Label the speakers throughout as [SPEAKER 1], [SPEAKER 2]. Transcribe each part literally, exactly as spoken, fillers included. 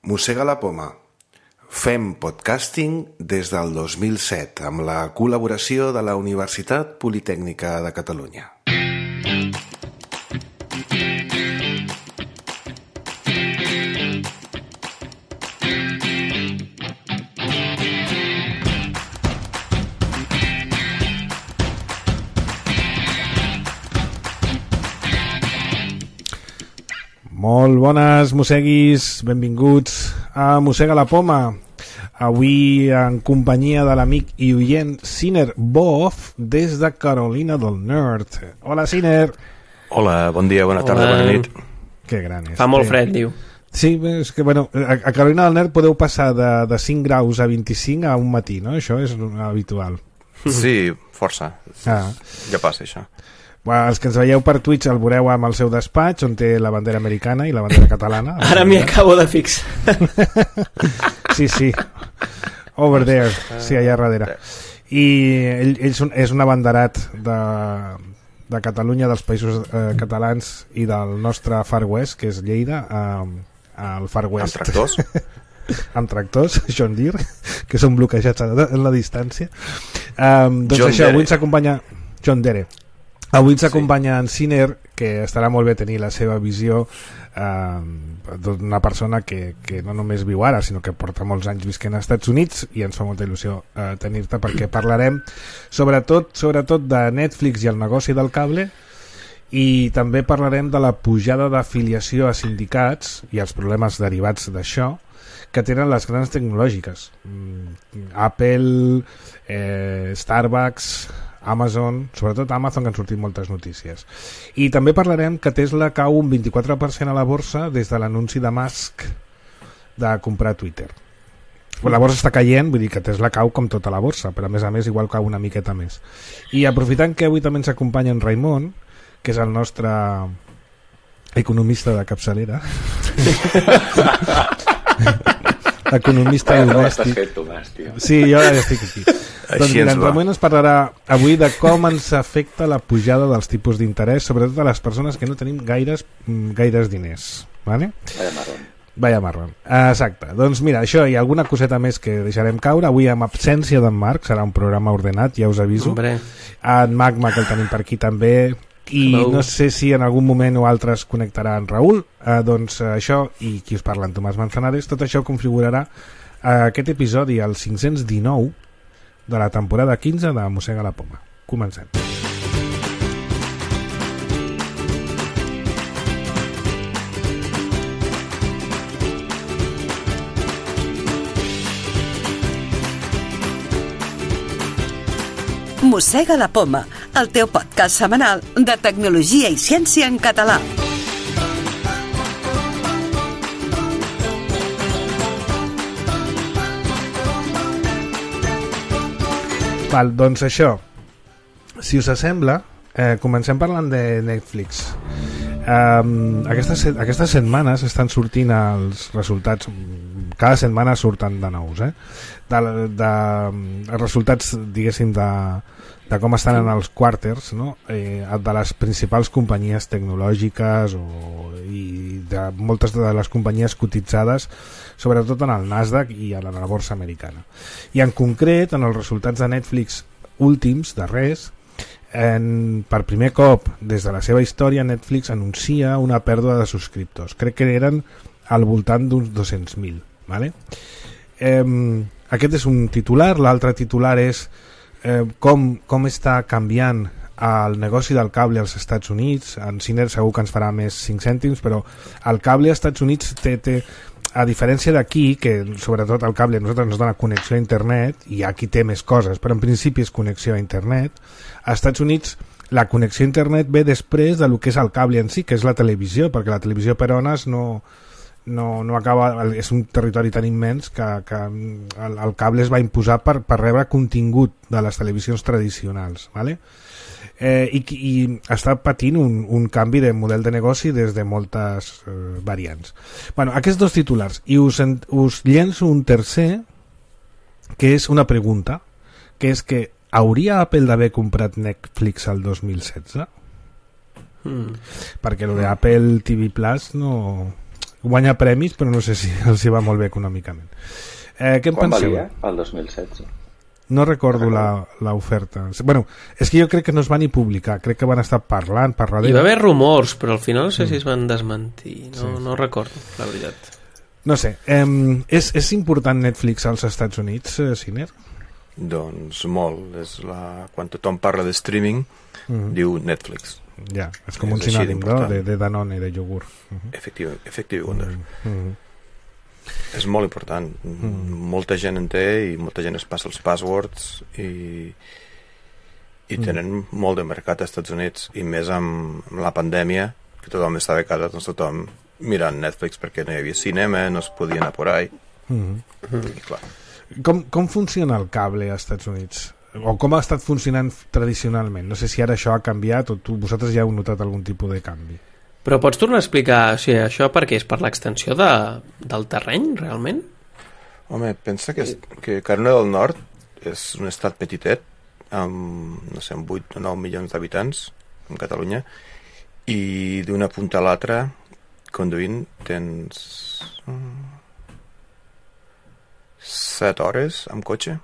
[SPEAKER 1] Mossega la poma. Fem podcasting des del dos mil set amb la col·laboració de la Universitat Politècnica de Catalunya.
[SPEAKER 2] Molt bones, mosseguis, benvinguts a Mossega la poma. Avui en companyia de l'amic i oient Siner Boff des de Carolina del Nord. Hola, Siner.
[SPEAKER 3] Hola, bon dia, bona tarda,
[SPEAKER 4] Hola.
[SPEAKER 3] bona nit.
[SPEAKER 2] Que gran és.
[SPEAKER 4] Fa molt fred, diu.
[SPEAKER 2] Sí, és que, bueno, a, a Carolina del Nord podeu passar de, de cinc graus a vint-i-cinc a un matí, no? Això és habitual.
[SPEAKER 3] Sí, força.
[SPEAKER 2] Ah.
[SPEAKER 3] Ja passa, això.
[SPEAKER 2] Bueno, els que ens veieu per Twitch el veureu amb el seu despatx on té la bandera americana i la bandera catalana.
[SPEAKER 4] Ara m'hi acabo de fixar.
[SPEAKER 2] Sí, sí. Over there, sí, allà darrere. I ell, ell és un, és un abanderat de, de Catalunya, dels països eh, catalans i del nostre Far West, que és Lleida, eh, al Far West.
[SPEAKER 3] Amb tractors?
[SPEAKER 2] Amb tractors, John Deere, que són bloquejats en la distància. Um, doncs
[SPEAKER 3] John
[SPEAKER 2] això,
[SPEAKER 3] Dere.
[SPEAKER 2] avui ens acompanya John Dere. Avui ens
[SPEAKER 3] Sí.
[SPEAKER 2] acompanya en Siner, que estarà molt bé tenir la seva visió eh, d'una persona que, que no només viu ara, sinó que porta molts anys visquent als Estats Units, i ens fa molta il·lusió eh, tenir-te, perquè parlarem sobretot, sobretot de Netflix i el negoci del cable, i també parlarem de la pujada d'afiliació a sindicats i els problemes derivats d'això que tenen les grans tecnològiques. Mm, Apple, eh, Starbucks, Amazon, sobretot Amazon, que han sortit moltes notícies. I també parlarem que Tesla cau un vint-i-quatre per cent a la borsa des de l'anunci de Musk de comprar Twitter. La borsa està caient, vull dir que Tesla cau com tota la borsa, però a més a més igual cau una miqueta més. I aprofitant que avui també ens acompanya en Raimon, que és el nostre economista de capçalera, economista domèstic. Sí, jo ara estic aquí. Doncs
[SPEAKER 3] Així
[SPEAKER 2] mira,
[SPEAKER 3] ens
[SPEAKER 2] en
[SPEAKER 3] va.
[SPEAKER 2] Ramon ens parlarà avui de com ens afecta la pujada dels tipus d'interès, sobretot a les persones que no tenim gaires, mm, gaires diners. Vale?
[SPEAKER 5] Vaya marrón.
[SPEAKER 2] Vaya marrón. Exacte. Doncs mira, això i alguna coseta més que deixarem caure. Avui amb absència d'en Marc, serà un programa ordenat, ja us aviso.
[SPEAKER 4] Hombre.
[SPEAKER 2] En Magma, que el tenim per aquí també, i
[SPEAKER 4] Hello.
[SPEAKER 2] no sé si en algun moment o altre es connectarà en Raül. Eh, doncs eh, això, i qui us parla, en Tomàs Manzanares, tot això configurarà eh, aquest episodi, el cinc-cents dinou de la temporada quinze de Mossega la poma. Comencem.
[SPEAKER 6] Mossega la poma, el teu podcast setmanal de tecnologia i ciència en català.
[SPEAKER 2] Val, doncs això, si us sembla, eh, comencem parlant de Netflix. Um, aquestes, set- aquestes setmanes estan sortint els resultats, cada setmana surten de nous, eh? de, de, els resultats, diguéssim, de, de com estan en els quarters, no? eh, de les principals companyies tecnològiques o, i de moltes de les companyies cotitzades, sobretot en el Nasdaq i a la, a la borsa americana. I en concret, en els resultats de Netflix últims, darrers, en, per primer cop des de la seva història, Netflix anuncia una pèrdua de subscriptors. Crec que eren al voltant d'uns dos-cents mil. Vale? Eh, aquest és un titular. L'altre titular és eh, com, com està canviant el negoci del cable als Estats Units. En Siner segur que ens farà més cinc cèntims, però el cable als Estats Units té, té a diferència d'aquí, que sobretot el cable a nosaltres ens dona connexió a internet, i aquí té més coses, però en principi és connexió a internet, als Estats Units la connexió a internet ve després de lo que és el cable en si, que és la televisió, perquè la televisió per ones no, no, no acaba, és un territori tan immens que, que el, el cable es va imposar per, per rebre contingut de les televisions tradicionals, ¿vale? Eh, i, i està patint un, un canvi de model de negoci des de moltes eh, variants. Bueno, aquests dos titulars, i us, en, us llenço un tercer, que és una pregunta, que és que hauria Apple d'haver comprat Netflix el dos mil setze?
[SPEAKER 4] Mm.
[SPEAKER 2] Perquè lo de Apple T V Plus no... guanya premis, però no sé si els hi va molt bé econòmicament. Eh, què en
[SPEAKER 5] Quan
[SPEAKER 2] penseu?
[SPEAKER 5] valia? El dos mil setze.
[SPEAKER 2] No recordo la- l'oferta. Bueno, és que jo crec que no es van ni publicar, crec que van estar parlant per
[SPEAKER 4] Hi
[SPEAKER 2] darrere.
[SPEAKER 4] va haver rumors, però al final no sé si es van desmentir. No, sí. no recordo, la veritat.
[SPEAKER 2] No sé, eh, és, és important Netflix als Estats Units, eh, Siner?
[SPEAKER 3] Doncs molt. És la... Quan tothom parla de streaming,
[SPEAKER 2] Mhm.
[SPEAKER 3] diu Netflix.
[SPEAKER 2] Ja, és com un
[SPEAKER 3] És així
[SPEAKER 2] sinònim, no?
[SPEAKER 3] d'important.
[SPEAKER 2] De, de Danone, de iogurt. Mhm.
[SPEAKER 3] Efectiu, efectiu Wonder.
[SPEAKER 2] Mhm.
[SPEAKER 3] És molt important. Molta gent en té i molta gent es passa els passwords i, i tenen molt de mercat als Estats Units, i més amb, amb la pandèmia, que tothom estava a casa, doncs tothom mirant Netflix perquè no hi havia cinema, no es podia anar por ahí.
[SPEAKER 2] Mhm.
[SPEAKER 3] I clar,
[SPEAKER 2] Com, com funciona el cable als Estats Units? O com ha estat funcionant tradicionalment? No sé si ara això ha canviat o tu, vosaltres ja heu notat algun tipus de canvi.
[SPEAKER 4] Però pots tornar a explicar, o sigui, això per què és? Per l'extensió de, del terreny, realment?
[SPEAKER 3] home, pensa que, és, que Carolina del Nord és un estat petitet, amb, no sé, amb vuit o nou milions d'habitants, com Catalunya, i d'una punta a l'altra, conduint, tens set hores amb cotxe.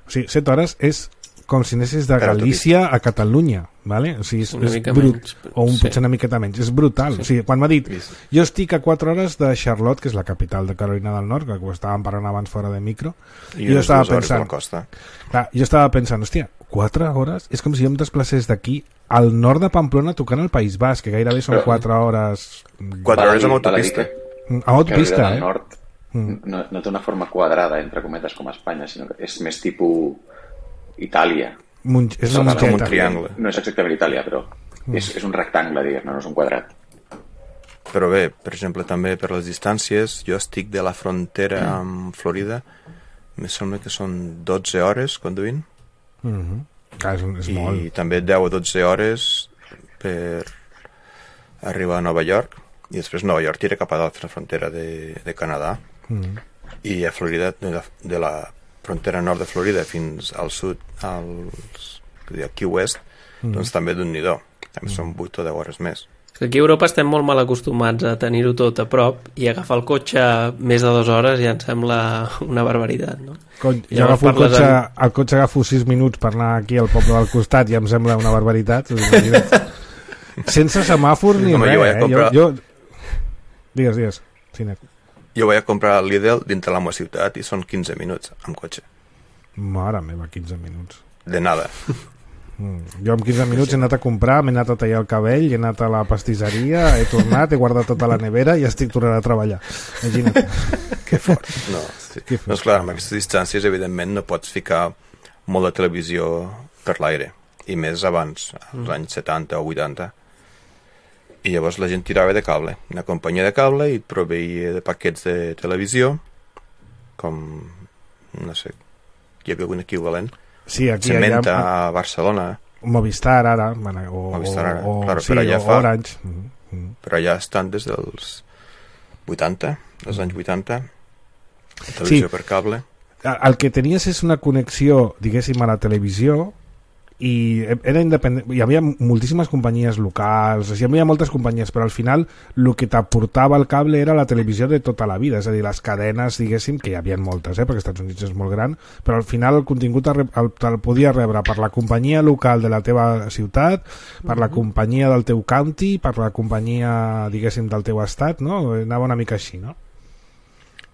[SPEAKER 2] O sigui, set hores és com si anessis de
[SPEAKER 3] Per
[SPEAKER 2] Galícia a Catalunya, ¿vale? O sigui, és,
[SPEAKER 4] Una
[SPEAKER 2] és
[SPEAKER 4] mica
[SPEAKER 2] brut,
[SPEAKER 4] menys, però-
[SPEAKER 2] o un,
[SPEAKER 4] sí.
[SPEAKER 2] potser una miqueta menys, és brutal. O sigui, quan m'ha dit,
[SPEAKER 3] Vist.
[SPEAKER 2] jo estic a quatre hores de Charlotte, que és la capital de Carolina del Nord, que ho estàvem parlant abans fora de micro,
[SPEAKER 3] I
[SPEAKER 2] jo
[SPEAKER 3] unes
[SPEAKER 2] estava
[SPEAKER 3] dues hores de
[SPEAKER 2] pensant,
[SPEAKER 3] la costa.
[SPEAKER 2] clar, jo estava pensant, hòstia, quatre hores? És com si jo em desplacés d'aquí al nord de Pamplona tocant el País Basc, que gairebé són
[SPEAKER 5] Però-
[SPEAKER 2] quatre hores...
[SPEAKER 3] Quatre
[SPEAKER 5] Val a
[SPEAKER 3] hores
[SPEAKER 5] dir-
[SPEAKER 3] amb
[SPEAKER 5] val a dir
[SPEAKER 3] autopista.
[SPEAKER 5] que
[SPEAKER 2] A autopista,
[SPEAKER 5] Carolina del
[SPEAKER 2] eh?
[SPEAKER 5] Nord no, no té una forma quadrada, entre cometes, com a Espanya, sinó que és més tipus Itàlia.
[SPEAKER 2] Mun és
[SPEAKER 3] Com
[SPEAKER 2] una
[SPEAKER 3] un
[SPEAKER 2] mongeta.
[SPEAKER 3] triangle.
[SPEAKER 5] No és exactament Itàlia, però és, és un rectangle, diguem-ne, no és un quadrat.
[SPEAKER 3] Però bé, per exemple, també per les distàncies, jo estic de la frontera amb Florida, em sembla que són dotze hores conduint,
[SPEAKER 2] Mhm. Clar, és, és
[SPEAKER 3] i
[SPEAKER 2] molt.
[SPEAKER 3] també deu o dotze hores per arribar a Nova York, i després Nova York tira cap a l'altra frontera de, de Canadà,
[SPEAKER 2] Mhm.
[SPEAKER 3] i a Florida, de la, de la frontera nord de Florida fins al sud, als, Key West, doncs també d'un nidó. També són vuit o deu hores més.
[SPEAKER 4] Que aquí a Europa estem molt mal acostumats a tenir-ho tot a prop i agafar el cotxe més de dues hores ja em sembla una barbaritat, no?
[SPEAKER 2] Cony, jo
[SPEAKER 4] Llavors
[SPEAKER 2] agafo el
[SPEAKER 4] parles
[SPEAKER 2] cotxe,
[SPEAKER 4] en-
[SPEAKER 2] el cotxe agafo sis minuts per anar aquí al poble del costat i em sembla una barbaritat. us ho imagina't. Sense semàfor ni
[SPEAKER 3] Home,
[SPEAKER 2] res,
[SPEAKER 3] jo vaig
[SPEAKER 2] eh?
[SPEAKER 3] comprar-
[SPEAKER 2] Jo, jo... Digues, digues. Cine.
[SPEAKER 3] Jo vaig a comprar al Lidl dintre la meva ciutat i són quinze minuts amb cotxe.
[SPEAKER 2] Mare meva, quinze minuts.
[SPEAKER 3] De nada.
[SPEAKER 2] Mm. Jo en quinze minuts he anat a comprar, m'he anat a tallar el cabell, he anat a la pastisseria, he tornat, he guardat tota la nevera i estic tornant a treballar. Imagina't.
[SPEAKER 3] Que fort. No, sí.
[SPEAKER 2] Que fort.
[SPEAKER 3] Doncs clar, amb aquestes distàncies, evidentment, no pots ficar molt de televisió per l'aire. I més abans, als anys setanta o vuitanta. I llavors la gent tirava de cable. Una companyia de cable i et proveïa de paquets de televisió, com, no sé, hi havia algun equivalent.
[SPEAKER 2] Sí, aquí
[SPEAKER 3] Cementa
[SPEAKER 2] allà...
[SPEAKER 3] a Barcelona,
[SPEAKER 2] Movistar ara, bueno, o,
[SPEAKER 3] Movistar ara,
[SPEAKER 2] o,
[SPEAKER 3] claro,
[SPEAKER 2] sí,
[SPEAKER 3] però allà
[SPEAKER 2] o
[SPEAKER 3] fa-
[SPEAKER 2] Orange. Mm, mm.
[SPEAKER 3] però allà estan des dels vuitanta, dels anys vuitanta, televisió
[SPEAKER 2] Sí.
[SPEAKER 3] per cable.
[SPEAKER 2] El que tenies és una connexió, diguéssim, a la televisió i era independent, hi havia moltíssimes companyies locals, hi havia moltes companyies, però al final el que t'aportava el cable era la televisió de tota la vida, és a dir, les cadenes, diguéssim, que hi havia moltes, eh, perquè els Estats Units és molt gran, però al final el contingut el, el, el podia rebre per la companyia local de la teva ciutat, per la companyia del teu county, per la companyia, diguéssim, del teu estat, no? Anava una mica així, no?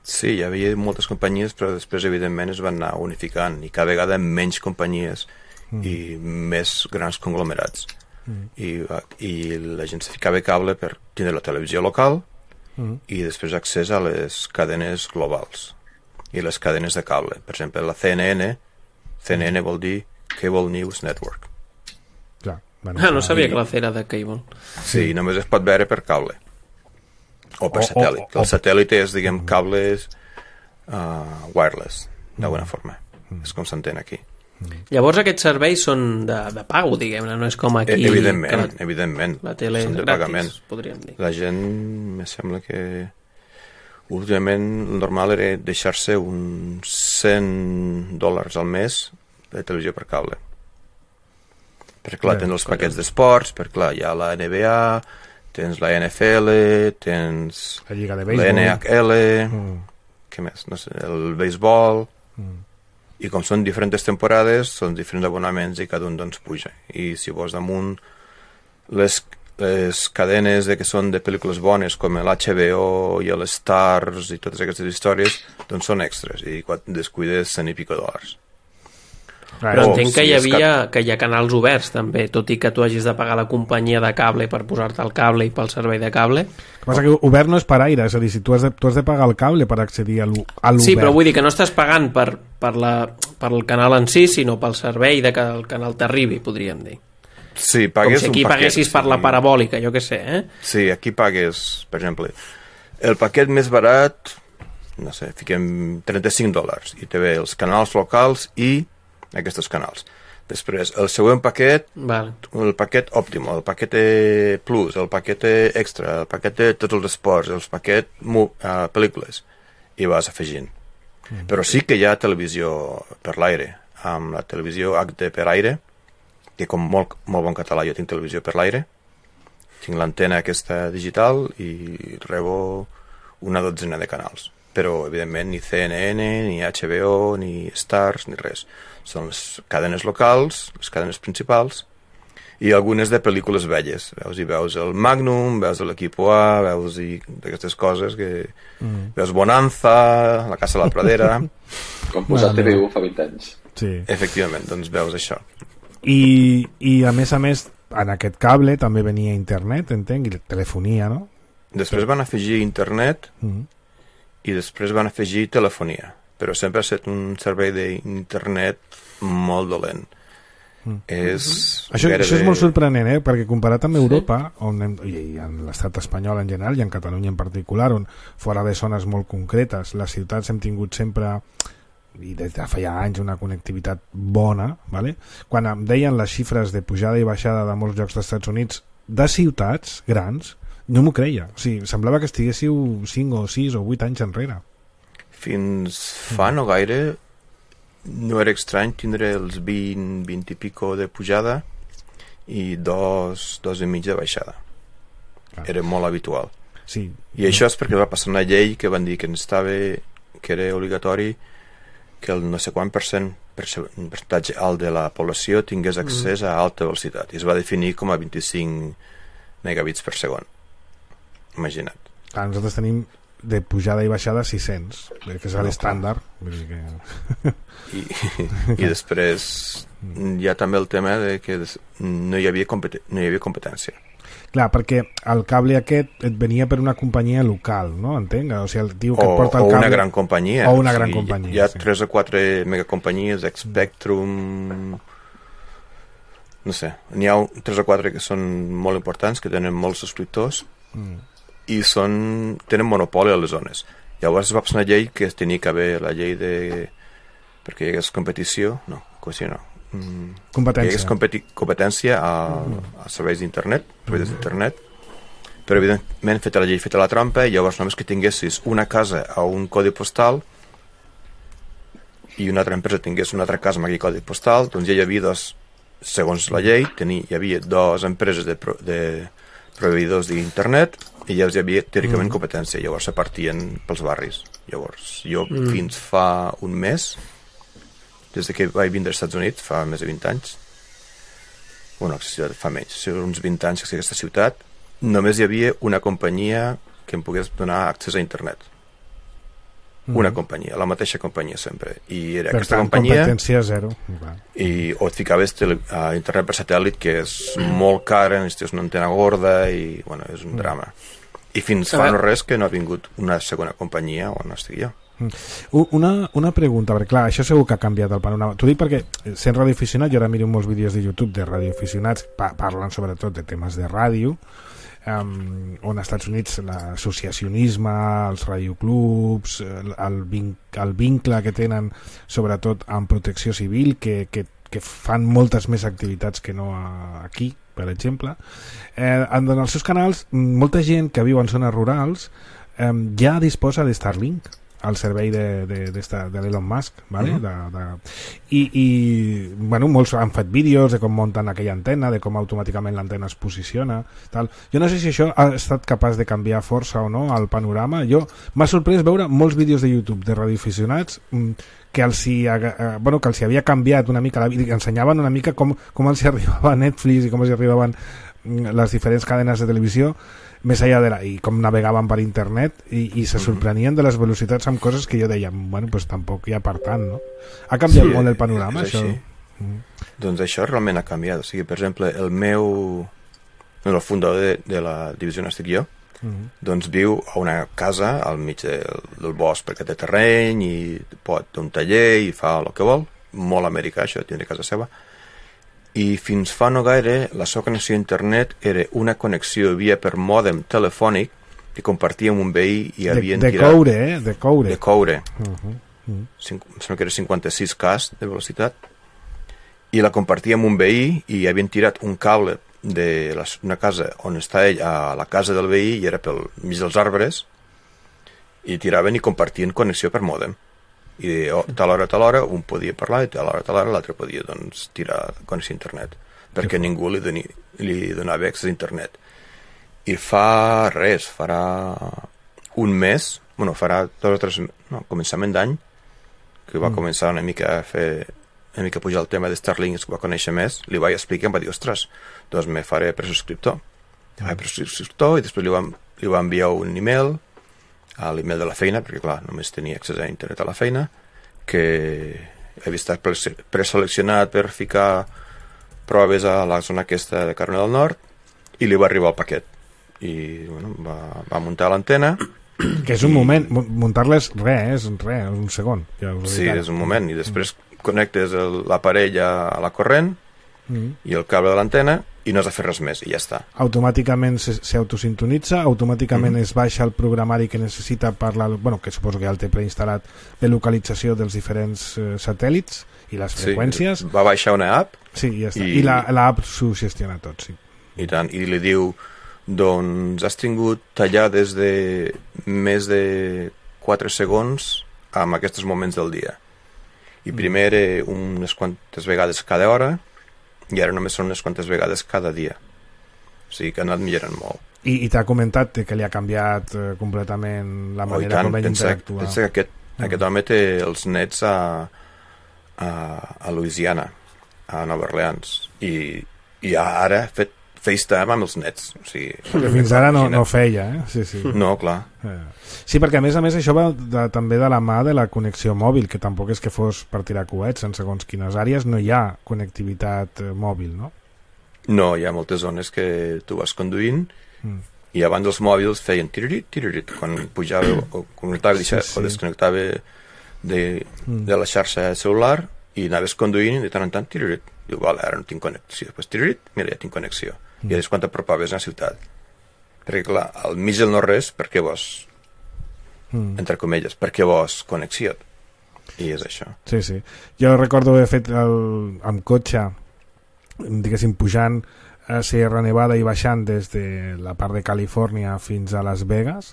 [SPEAKER 3] Sí, hi havia moltes companyies, però després, evidentment, es van anar unificant, i cada vegada menys companyies mm. i més grans conglomerats. Mm. I, I la gent se ficava cable per tindre la televisió local mm. i després accés a les cadenes globals i les cadenes de cable. Per exemple, la C N N, C N N vol dir Cable News Network.
[SPEAKER 2] Clar, bueno,
[SPEAKER 4] Ah, no
[SPEAKER 2] clar.
[SPEAKER 4] sabia que la fe era de cable.
[SPEAKER 3] Sí, només es pot veure per cable. O per
[SPEAKER 2] O- o-
[SPEAKER 3] satèl·lit.
[SPEAKER 2] o-
[SPEAKER 3] El satèl·lit és, diguem, cables uh, wireless, d'alguna forma. És com s'entén aquí.
[SPEAKER 4] Llavors aquests serveis són de, de pago, diguem-ne, no és com aquí...
[SPEAKER 3] E evidentment,
[SPEAKER 4] que la,
[SPEAKER 3] evidentment.
[SPEAKER 4] la tele és
[SPEAKER 3] Són de
[SPEAKER 4] gratis,
[SPEAKER 3] pagament.
[SPEAKER 4] podríem dir.
[SPEAKER 3] La gent, me sembla que últimament el normal era deixar-se uns cent dòlars al mes de televisió per cable. Perquè clar,
[SPEAKER 2] Bé,
[SPEAKER 3] tenen els paquets d'esports, perquè clar, hi ha la N B A, tens la N F L, tens
[SPEAKER 2] la Lliga de
[SPEAKER 3] la
[SPEAKER 2] Béisbol,
[SPEAKER 3] N H L,
[SPEAKER 2] mm.
[SPEAKER 3] què més? No sé, el béisbol,
[SPEAKER 2] mm.
[SPEAKER 3] i com són diferents temporades, són diferents abonaments i cada un doncs puja. I si vols damunt les, les cadenes de que són de pel·lícules bones, com l'H B O i l'Stars i totes aquestes històries, doncs són extras, i quan descuides cent i pico dòlars.
[SPEAKER 4] Però
[SPEAKER 3] Oh,
[SPEAKER 4] entenc que
[SPEAKER 3] sí,
[SPEAKER 4] hi
[SPEAKER 3] és
[SPEAKER 4] havia que hi ha canals oberts també, tot i que tu hagis de pagar la companyia de cable per posar-te el cable i pel servei de cable.
[SPEAKER 2] El que passa que obert no és per aire, és a dir, si tu has de, tu has de pagar el cable per accedir a l'obert.
[SPEAKER 4] Sí, però vull dir que no estàs pagant per, per, la, per el canal en si, sinó pel servei de que el canal t'arribi, podríem dir.
[SPEAKER 3] Sí,
[SPEAKER 4] Com
[SPEAKER 3] pagues
[SPEAKER 4] si aquí
[SPEAKER 3] un paquet,
[SPEAKER 4] paguessis per
[SPEAKER 3] sí.
[SPEAKER 4] la parabòlica, jo què sé, eh?
[SPEAKER 3] Sí, aquí pagues, per exemple, el paquet més barat, no sé, fiquem trenta-cinc dòlars, i te ve els canals locals i aquests canals. Després, el següent paquet,
[SPEAKER 4] Vale.
[SPEAKER 3] el paquet òptim, el paquet plus, el paquet extra, el paquet de tots els esports, el paquet uh, pel·lícules, i vas afegint. Mm. Però sí que hi ha televisió per l'aire, amb la televisió H D per aire, que com molt, molt bon català jo tinc televisió per l'aire, tinc l'antena aquesta digital i rebo una dotzena de canals. Però, evidentment, ni C N N, ni H B O, ni Stars, ni res. Són les cadenes locals, les cadenes principals, i algunes de pel·lícules velles. Veus, i veus el Magnum, veus l'Equipo A, veus i aquestes coses que... Mm. Veus Bonanza, La Casa de la Pradera...
[SPEAKER 5] Com posar T V U fa vint anys.
[SPEAKER 2] Sí.
[SPEAKER 3] Efectivament, doncs veus això.
[SPEAKER 2] I, I, a més a més, en aquest cable també venia internet, entenc, i telefonia, no?
[SPEAKER 3] Després van afegir internet...
[SPEAKER 2] Mm.
[SPEAKER 3] i després van afegir telefonia, però sempre ha estat un servei d'internet molt dolent. Mm. És
[SPEAKER 2] això,
[SPEAKER 3] gairebé...
[SPEAKER 2] això és molt sorprenent, eh? Perquè comparat amb Europa, sí. on hem, i en l'estat espanyol en general i en Catalunya en particular, on fora de zones molt concretes, les ciutats hem tingut sempre, i des de feia anys, una connectivitat bona, vale? Quan em deien les xifres de pujada i baixada de molts llocs dels Estats Units, de ciutats grans, no m'ho creia. O sigui, semblava que estiguéssiu cinc o sis o vuit anys enrere.
[SPEAKER 3] Fins fa no gaire no era estrany tindre els vint, vint i pico de pujada i dos, dos i mig de baixada. Clar. Era molt habitual.
[SPEAKER 2] Sí.
[SPEAKER 3] I això és perquè va passar una llei que van dir que estava, que era obligatori que el no sé quant per cent, percentatge alt de la població tingués accés a alta velocitat. I es va definir com a vint-i-cinc megabits per segon. Imagina't.
[SPEAKER 2] Clar, nosaltres tenim de pujada i baixada sis-cents, que és l'estàndard. Que...
[SPEAKER 3] I, I després hi ha també el tema de que no hi havia, competen no hi havia competència.
[SPEAKER 2] Clar, perquè el cable aquest et venia per una companyia local, no? Entenc? O sigui, el tio que
[SPEAKER 3] o,
[SPEAKER 2] et porta el
[SPEAKER 3] o
[SPEAKER 2] cable...
[SPEAKER 3] una gran companyia.
[SPEAKER 2] O una
[SPEAKER 3] o sigui,
[SPEAKER 2] gran companyia,
[SPEAKER 3] hi ha
[SPEAKER 2] sí.
[SPEAKER 3] tres o quatre megacompanyies, Spectrum... No sé, n'hi ha tres o quatre que són molt importants, que tenen molts subscriptors, mm. i són, tenen monopoli a les zones. Llavors es va passar una llei que tenia que haver la llei de... perquè hi hagués competició, no, competició no, mm,
[SPEAKER 2] competència.
[SPEAKER 3] Hi hagués competi competència a, a serveis d'internet, serveis d'internet, però evidentment feta la llei, feta la trampa, i llavors només que tinguessis una casa a un codi postal i una altra empresa tingués una altra casa amb aquell codi postal, doncs ja hi havia dos, segons la llei, tenia, hi havia dues empreses de, pro, de proveïdors d'internet i ja hi havia teòricament mm. competència, llavors se partien pels barris. Llavors jo mm. fins fa un mes, des de que vaig vindre als Estats Units, fa més de vint anys, bueno, fa menys, uns vint anys que aquesta ciutat, només hi havia una companyia que em pogués donar accés a internet. Mm. Una companyia, la mateixa companyia sempre. I era
[SPEAKER 2] per
[SPEAKER 3] aquesta
[SPEAKER 2] tant,
[SPEAKER 3] companyia...
[SPEAKER 2] competència zero.
[SPEAKER 3] I, o et ficaves tele, a internet per satèl·lit, que és mm. molt cara, necessites una antena gorda i, bueno, és un mm. drama. I fins fa no res que no ha vingut una segona companyia on estigui jo.
[SPEAKER 2] Una, una pregunta, perquè clar, això segur que ha canviat el panorama. T'ho dic perquè, sent radioaficionat, jo ara miro molts vídeos de YouTube de radioaficionats, pa parlen sobretot de temes de ràdio, um, on als Estats Units l'associacionisme, els radioclubs, el, el, vin el vincle que tenen sobretot amb protecció civil, que, que, que fan moltes més activitats que no a, aquí, per exemple. Eh, en els seus canals, molta gent que viu en zones rurals eh, ja disposa de Starlink. al servei de, de, de, de l'Elon Musk, ¿vale?
[SPEAKER 3] Uh-huh.
[SPEAKER 2] de, de... I, i bueno, molts han fet vídeos de com munten aquella antena, de com automàticament l'antena es posiciona, tal. Jo no sé si això ha estat capaç de canviar força o no el panorama. Jo m'ha sorprès veure molts vídeos de YouTube de radioaficionats que els hi, eh, bueno, que els hi havia canviat una mica la vida, que ensenyaven una mica com, com els hi arribava Netflix i com els hi arribaven les diferents cadenes de televisió més allà de la, i com navegaven per internet i, i se sorprenien de les velocitats amb coses que jo deia, bueno, pues tampoc hi ha per tant, no? Ha canviat sí, molt el panorama, això? Mm.
[SPEAKER 3] Doncs això realment ha canviat. O sigui, per exemple, el meu... el fundador de, de la divisió on estic jo, mm. doncs viu a una casa al mig del, del bosc perquè té terreny i pot un taller i fa el que vol. Molt americà, això, tindre casa seva. I fins fa no gaire la seva connexió a internet era una connexió via per mòdem telefònic que compartia amb un veí i havien
[SPEAKER 2] de, de
[SPEAKER 3] tirat...
[SPEAKER 2] coure, eh? De coure.
[SPEAKER 3] De coure.
[SPEAKER 2] Uh-huh. Uh-huh.
[SPEAKER 3] Cinc, sembla que era cinquanta-sis Ks de velocitat. I la compartia amb un veí i havien tirat un cable de la, una casa on està ell a la casa del veí i era pel mig dels arbres i tiraven i compartien connexió per mòdem. I de oh, tal hora a tal hora un podia parlar i tal hora a tal hora l'altre podia doncs, tirar connexió a internet perquè ningú li, doni, li donava accés a internet. I fa res, farà un mes, bueno, farà dos o tres, no, començament d'any que va mm. començar una mica a fer una mica a pujar el tema de Starlink, que va conèixer més, li vaig explicar i em va dir, ostres, doncs me faré presubscriptor. Mm. Vaig presubscriptor i després li va, li va enviar un email a l'email de la feina, perquè clar, només tenia accés a internet a la feina, que havia estat preseleccionat per ficar proves a la zona aquesta de Carolina del Nord i li va arribar el paquet i bueno, va, va muntar l'antena
[SPEAKER 2] que és un i... moment, muntar-les res, és res, un segon ja
[SPEAKER 3] sí, és un moment, i després mm. connectes l'aparell a la corrent mm. i el cable de l'antena i no has de fer res més, i ja està.
[SPEAKER 2] Automàticament s'autosintonitza, automàticament mm-hmm. es baixa el programari que necessita per la, bueno, que suposo que ja el té preinstal·lat, de localització dels diferents eh, satèl·lits i les freqüències.
[SPEAKER 3] Sí, va baixar una app
[SPEAKER 2] sí, ja està. I, i l'app s'ho gestiona tot, sí.
[SPEAKER 3] I tant, i li diu, doncs has tingut tallades de més de quatre segons amb aquests moments del dia. I primer era unes quantes vegades cada hora i ara només són unes quantes vegades cada dia. O sigui que ha anat millorant molt.
[SPEAKER 2] I, i t'ha comentat que li ha canviat eh, completament la manera
[SPEAKER 3] oh,
[SPEAKER 2] com ell interactua.
[SPEAKER 3] Pensa que aquest, mm. aquest home té els nets a, a, a Louisiana, a Nova Orleans, i, i ara ha fet FaceTime amb els nets. O sigui,
[SPEAKER 2] perquè fins ara no, no feia, eh? Sí, sí.
[SPEAKER 3] No, clar.
[SPEAKER 2] Sí, perquè a més a més això va de, també de la mà de la connexió mòbil, que tampoc és que fos per tirar coets, en segons quines àrees no hi ha connectivitat eh, mòbil, no?
[SPEAKER 3] No, hi ha moltes zones que tu vas conduint mm. i abans els mòbils feien tiririt, tiririt, quan pujava o connectava sí, sí. o desconnectava de, mm. de la xarxa celular i anaves conduint i de tant en tant tiririt. Diu, vale, ara no tinc connexió. Després tiririt, mira, ja tinc connexió. Mm. I és quan t'apropaves a la ciutat. Perquè, clar, al mig del no-res, per què vols, mm. entre comelles, per què vols connexió? I és això.
[SPEAKER 2] Sí, sí. Jo recordo haver fet el, amb cotxe, diguéssim, pujant a Sierra Nevada i baixant des de la part de Califòrnia fins a Las Vegas,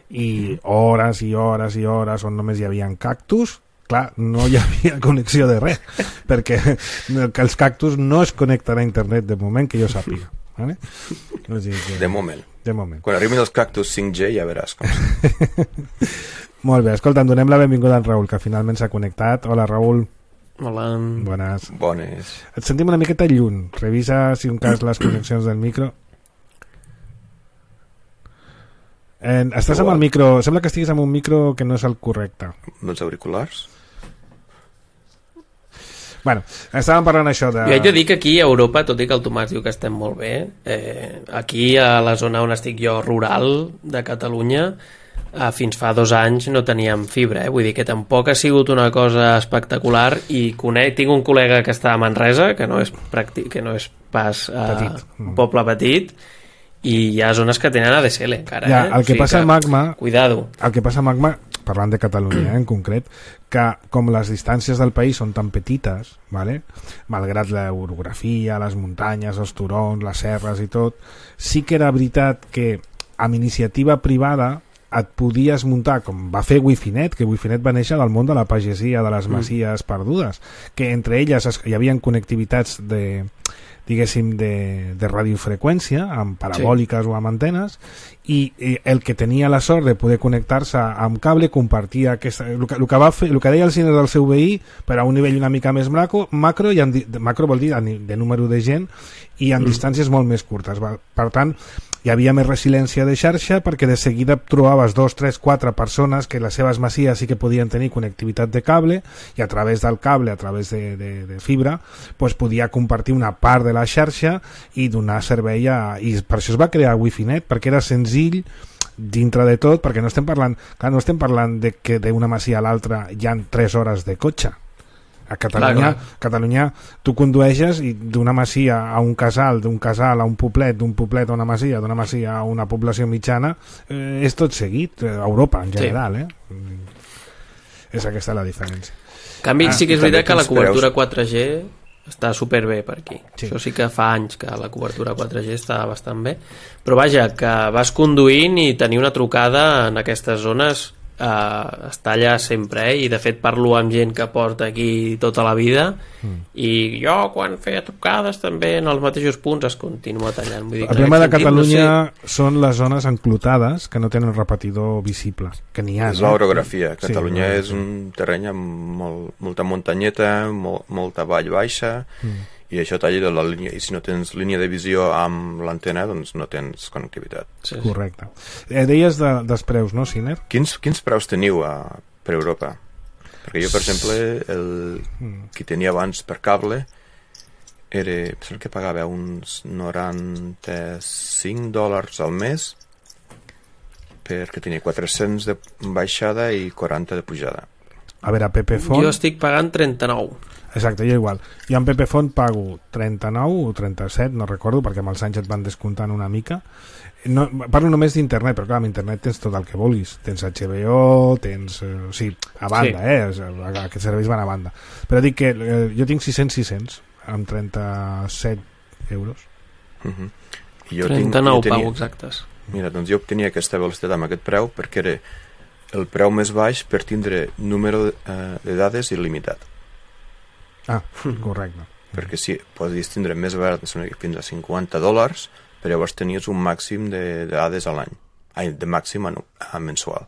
[SPEAKER 2] i hores i hores i hores on només hi havia cactus. Clar, no hi havia connexió de res, perquè que els cactus no es connecten a internet de moment que jo sàpiga. Vale? No que...
[SPEAKER 3] De moment.
[SPEAKER 2] De moment.
[SPEAKER 3] Quan arribin els cactus cinc G ja veràs com
[SPEAKER 2] Molt bé, escolta, donem la benvinguda a en Raül, que finalment s'ha connectat. Hola, Raül.
[SPEAKER 4] Hola.
[SPEAKER 2] Bones.
[SPEAKER 3] Bones.
[SPEAKER 2] Et sentim una miqueta lluny. Revisa, si un cas, les connexions del micro. Eh, estàs amb el micro... Sembla que estiguis amb un micro que no és el correcte.
[SPEAKER 3] Amb els auriculars?
[SPEAKER 2] Bueno, estàvem parlant això de...
[SPEAKER 4] Jo haig de dir que aquí a Europa, tot i que el Tomàs diu que estem molt bé, eh, aquí a la zona on estic jo, rural de Catalunya, eh, fins fa dos anys no teníem fibra, eh? Vull dir que tampoc ha sigut una cosa espectacular i conec, tinc un col·lega que està a Manresa, que no és, pràctic, que no és pas eh, petit. un poble petit, i hi ha zones que tenen A D S L encara.
[SPEAKER 2] Ja,
[SPEAKER 4] eh?
[SPEAKER 2] el que o sigui passa a Magma...
[SPEAKER 4] Cuidado.
[SPEAKER 2] El que passa a Magma, parlant de Catalunya eh, en concret, que com les distàncies del país són tan petites, ¿vale? Malgrat l'orografia, les muntanyes, els turons, les serres i tot, sí que era veritat que amb iniciativa privada et podies muntar, com va fer Wifinet, que Wifinet va néixer del món de la pagesia, de les masies mm. perdudes, que entre elles es, hi havia connectivitats de diguéssim, de, de radiofreqüència, amb parabòliques sí. o amb antenes, i, i el que tenia la sort de poder connectar-se amb cable compartia aquesta, el, que, el, que va fer, el que deia el cine del seu veí, però a un nivell una mica més macro, macro, i en, macro vol dir de número de gent, i en mm. distàncies molt més curtes. Per tant, hi havia més resiliència de xarxa perquè de seguida trobaves dos, tres, quatre persones que les seves masies sí que podien tenir connectivitat de cable i a través del cable, a través de, de, de fibra, pues podia compartir una part de la xarxa i donar servei a... I per això es va crear Wifinet, perquè era senzill dintre de tot, perquè no estem parlant, clar, no estem parlant de que d'una masia a l'altra hi ha tres hores de cotxe. A Catalunya, clar, clar. Catalunya tu condueixes i d'una masia a un casal, d'un casal a un poblet, d'un poblet a una masia, d'una masia a una població mitjana, eh, és tot seguit, a Europa en general, sí. eh? És aquesta la diferència.
[SPEAKER 4] En canvi, ah, sí que és veritat que la cobertura quatre G està superbé per aquí. Sí. Això sí que fa anys que la cobertura quatre G està bastant bé. Però vaja, que vas conduint i tenir una trucada en aquestes zones Uh, està allà sempre, eh? I de fet parlo amb gent que porta aquí tota la vida mm. i jo quan feia trucades també en els mateixos punts es continua tallant. Vull dir,
[SPEAKER 2] el problema de Catalunya no sé... són les zones enclotades que no tenen repetidor visible, que n'hi ha.
[SPEAKER 3] És l'orografia. Eh? Catalunya sí, és un terreny amb molt, molta muntanyeta, molt, molta vall baixa mm. i això talla de la línia, i si no tens línia de visió amb l'antena, doncs no tens connectivitat.
[SPEAKER 2] Sí, correcte. Eh, deies de, dels preus, no, Siner?
[SPEAKER 3] Quins, quins preus teniu a, per Europa? Perquè jo, per exemple, el que tenia abans per cable era, el que pagava uns noranta-cinc dòlars al mes perquè tenia quatre-cents de baixada i quaranta de pujada.
[SPEAKER 2] A veure, a Pepefon...
[SPEAKER 4] Jo estic pagant trenta-nou.
[SPEAKER 2] Exacte, jo igual. Jo en Pepefon pago trenta-nou o trenta-set, no recordo, perquè amb els anys et van descomptant una mica. No, parlo només d'internet, però clar, amb internet tens tot el que vulguis. Tens H B O, tens... Eh, o sigui, a banda, sí. eh? Aquests serveis van a banda. Però dic que eh, jo tinc sis-cents sis-cents, amb trenta-set euros.
[SPEAKER 3] Uh-huh. I jo
[SPEAKER 4] trenta-nou
[SPEAKER 3] tinc, jo tenia,
[SPEAKER 4] pago exactes.
[SPEAKER 3] Mira, doncs jo obtenia aquesta velocitat amb aquest preu perquè era el preu més baix per tindre número eh, de dades il·limitat.
[SPEAKER 2] Ah, correcte.
[SPEAKER 3] Perquè si podies tindre més barat, fins a cinquanta dòlars, però llavors tenies un màxim de, de dades a l'any. Ai, de màxim a, a mensual.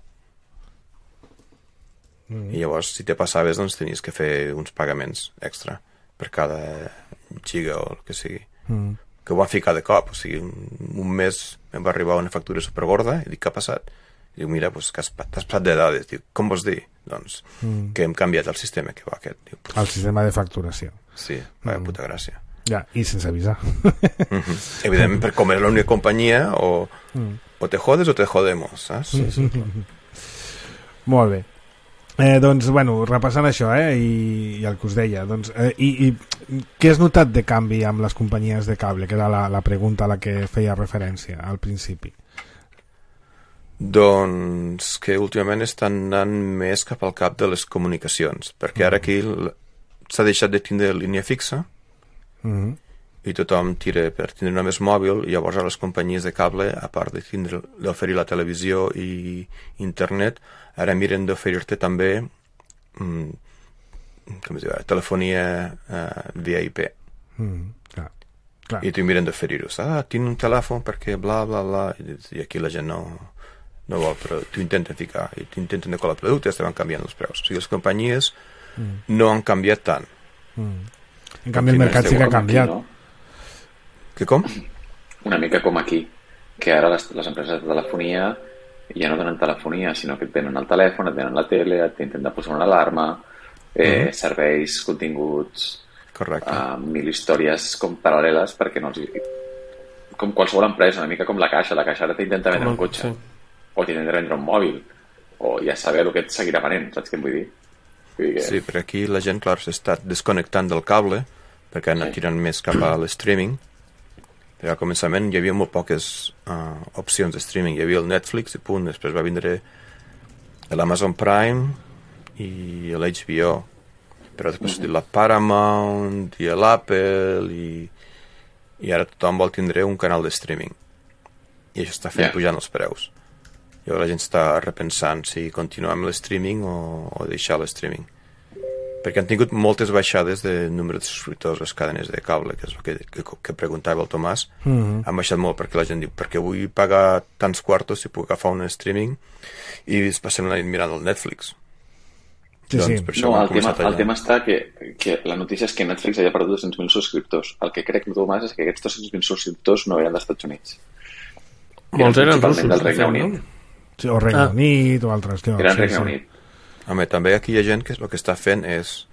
[SPEAKER 3] Mm. I llavors, si te passaves, doncs tenies que fer uns pagaments extra per cada giga o el que sigui. Mm. Que ho va ficar de cop. O sigui, un, un mes em va arribar una factura supergorda i dic, què ha passat? Diu, mira, pues, que has, t'has passat de dades. Diu, com vols dir? Doncs mm. que hem canviat el sistema que va aquest. Diu, pues,
[SPEAKER 2] el sistema de facturació.
[SPEAKER 3] Sí, vaya mm. puta gràcia.
[SPEAKER 2] Ja, i sense avisar.
[SPEAKER 3] Mm-hmm. Evidentment, per com era l'única companyia, o, mm. o te jodes o te jodemos, saps? Sí, sí.
[SPEAKER 2] Molt bé. Eh, doncs, bueno, repassant això, eh, i, i el que us deia, doncs, eh, i, i què has notat de canvi amb les companyies de cable, que era la, la pregunta a la que feia referència al principi?
[SPEAKER 3] Doncs que últimament estan anant més cap al cap de les comunicacions, perquè ara aquí s'ha deixat de tindre línia fixa mm-hmm. i tothom tira per tindre només mòbil, i llavors a les companyies de cable, a part de tindre d'oferir la televisió i internet, ara miren d'oferir-te també mm, com es diu, telefonia uh, via I P. Mm, clar, clar. I t'ho miren d'oferir-ho. Ah, tinc un telèfon perquè bla, bla, bla, i aquí la gent no... no vol, però t'ho intenten ficar i t'intenten de colar productes, te van canviant els preus. O sigui, les companyies mm. no han canviat tant.
[SPEAKER 2] Mm. En canvi, el mercat sí que ha canviat.
[SPEAKER 5] Aquí, no?
[SPEAKER 3] Que com?
[SPEAKER 5] Una mica com aquí, que ara les, les empreses de telefonia ja no donen telefonia, sinó que et venen el telèfon, et venen la tele, et intenten posar una alarma, eh, mm. serveis, continguts,
[SPEAKER 3] correcte.
[SPEAKER 5] Uh, mil històries com paral·leles perquè no els... Com qualsevol empresa, una mica com la Caixa. La Caixa ara t'intenta vendre un cotxe. Sí. O t'intenta vendre un mòbil, o ja saber el que et seguirà venent, saps què em vull dir? Vull dir que...
[SPEAKER 3] Sí, però aquí la gent, clar, s'està desconnectant del cable, perquè han anat sí. tirant més cap a l'streaming. Al començament hi havia molt poques uh, opcions de streaming. Hi havia el Netflix i punt, després va vindre l'Amazon Prime i l'H B O, però després mm-hmm. la Paramount i l'Apple i, i ara tothom vol tindre un canal de streaming, i això està fent yeah. pujant els preus. Llavors la gent està repensant si continuar amb l'streaming o, o deixar l'streaming. Perquè han tingut moltes baixades de número de subscriptors a les cadenes de cable, que és el que, que, que preguntava el Tomàs. Mm-hmm. Han baixat molt perquè la gent diu, perquè vull pagar tants quartos si puc agafar un streaming i es passem la nit mirant el Netflix.
[SPEAKER 2] Sí,
[SPEAKER 3] doncs,
[SPEAKER 2] sí.
[SPEAKER 3] per això
[SPEAKER 5] no, el, tema,
[SPEAKER 3] allà.
[SPEAKER 5] el tema està que, que la notícia és que Netflix havia perdut dos-cents mil subscriptors. El que crec, Tomàs, és que aquests dos-cents mil subscriptors no eren dels Estats Units.
[SPEAKER 4] Molts eren russos,
[SPEAKER 5] del Regne Unit.
[SPEAKER 2] No? Sí, o Regne
[SPEAKER 4] Ah.
[SPEAKER 2] Unit o altres llocs.
[SPEAKER 5] Eren
[SPEAKER 2] Sí,
[SPEAKER 5] Regne
[SPEAKER 2] sí.
[SPEAKER 5] Unit.
[SPEAKER 3] Home, també aquí hi ha gent que el que està fent és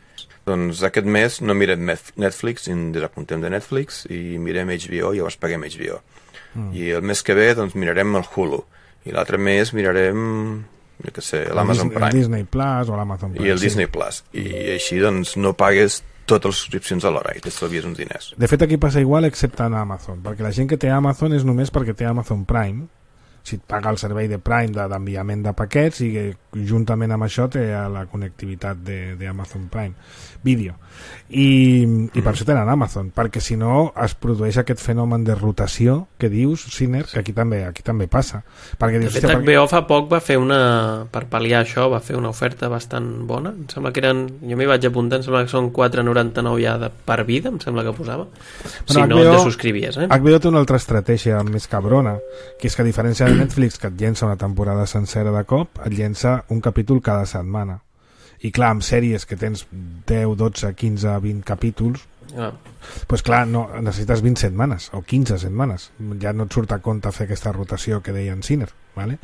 [SPEAKER 3] doncs aquest mes no mirem Netflix i ens desapuntem de Netflix i mirem H B O i llavors paguem H B O. Mm. I el mes que ve doncs mirarem el Hulu i l'altre mes mirarem jo què sé, l'Amazon Prime.
[SPEAKER 2] El Disney Plus o l'Amazon Prime.
[SPEAKER 3] I el
[SPEAKER 2] sí.
[SPEAKER 3] Disney Plus. I així doncs no pagues totes les subscripcions alhora i t'estalvies uns diners.
[SPEAKER 2] De fet aquí passa igual excepte en Amazon, perquè la gent que té Amazon és només perquè té Amazon Prime, si et paga el servei de Prime d'enviament de paquets i que juntament amb això té la connectivitat d'Amazon Prime Video i, i per això tenen Amazon, perquè si no es produeix aquest fenomen de rotació que dius, Siner, que aquí també aquí també passa. Perquè
[SPEAKER 4] De
[SPEAKER 2] dius,
[SPEAKER 4] fet,
[SPEAKER 2] hòstia,
[SPEAKER 4] H B O fa poc va fer una, per pal·liar això, va fer una oferta bastant bona. Em sembla que eren, jo m'hi vaig apuntar, em sembla que són quatre coma noranta-nou ja de, per vida, em sembla que posava. Si
[SPEAKER 2] Bueno,
[SPEAKER 4] no
[SPEAKER 2] H B O
[SPEAKER 4] et subscrivies, eh?
[SPEAKER 2] H B O té una altra estratègia més cabrona, que és que a diferència de Netflix, que et llença una temporada sencera de cop, et llença un capítol cada setmana. I clar, amb sèries que tens deu, dotze, quinze, vint capítols,
[SPEAKER 4] Ah.
[SPEAKER 2] pues clar, no, necessites vint setmanes o quinze setmanes. Ja no et surt a compte fer aquesta rotació que deia en Siner, ¿vale?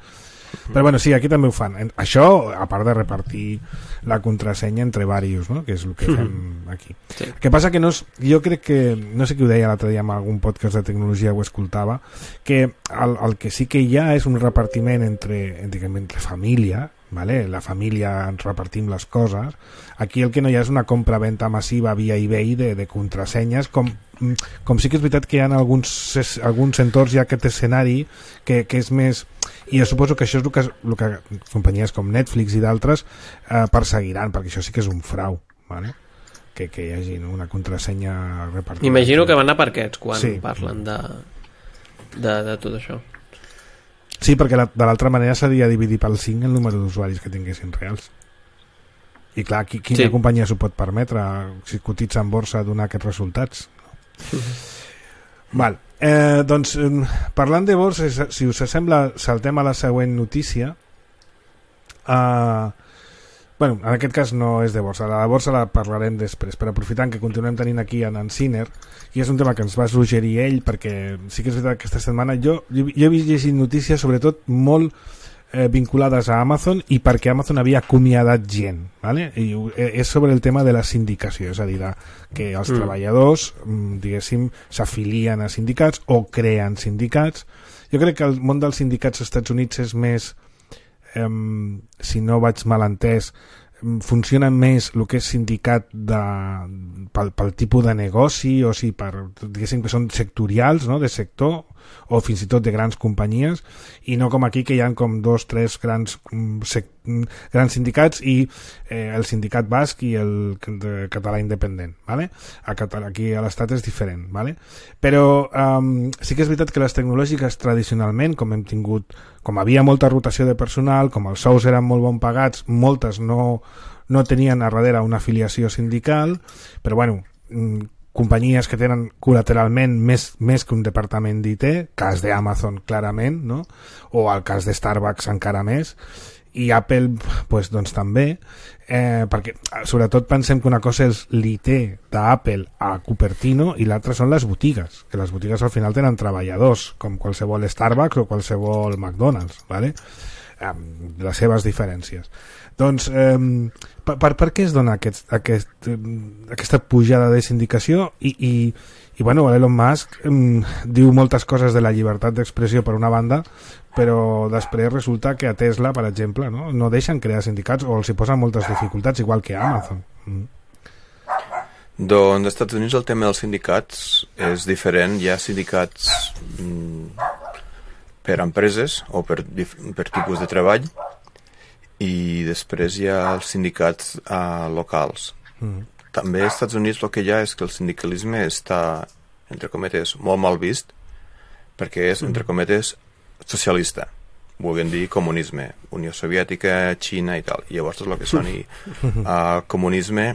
[SPEAKER 2] Però bueno, sí, aquí també ho fan. En- Això, a part de repartir la contrasenya entre varios, no? Que és el que fem aquí.
[SPEAKER 4] Sí.
[SPEAKER 2] El que passa que no és, jo crec que, no sé qui ho deia l'altre dia en algun podcast de tecnologia, ho escoltava, que el, el que sí que hi ha és un repartiment entre, entre, entre família, ¿vale? La família ens repartim les coses. Aquí el que no hi ha és una compra-venta massiva via eBay de, de contrasenyes, com, com sí que és veritat que hi ha alguns, alguns entorns hi ha aquest escenari que, que és més... I jo suposo que això és el que, el que companyies com Netflix i d'altres eh, perseguiran, perquè això sí que és un frau, ¿vale? que, que hi hagi una contrasenya repartida.
[SPEAKER 4] Imagino que van a per aquests quan
[SPEAKER 2] Sí.
[SPEAKER 4] parlen de, de, de tot això.
[SPEAKER 2] Sí, perquè la, de l'altra manera seria dividir pel cinc el número d'usuaris que tinguessin reals. I clar, qui, quina
[SPEAKER 4] Sí.
[SPEAKER 2] sí. companyia s'ho pot permetre si cotitza en borsa donar aquests resultats? No? Val. Eh, doncs, eh, parlant de borsa, si us sembla, saltem a la següent notícia. Uh, bueno, en aquest cas no és de borsa. La de borsa la parlarem després, però aprofitant que continuem tenint aquí en en Siner, i és un tema que ens va suggerir ell, perquè sí que és veritat que aquesta setmana jo, jo, jo he vist llegint notícies sobretot molt eh, vinculades a Amazon i perquè Amazon havia acomiadat gent, ¿vale? I ho- eh, és sobre el tema de la sindicació, és a dir, de, que els
[SPEAKER 4] Mm.
[SPEAKER 2] treballadors mm, diguéssim s'afilien a sindicats o creen sindicats. Jo crec que el món dels sindicats als Estats Units és més, eh, si no vaig mal entès, em, funciona més el que és sindicat de, pel, pel tipus de negoci, o si per, diguéssim que són sectorials, no?, de sector, o fins i tot de grans companyies, i no com aquí que hi ha com dos, tres grans, mm, sec, mm, grans sindicats i eh, el sindicat basc i el de català independent, ¿vale? A Català, aquí a l'estat és diferent, ¿vale? Però um, sí que és veritat que les tecnològiques tradicionalment, com hem tingut, com havia molta rotació de personal, com els sous eren molt bon pagats, moltes no, no tenien a darrere una afiliació sindical, però bueno, mm, companyies que tenen col·lateralment més, més que un departament d'I T, cas d'Amazon clarament, no? O el cas de Starbucks encara més, i Apple pues, doncs també, eh, perquè sobretot pensem que una cosa és l'I T d'Apple a Cupertino i l'altra són les botigues, que les botigues al final tenen treballadors, com qualsevol Starbucks o qualsevol McDonald's, ¿vale? Amb les seves diferències. Doncs, eh, per, per, per què es dona aquest, aquest, eh, aquesta pujada de sindicació? I, i, i bueno, Elon Musk eh, diu moltes coses de la llibertat d'expressió per una banda, però després resulta que a Tesla, per exemple, no, no deixen crear sindicats o els hi posen moltes dificultats, igual que a Amazon. Mm.
[SPEAKER 3] Doncs als Estats Units el tema dels sindicats és diferent. Hi ha sindicats mm, per empreses o per, per tipus de treball, i després hi ha els sindicats uh, locals. Mm. També als Estats Units el que hi ha és que el sindicalisme està, entre cometes, molt mal vist, perquè és, entre cometes, socialista. vulguin dir comunisme, Unió Soviètica, Xina i tal. I llavors tot el que soni a comunisme,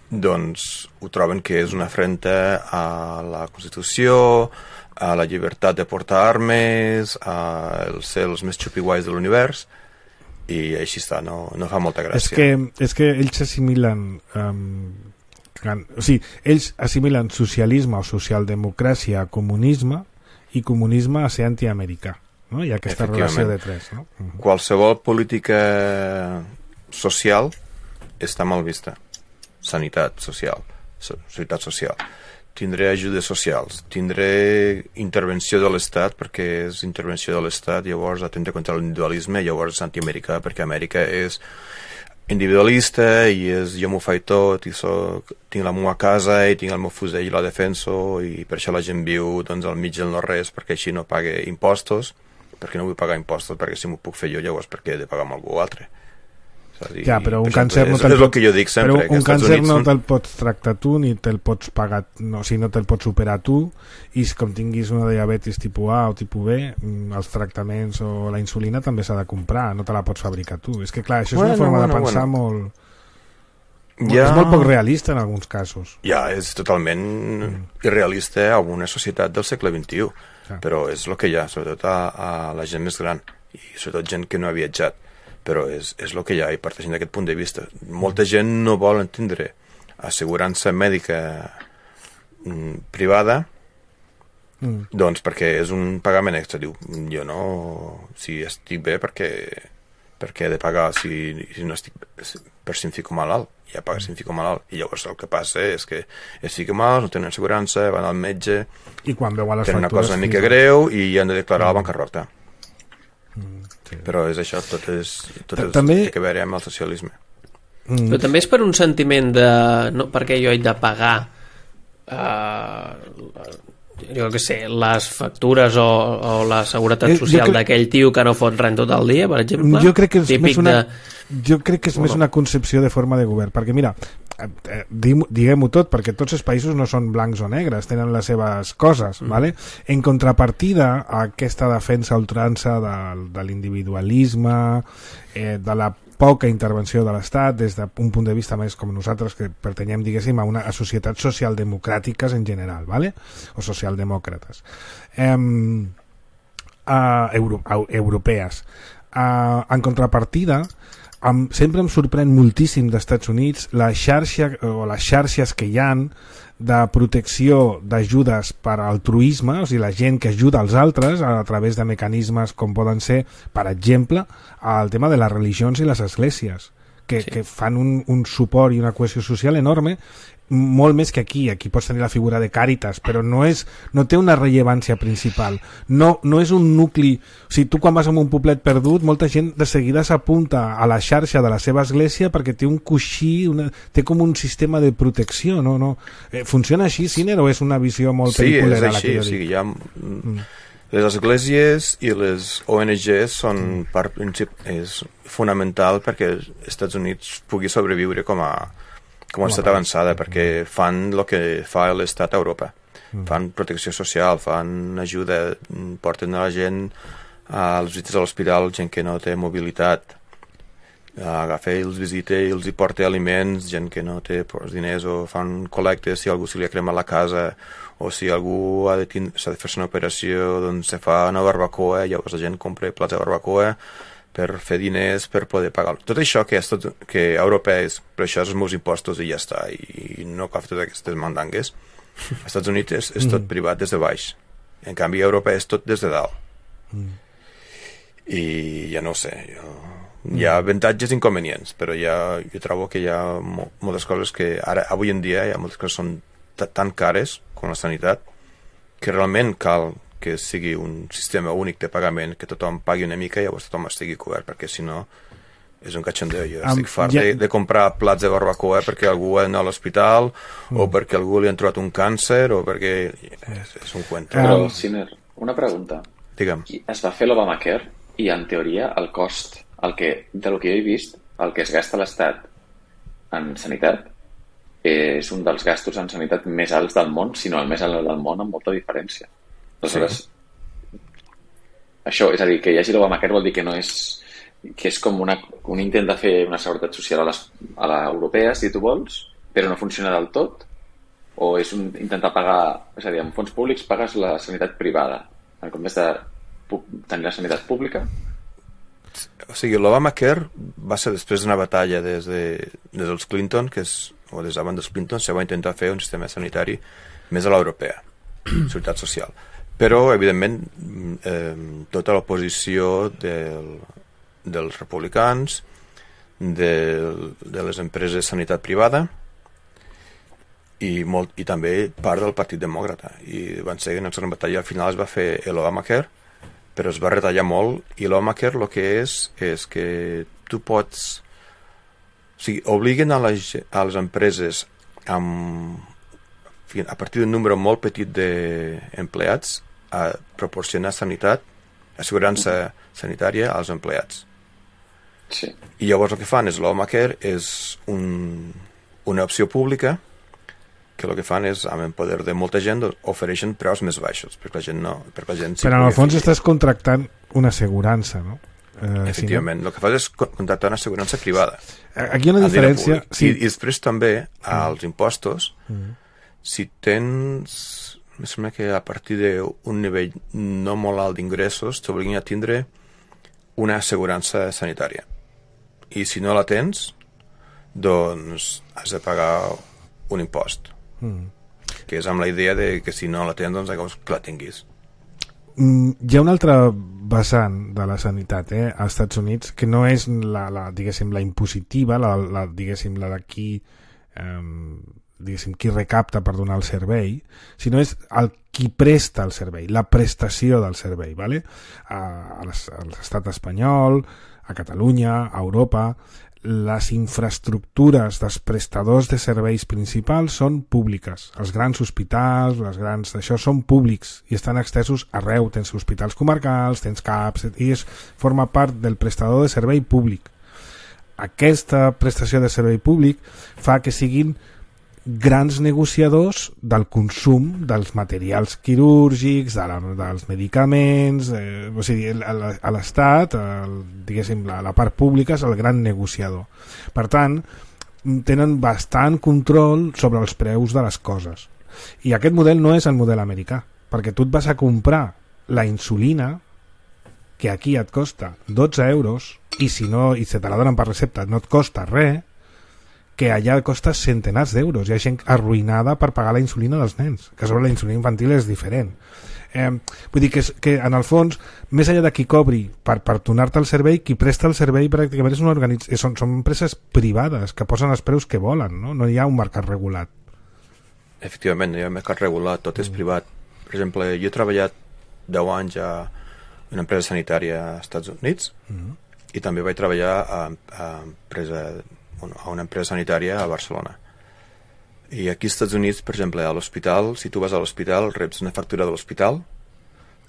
[SPEAKER 3] doncs ho troben que és una afrenta a la Constitució, a la llibertat de portar armes, a ser els més xupiguais de l'univers, i així està, no, no fa molta gràcia.
[SPEAKER 2] És que, és que ells assimilen um, o sigui, ells assimilen socialisme o socialdemocràcia a comunisme i comunisme a ser antiamericà, no? Hi ha aquesta relació de tres, no? Uh-huh.
[SPEAKER 3] Qualsevol política social està mal vista. Sanitat social, sanitat social. Tindré ajudes socials, tindré intervenció de l'Estat, perquè és intervenció de l'Estat, llavors atenta contra l'individualisme, llavors és antiamericà, perquè Amèrica és individualista i és jo m'ho faig tot, i soc, tinc la meva casa i tinc el meu fusell i la defenso, i per això la gent viu doncs, al mig del no-res, perquè així no pague impostos, perquè no vull pagar impostos, perquè si m'ho puc fer jo, llavors perquè he de pagar amb algú altre. Dir,
[SPEAKER 2] ja, però un càncer no
[SPEAKER 3] te'l pot, que jo dic sempre,
[SPEAKER 2] però un càncer no te'l pots tractar tu ni te'l pots pagar, no, si no te'l pots operar tu, i com tinguis una diabetis tipus A o tipus B, els tractaments o la insulina també s'ha de comprar, no te la pots fabricar tu. És que clar, això és bueno, una forma bueno, de pensar bueno. molt ja... és molt poc realista en alguns casos.
[SPEAKER 3] Ja, és totalment mm. irrealista a una societat del segle vint-i-u, ja. Però és el que hi ha, sobretot a, a la gent més gran i sobretot gent que no ha viatjat, però és, és el que hi ha, i parteixent d'aquest punt de vista. Molta gent no vol entendre assegurança mèdica mm, privada, mm. doncs perquè és un pagament extra. Diu, jo no, si estic bé, perquè, perquè he de pagar si, si no estic per si em fico malalt, ja paga si em fico malalt. I llavors el que passa és que es fica malalt, no tenen assegurança, van al metge,
[SPEAKER 2] i quan veu a les
[SPEAKER 3] tenen una cosa una mica greu i han de declarar la bancarrota. Sí. Però és això, tot és, tot és també... té que veure amb el socialisme.
[SPEAKER 4] Mm. Però també és per un sentiment de no, perquè jo he de pagar uh, jo què sé, les factures o, o la seguretat social crec... d'aquell tio que no fot res tot el dia, per exemple.
[SPEAKER 2] Jo crec que és més una, de... jo crec que és més una concepció de forma de govern, perquè mira, eh, diguem-ho tot, perquè tots els països no són blancs o negres, tenen les seves coses, mm. ¿vale? En contrapartida a aquesta defensa ultrança de, de l'individualisme, eh, de la poca intervenció de l'Estat des d'un punt de vista més com nosaltres que pertanyem, diguéssim, a, una, a societats socialdemocràtiques en general, ¿vale? O socialdemòcrates eh, uh, euro, uh, europees uh, en contrapartida Em, sempre em sorprèn moltíssim d'Estats Units la xarxa o les xarxes que hi han de protecció d'ajudes per altruisme, o sigui, la gent que ajuda als altres a, a través de mecanismes com poden ser, per exemple, el tema de les religions i les esglésies, que, sí. que fan un, un suport i una cohesió social enorme, molt més que aquí. Aquí pots tenir la figura de Càritas, però no, és, no té una rellevància principal, no, no és un nucli. O sigui, tu quan vas a un poblet perdut, molta gent de seguida s'apunta a la xarxa de la seva església perquè té un coixí, una, té com un sistema de protecció, no? no. Eh, funciona així, Siner, o és una visió molt
[SPEAKER 3] sí,
[SPEAKER 2] peliculera?
[SPEAKER 3] Sí, és així, o sigui, hi ha... Mm. Les esglésies i les O N Gs són mm. part princip... és fonamental perquè els Estats Units pugui sobreviure com a com a estat avançada, perquè fan el que fa l'estat a Europa. Mm. Fan protecció social, fan ajuda, porten a la gent als visites a l'hospital, gent que no té mobilitat, agafa i els visita i els hi porta aliments, gent que no té diners, o fan col·lectes si algú se li ha cremat la casa, o si algú ha de, s'ha de fer-se una operació, doncs se fa una barbacoa, llavors la gent compra plats de barbacoa per fer diners, per poder pagar. Tot això que, és tot, que a Europa és, però això és els meus impostos i ja està, i no cal fer totes aquestes mandangues. Als Estats Units és, és tot privat des de baix. En canvi, a Europa és tot des de dalt. Mm. I ja no ho sé, jo... hi ha avantatges i inconvenients, però ja, jo trobo que hi ha mo moltes coses que ara, avui en dia, hi ha moltes coses són tan cares com la sanitat, que realment cal que sigui un sistema únic de pagament, que tothom pagui una mica i llavors tothom estigui cobert, perquè si no és un catxandeu. Jo um, estic fart ja... de, de comprar plats de barbacoa perquè algú ha d'anar a l'hospital, mm. o perquè algú li han trobat un càncer, o perquè és, és un cuento.
[SPEAKER 5] Però, Siner, una pregunta.
[SPEAKER 3] Digue'm.
[SPEAKER 5] Es va fer l'Obamacare i en teoria el cost, el que, de lo que jo he vist, el que es gasta l'Estat en sanitat és un dels gastos en sanitat més alts del món, sinó el més alt del món, amb molta diferència. Aleshores, sí. això, és a dir, que hi hagi l'Obamacare vol dir que no és que és com una, un intent de fer una seguretat social a, les, a l'europea, si tu vols, però no funciona del tot, o és un, intentar pagar, és a dir, amb fons públics pagues la sanitat privada, en comptes de tenir la sanitat pública.
[SPEAKER 3] O sigui, l'Obamacare va ser després d'una batalla des, de, des dels Clinton, que és, o des d'abans dels Clinton, se va intentar fer un sistema sanitari més a l'europea, seguretat social. Però, evidentment, eh, tota l'oposició del dels republicans, de, de les empreses de sanitat privada i, molt, i també part del Partit Demòcrata. I van ser en la batalla, al final es va fer l'Obamacare, però es va retallar molt, i l'Obamacare el que és és que tu pots... O sigui, obliguen a les, a les empreses amb, a partir d'un número molt petit d'empleats a proporcionar sanitat, assegurança sanitària als empleats.
[SPEAKER 5] Sí.
[SPEAKER 3] I llavors el que fan és l'Obamacare és un, una opció pública que el que fan és, amb el poder de molta gent, ofereixen preus més baixos perquè la gent no... Perquè la gent
[SPEAKER 2] però en el fons afegir. Estàs contractant una assegurança, no?
[SPEAKER 3] Eh, Efectivament, si no... el que fas és contractar una assegurança privada.
[SPEAKER 2] Aquí hi ha una diferència...
[SPEAKER 3] Sí. I, I després també, als impostos, mm. si tens... Em sembla que a partir d'un nivell no molt alt d'ingressos t'obliguen a tindre una assegurança sanitària. I si no la tens, doncs has de pagar un impost. Mm. Que és amb la idea de que si no la tens, doncs llavors que la tinguis.
[SPEAKER 2] Mm, hi ha una altra vessant de la sanitat eh, als Estats Units que no és la, la, diguéssim, la impositiva, la, la, diguéssim, la d'aquí... Eh, diguéssim, qui recapta per donar el servei, sinó és el qui presta el servei, la prestació del servei, ¿vale? a, a l'estat espanyol, a Catalunya, a Europa, les infraestructures dels prestadors de serveis principals són públiques. Els grans hospitals, les grans d'això, són públics i estan extesos arreu. Tens hospitals comarcals, tens CAPs, i és, forma part del prestador de servei públic. Aquesta prestació de servei públic fa que siguin grans negociadors del consum dels materials quirúrgics, de la, dels medicaments, eh, o sigui, a l'Estat, diguéssim, la, la part pública és el gran negociador. Per tant, tenen bastant control sobre els preus de les coses. I aquest model no és el model americà, perquè tu et vas a comprar la insulina, que aquí et costa dotze euros, i si no, i se te la donen per recepta, no et costa res, que allà costa centenars d'euros. Hi ha gent arruïnada per pagar la insulina dels nens, que sobre la insulina infantil és diferent. Eh, vull dir que, és, que en el fons, més enllà de qui cobri per, per donar-te el servei, qui presta el servei pràcticament és una organitz... són, són empreses privades que posen els preus que volen, no? No hi ha un mercat regulat.
[SPEAKER 3] Efectivament, no hi ha un mercat regulat, tot és privat. Per exemple, jo he treballat deu anys a una empresa sanitària als Estats Units mm. i també vaig treballar a, a empresa a una empresa sanitària a Barcelona. I aquí als Estats Units, per exemple, a l'hospital, si tu vas a l'hospital, reps una factura de l'hospital,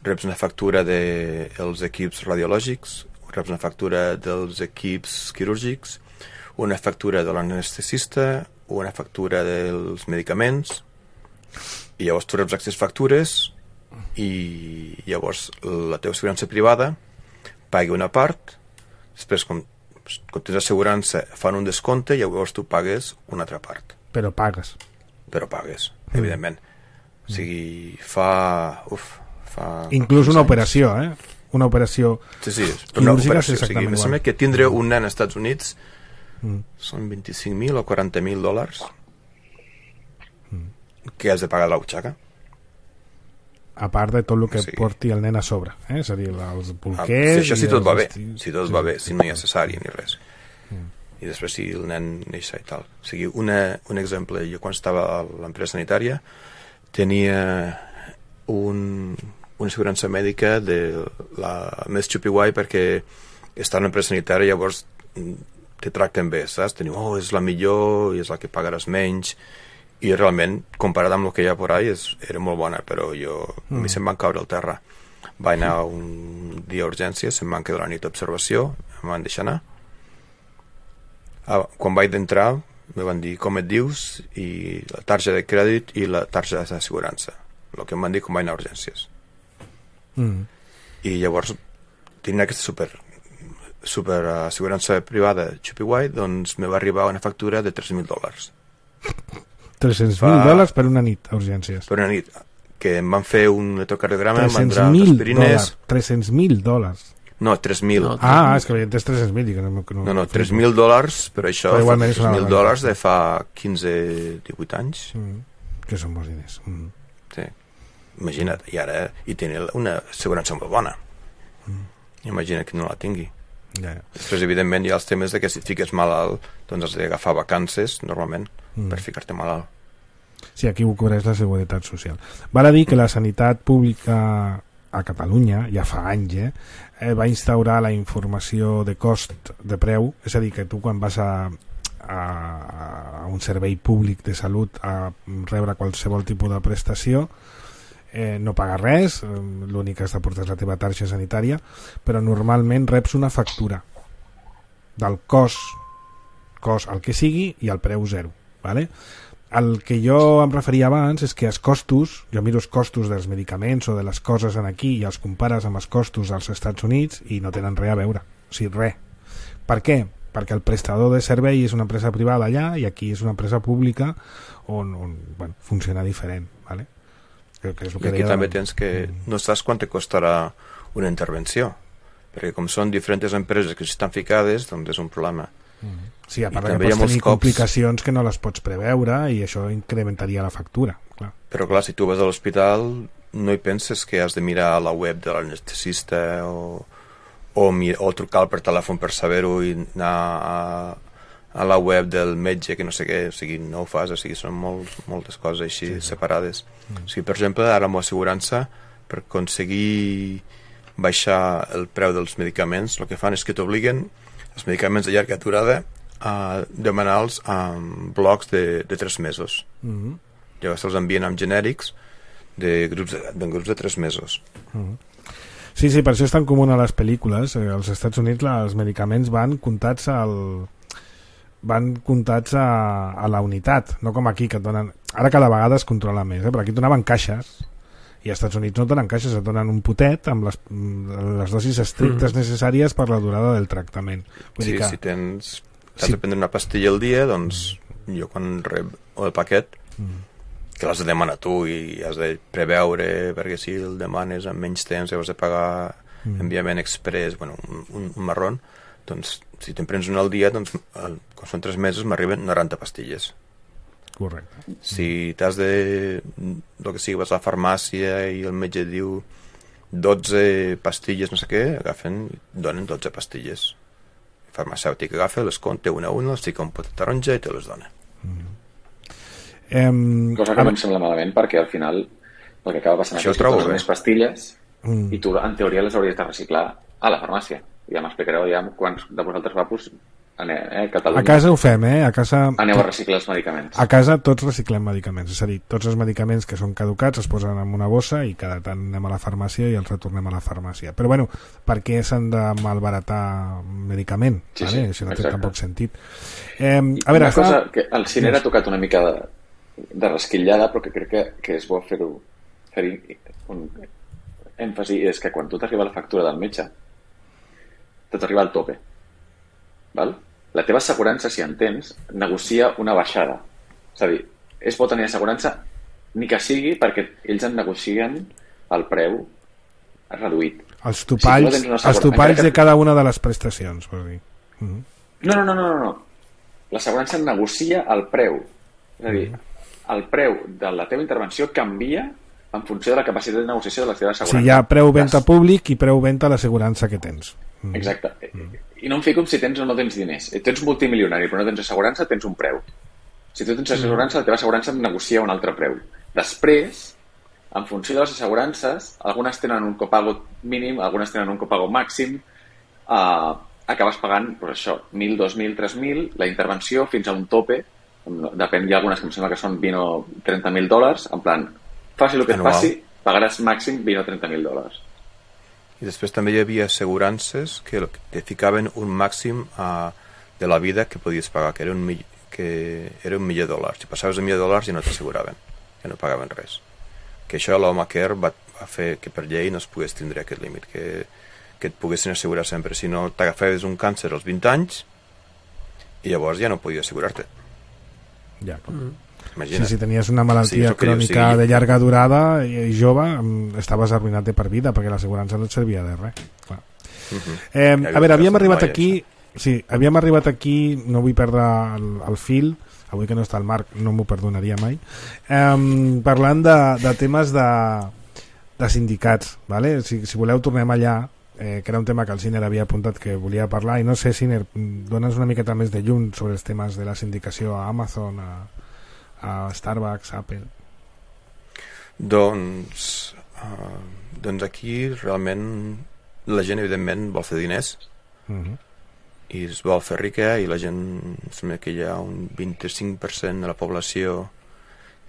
[SPEAKER 3] reps una factura dels equips radiològics, reps una factura dels equips quirúrgics, una factura de l'anestesista, una factura dels medicaments, i llavors tu reps aquestes factures i llavors la teva assegurança privada pagui una part, després com quan tens assegurança fan un descompte i llavors tu pagues una altra part.
[SPEAKER 2] Però pagues.
[SPEAKER 3] Però pagues, mm. evidentment. O sigui, fa... Uf, fa
[SPEAKER 2] inclús una anys. operació, eh? Una operació
[SPEAKER 3] sí, sí, una operació. O sigui, em sembla que tindre un nen als Estats Units mm. són vint-i-cinc mil o quaranta mil dòlars mm. que has de pagar a la butxaca.
[SPEAKER 2] A part de tot el que sí. porti el nen a sobre, eh? És a dir, els bolquers...
[SPEAKER 3] Ah, si això si tot va bé, si tot sí. va bé, si no hi ha cesària ni res. Mm. I després si el nen neix i tal. O sigui, una, un exemple, jo quan estava a l'empresa sanitària tenia un, una assegurança mèdica de la més xupi-guai perquè està en l'empresa sanitària llavors te tracten bé, saps? Teniu, oh, és la millor i és la que pagaràs menys, i realment, comparat amb el que hi ha por ahí, és, era molt bona, però jo mm. a mi se'm van caure al terra. Vaig anar un dia a urgències, se'm van quedar la nit d'observació, em van deixar anar. Ah, quan vaig d'entrar, me van dir com et dius, i la tarja de crèdit i la tarja d'assegurança. El que em van dir quan vaig anar a urgències. Mm. I llavors tenia aquesta super, super assegurança privada Chupiguai, doncs me va arribar una factura de tres mil dòlars.
[SPEAKER 2] tres-cents mil dòlars per una nit a urgències.
[SPEAKER 3] Per una nit, que em van fer un electrocardiograma, em van donar aspirines...
[SPEAKER 2] tres-cents mil dòlars.
[SPEAKER 3] No, tres mil.
[SPEAKER 2] No, ah, és que havia entès tres-cents mil. No,
[SPEAKER 3] no, no, no tres mil dòlars, però això
[SPEAKER 2] però
[SPEAKER 3] fa tres mil dòlars de fa quinze divuit anys.
[SPEAKER 2] Mm, que són molts diners. Mm.
[SPEAKER 3] Sí, imagina't, i ara hi tenia una assegurança molt bona. Mm. Imagina que no la tingui.
[SPEAKER 2] Ja, ja.
[SPEAKER 3] Després, evidentment, hi ha els temes de que si et fiques malalt, doncs has d'agafar vacances, normalment, mm. per ficar-te malalt.
[SPEAKER 2] Sí, aquí ho cobreix la Seguretat Social. Val a dir que la sanitat pública a Catalunya, ja fa anys, eh, eh, va instaurar la informació de cost de preu, és a dir, que tu quan vas a, a, a un servei públic de salut a rebre qualsevol tipus de prestació, eh, no paga res, eh, l'únic que has de portar és la teva tarja sanitària, però normalment reps una factura del cost, cost el que sigui i el preu zero, ¿vale? El que jo em referia abans és que els costos, jo miro els costos dels medicaments o de les coses en aquí i els compares amb els costos als Estats Units i no tenen res a veure, o sigui, res. Per què? Perquè el prestador de servei és una empresa privada allà i aquí és una empresa pública on, on bueno, funciona diferent, ¿vale? Que, que és el que
[SPEAKER 3] I aquí també tens que no saps quant te costarà una intervenció, perquè com són diferents empreses que estan ficades, doncs és un problema.
[SPEAKER 2] Mm. Sí, a part que pots tenir cops... complicacions que no les pots preveure i això incrementaria la factura, clar.
[SPEAKER 3] Però clar, si tu vas a l'hospital no hi penses que has de mirar a la web de l'anestesista o, o, o trucar per telèfon per saber-ho i anar a, a la web del metge que no sé què, o sigui, no ho fas, o sigui, són molt, moltes coses així sí, sí. separades. Mm. O sigui, per exemple, ara amb l'assegurança, per aconseguir baixar el preu dels medicaments, el que fan és que t'obliguen els medicaments de llarga durada a demanar-los en blocs de, de tres mesos. Mm-hmm. Llavors se'ls envien amb genèrics de grups de, de grups de tres mesos.
[SPEAKER 2] Mm-hmm. Sí, sí, per això és tan comú a les pel·lícules. Eh, als Estats Units la, els medicaments van comptats al van comptats a, a la unitat, no com aquí que et donen... Ara cada vegada es controla més, eh? Però aquí et donaven caixes i als Estats Units no et donen caixes, et donen un potet amb les, les dosis estrictes mm. necessàries per la durada del tractament. Vull
[SPEAKER 3] sí,
[SPEAKER 2] dir que...
[SPEAKER 3] si tens... Has sí. de prendre una pastilla al dia, doncs mm. jo quan rep el paquet, mm. que l'has de demanar tu i has de preveure, perquè si el demanes en menys temps i has de pagar mm. enviament express, bueno, un, un, un marrón, doncs si te'n prens una al dia, doncs el, quan són tres mesos m'arriben noranta pastilles.
[SPEAKER 2] Correcte.
[SPEAKER 3] Si t'has de... el que sigui, vas a la farmàcia i el metge diu dotze pastilles, no sé què, agafen i donen dotze pastilles. El farmacèutic agafa, les compta una a una, les fica un potet taronja i te les dona.
[SPEAKER 2] Mm. Um,
[SPEAKER 5] Cosa que no em sembla malament, perquè al final el que acaba passant
[SPEAKER 3] és que
[SPEAKER 5] tu més pastilles
[SPEAKER 2] mm.
[SPEAKER 5] i tu en teoria les hauries de reciclar a la farmàcia. Ja m'explicareu ja quants de vosaltres vapus aneu, eh, Catalunya.
[SPEAKER 2] A casa ho fem, eh? A casa...
[SPEAKER 5] Aneu a reciclar els medicaments.
[SPEAKER 2] A casa tots reciclem medicaments, és a dir, tots els medicaments que són caducats es posen en una bossa i cada tant anem a la farmàcia i els retornem a la farmàcia. Però bueno, per què s'han de malbaratar medicament?
[SPEAKER 5] Sí,
[SPEAKER 2] vale?
[SPEAKER 5] sí,
[SPEAKER 2] això no
[SPEAKER 5] exacte.
[SPEAKER 2] té tampoc sentit. Eh, a veure,
[SPEAKER 5] una cosa
[SPEAKER 2] està...
[SPEAKER 5] que el cine ha tocat una mica de, de resquillada, però que crec que, que és bo fer-ho fer un èmfasi, és que quan tu t'arriba la factura del metge te t'arriba al tope, val? La teva assegurança, si en tens, negocia una baixada. És a dir, és bo tenir assegurança ni que sigui perquè ells en negocien el preu reduït.
[SPEAKER 2] Els topalls, si no els topalls que... de cada una de les prestacions, vols dir. Uh -huh.
[SPEAKER 5] No, no, no, no, no. L'assegurança negocia el preu. És a dir, uh -huh. el preu de la teva intervenció canvia en funció de la capacitat de negociació de la teva assegurança.
[SPEAKER 2] Si hi ha preu-venta públic i preu-venta a l'assegurança que tens.
[SPEAKER 5] Mm. Exacte. Mm. I no em fico si tens o no tens diners. Si tens multimilionari però no tens assegurança, tens un preu. Si tu tens assegurança, la teva assegurança negocia un altre preu. Després, en funció de les assegurances, algunes tenen un copago mínim, algunes tenen un copago màxim, eh, acabes pagant, pues això, mil, dos mil, tres mil, la intervenció fins a un tope, depèn, hi ha algunes que em sembla que són vint o trenta mil dòlars, en plan, faci el que et faci, pagaràs màxim vint o trenta mil dòlars.
[SPEAKER 3] I després també hi havia assegurances que te ficaven un màxim uh, de la vida que podies pagar, que era un, mill que era un milió de dòlars. Si passaves un milió de dòlars ja no t'asseguraven, ja no pagaven res. Que això l'Obamacare va, va fer que per llei no es pogués tindre aquest límit, que, que et poguessin assegurar sempre. Si no, t'agafaves un càncer als vint anys i llavors ja no podies assegurar-te.
[SPEAKER 2] Ja,
[SPEAKER 3] mm.
[SPEAKER 2] Sí, si tenies una malaltia sí, crònica sí. de llarga durada i jove, estaves arruïnat per vida perquè l'assegurança no et servia de res. Clar. Uh-huh. Eh, a veure, havíem arribat aquí sí, havíem arribat aquí, no vull perdre el, el fil, avui que no està el Marc no m'ho perdonaria mai, eh, parlant de, de temes de, de sindicats, vale? si, si voleu tornem allà, eh, que era un tema que el Siner havia apuntat que volia parlar, i no sé, Siner, dones una miqueta més de llum sobre els temes de la sindicació a Amazon, a a Starbucks, Apple.
[SPEAKER 3] Doncs uh, doncs aquí realment la gent evidentment vol fer diners uh-huh. i es vol fer rica, i la gent sembla que hi ha un vint-i-cinc per cent de la població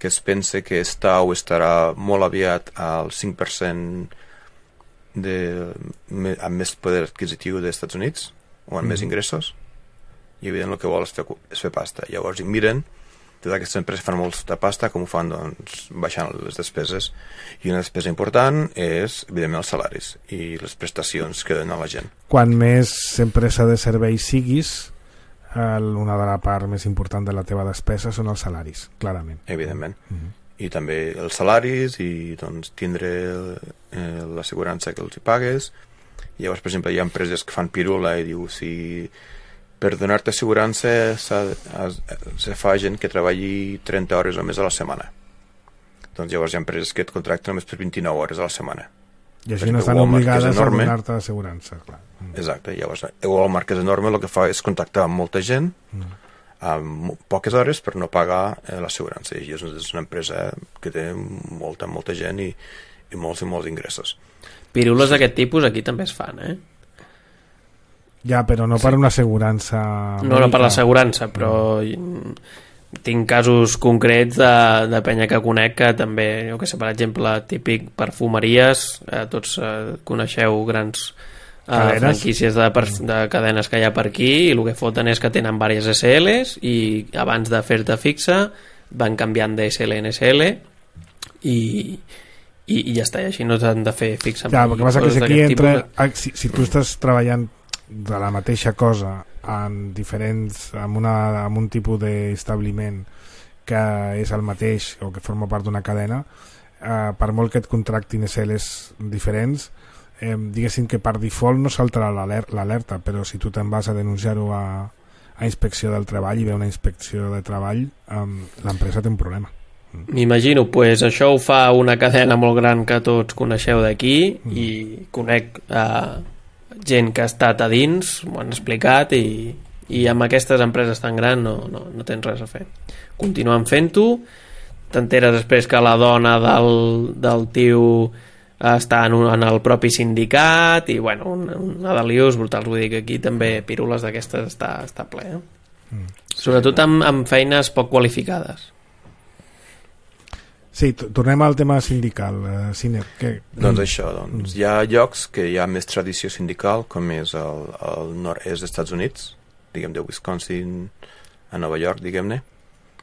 [SPEAKER 3] que es pensa que està o estarà molt aviat al cinc per cent de, amb més poder adquisitiu dels Estats Units o amb uh-huh. més ingressos, i evident el que vol és fer, és fer pasta. Llavors hi miren totes aquestes empreses fan molta pasta, com ho fan? Doncs baixant les despeses, i una despesa important és evidentment els salaris i les prestacions que donen a la gent.
[SPEAKER 2] Quan més empresa de serveis siguis, una de la part més important de la teva despesa són els salaris, clarament.
[SPEAKER 3] Evidentment. Mm-hmm. I també els salaris i doncs tindre eh, l'assegurança que els hi pagues. I llavors, per exemple, hi ha empreses que fan pirula i diu si per donar-te assegurança se fa gent que treballi trenta hores o més a la setmana. Doncs llavors hi ha empreses que et contracten només per vint-i-nou hores a la setmana.
[SPEAKER 2] I així no estan obligades a donar-te assegurança. Clar.
[SPEAKER 3] Exacte. Llavors Walmart, que és enorme, el que fa és contactar amb molta gent mm. amb poques hores per no pagar eh, l'assegurança. I és una empresa que té molta, molta gent i, i molts i molts ingressos.
[SPEAKER 4] Pirules d'aquest tipus aquí també es fan, eh?
[SPEAKER 2] Ja, però no per sí. una assegurança...
[SPEAKER 4] No, no per l'assegurança, però no. tinc casos concrets de, de penya que conec que també, jo que sé, per exemple, típic perfumeries, eh, tots eh, coneixeu grans eh, franquícies de, de cadenes que hi ha per aquí, i el que foten és que tenen diverses S Ls i abans de fer-te fixa van canviant de S L en S L i... I, i ja està, i així no t'han de fer fixa.
[SPEAKER 2] Ja, el que passa que si aquí entra, si, si tu estàs treballant de la mateixa cosa en diferents, amb, una, amb un tipus d'establiment que és el mateix o que forma part d'una cadena, eh, per molt que et contractin S Ls diferents, eh, diguéssim que per default no saltarà l'alerta, però si tu te'n vas a denunciar-ho a, a inspecció del treball i ve una inspecció de treball, eh, l'empresa té un problema.
[SPEAKER 4] M'imagino, pues això ho fa una cadena molt gran que tots coneixeu d'aquí mm. i conec eh, gent que ha estat a dins, m'ho han explicat, i, i amb aquestes empreses tan grans no, no, no tens res a fer. Continuen fent-ho, t'enteres després que la dona del, del tio està en, un, en el propi sindicat, i bueno, una, una de lius brutals. Vull dir que aquí també pirules d'aquestes està, està ple, eh? mm. sobretot amb, amb feines poc qualificades.
[SPEAKER 2] Sí, tornem al tema sindical, eh, Siner. Que...
[SPEAKER 3] Doncs això, doncs, hi ha llocs que hi ha més tradició sindical, com és el, el nord-est dels Estats Units, diguem de Wisconsin a Nova York, diguem-ne,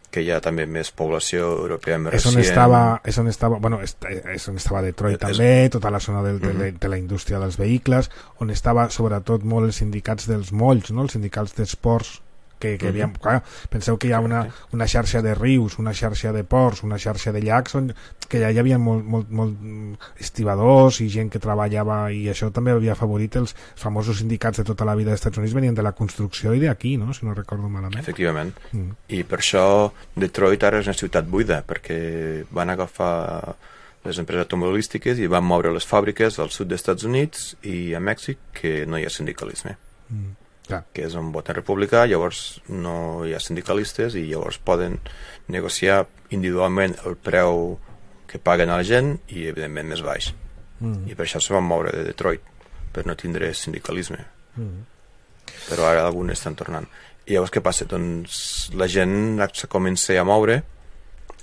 [SPEAKER 3] que hi ha també més població europea més
[SPEAKER 2] recient.
[SPEAKER 3] És on
[SPEAKER 2] estava, és on estava, bueno, és, és on estava Detroit és, també, tota la zona del, uh-huh. de, de la indústria dels vehicles, on estava sobretot molt els sindicats dels molls, no? Els sindicats d'esports, que, que uh-huh. havia, clar, penseu que hi ha una, una xarxa de rius, una xarxa de ports, una xarxa de llacs, on, que ja hi havia molt, molt, molt estibadors i gent que treballava, i això també havia afavorit els famosos sindicats de tota la vida dels Estats Units, venien de la construcció i d'aquí, no? Si no recordo malament.
[SPEAKER 3] Efectivament. Mm. I per això Detroit ara és una ciutat buida, perquè van agafar les empreses automobilístiques i van moure les fàbriques al sud dels Estats Units i a Mèxic, que no hi ha sindicalisme. Mm. Clar. Que és un vot republicà, llavors no hi ha sindicalistes i llavors poden negociar individualment el preu que paguen a la gent i evidentment més baix. Mm. I per això se van moure de Detroit, per no tindre sindicalisme. Mm. Però ara alguns estan tornant. I llavors què passa? Doncs la gent se comença a moure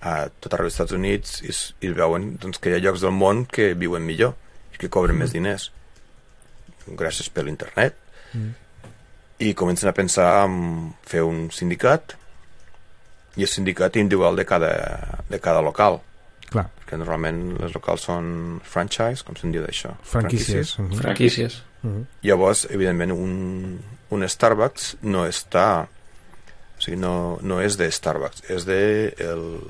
[SPEAKER 3] a tot arreu dels Estats Units i, i veuen doncs, que hi ha llocs del món que viuen millor i que cobren mm. més diners gràcies per l'internet. Mm. I comencen a pensar en fer un sindicat, i el sindicat individual de cada, de cada local,
[SPEAKER 2] Clar.
[SPEAKER 3] Perquè normalment les locals són franchise, com se'n diu d'això?
[SPEAKER 2] Franquícies. Uh -huh.
[SPEAKER 4] Franquícies.
[SPEAKER 2] Uh -huh.
[SPEAKER 3] Llavors, evidentment, un, un Starbucks no està... O sigui, no, no és de Starbucks, és de el,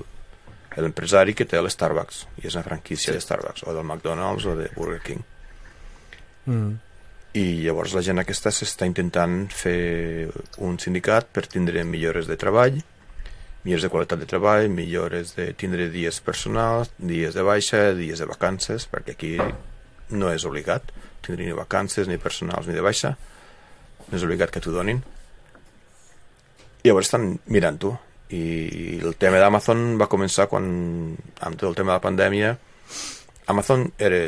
[SPEAKER 3] l'empresari que té l'Starbucks, i és una franquícia sí. de Starbucks, o del McDonald's o de Burger King.
[SPEAKER 2] Mm.
[SPEAKER 3] I llavors la gent aquesta s'està intentant fer un sindicat per tindre millores de treball, millores de qualitat de treball, millores de tindre dies personals, dies de baixa, dies de vacances, perquè aquí no és obligat tindre ni vacances, ni personals, ni de baixa. No és obligat que t'ho donin. I llavors estan mirant-ho. I el tema d'Amazon va començar quan, amb tot el tema de la pandèmia, Amazon era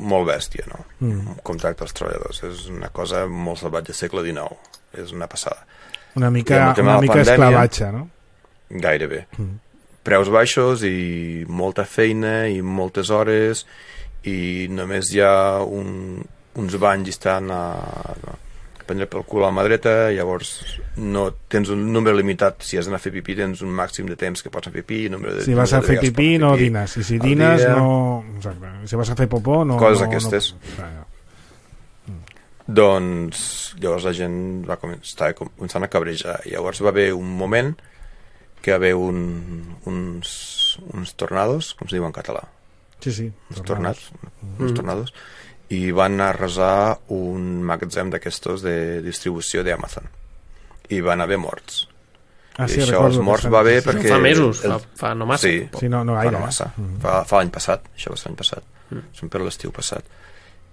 [SPEAKER 3] molt bèstia, no? Mm. Contracte als treballadors. És una cosa molt salvatge, segle dinou. És una passada.
[SPEAKER 2] Una mica, una mica pandèmia, esclavatge, no?
[SPEAKER 3] Gairebé. Mm. Preus baixos i molta feina i moltes hores i només hi ha un, uns banys estan a, a prendre pel cul a la mà dreta, llavors no tens un número limitat. Si has d'anar a fer pipí tens un màxim de temps que pots anar a fer pipí. De,
[SPEAKER 2] si vas a fer pipí no pipí. Dines, i si dines no... Exacte. Si vas a fer popó no...
[SPEAKER 3] Coses
[SPEAKER 2] no,
[SPEAKER 3] aquestes.
[SPEAKER 2] No... Ah,
[SPEAKER 3] mm. Doncs llavors la gent va començar, començant a cabrejar. Llavors va haver un moment que va haver un, uns, uns tornados, com se diu en català?
[SPEAKER 2] Sí, sí.
[SPEAKER 3] Uns tornados. Mm. Uns tornados. I van arrasar un magatzem d'aquestos de distribució d'Amazon. I van haver morts.
[SPEAKER 2] Ah,
[SPEAKER 3] I
[SPEAKER 2] sí,
[SPEAKER 3] això, els morts va bé perquè...
[SPEAKER 4] Fa mesos,
[SPEAKER 3] el...
[SPEAKER 4] fa, fa no massa.
[SPEAKER 3] Sí,
[SPEAKER 2] sí no, no
[SPEAKER 3] gaire, fa no massa.
[SPEAKER 2] Eh? Mm.
[SPEAKER 3] Fa, fa l'any passat, això va ser l'any passat. Mm. Són per l'estiu passat.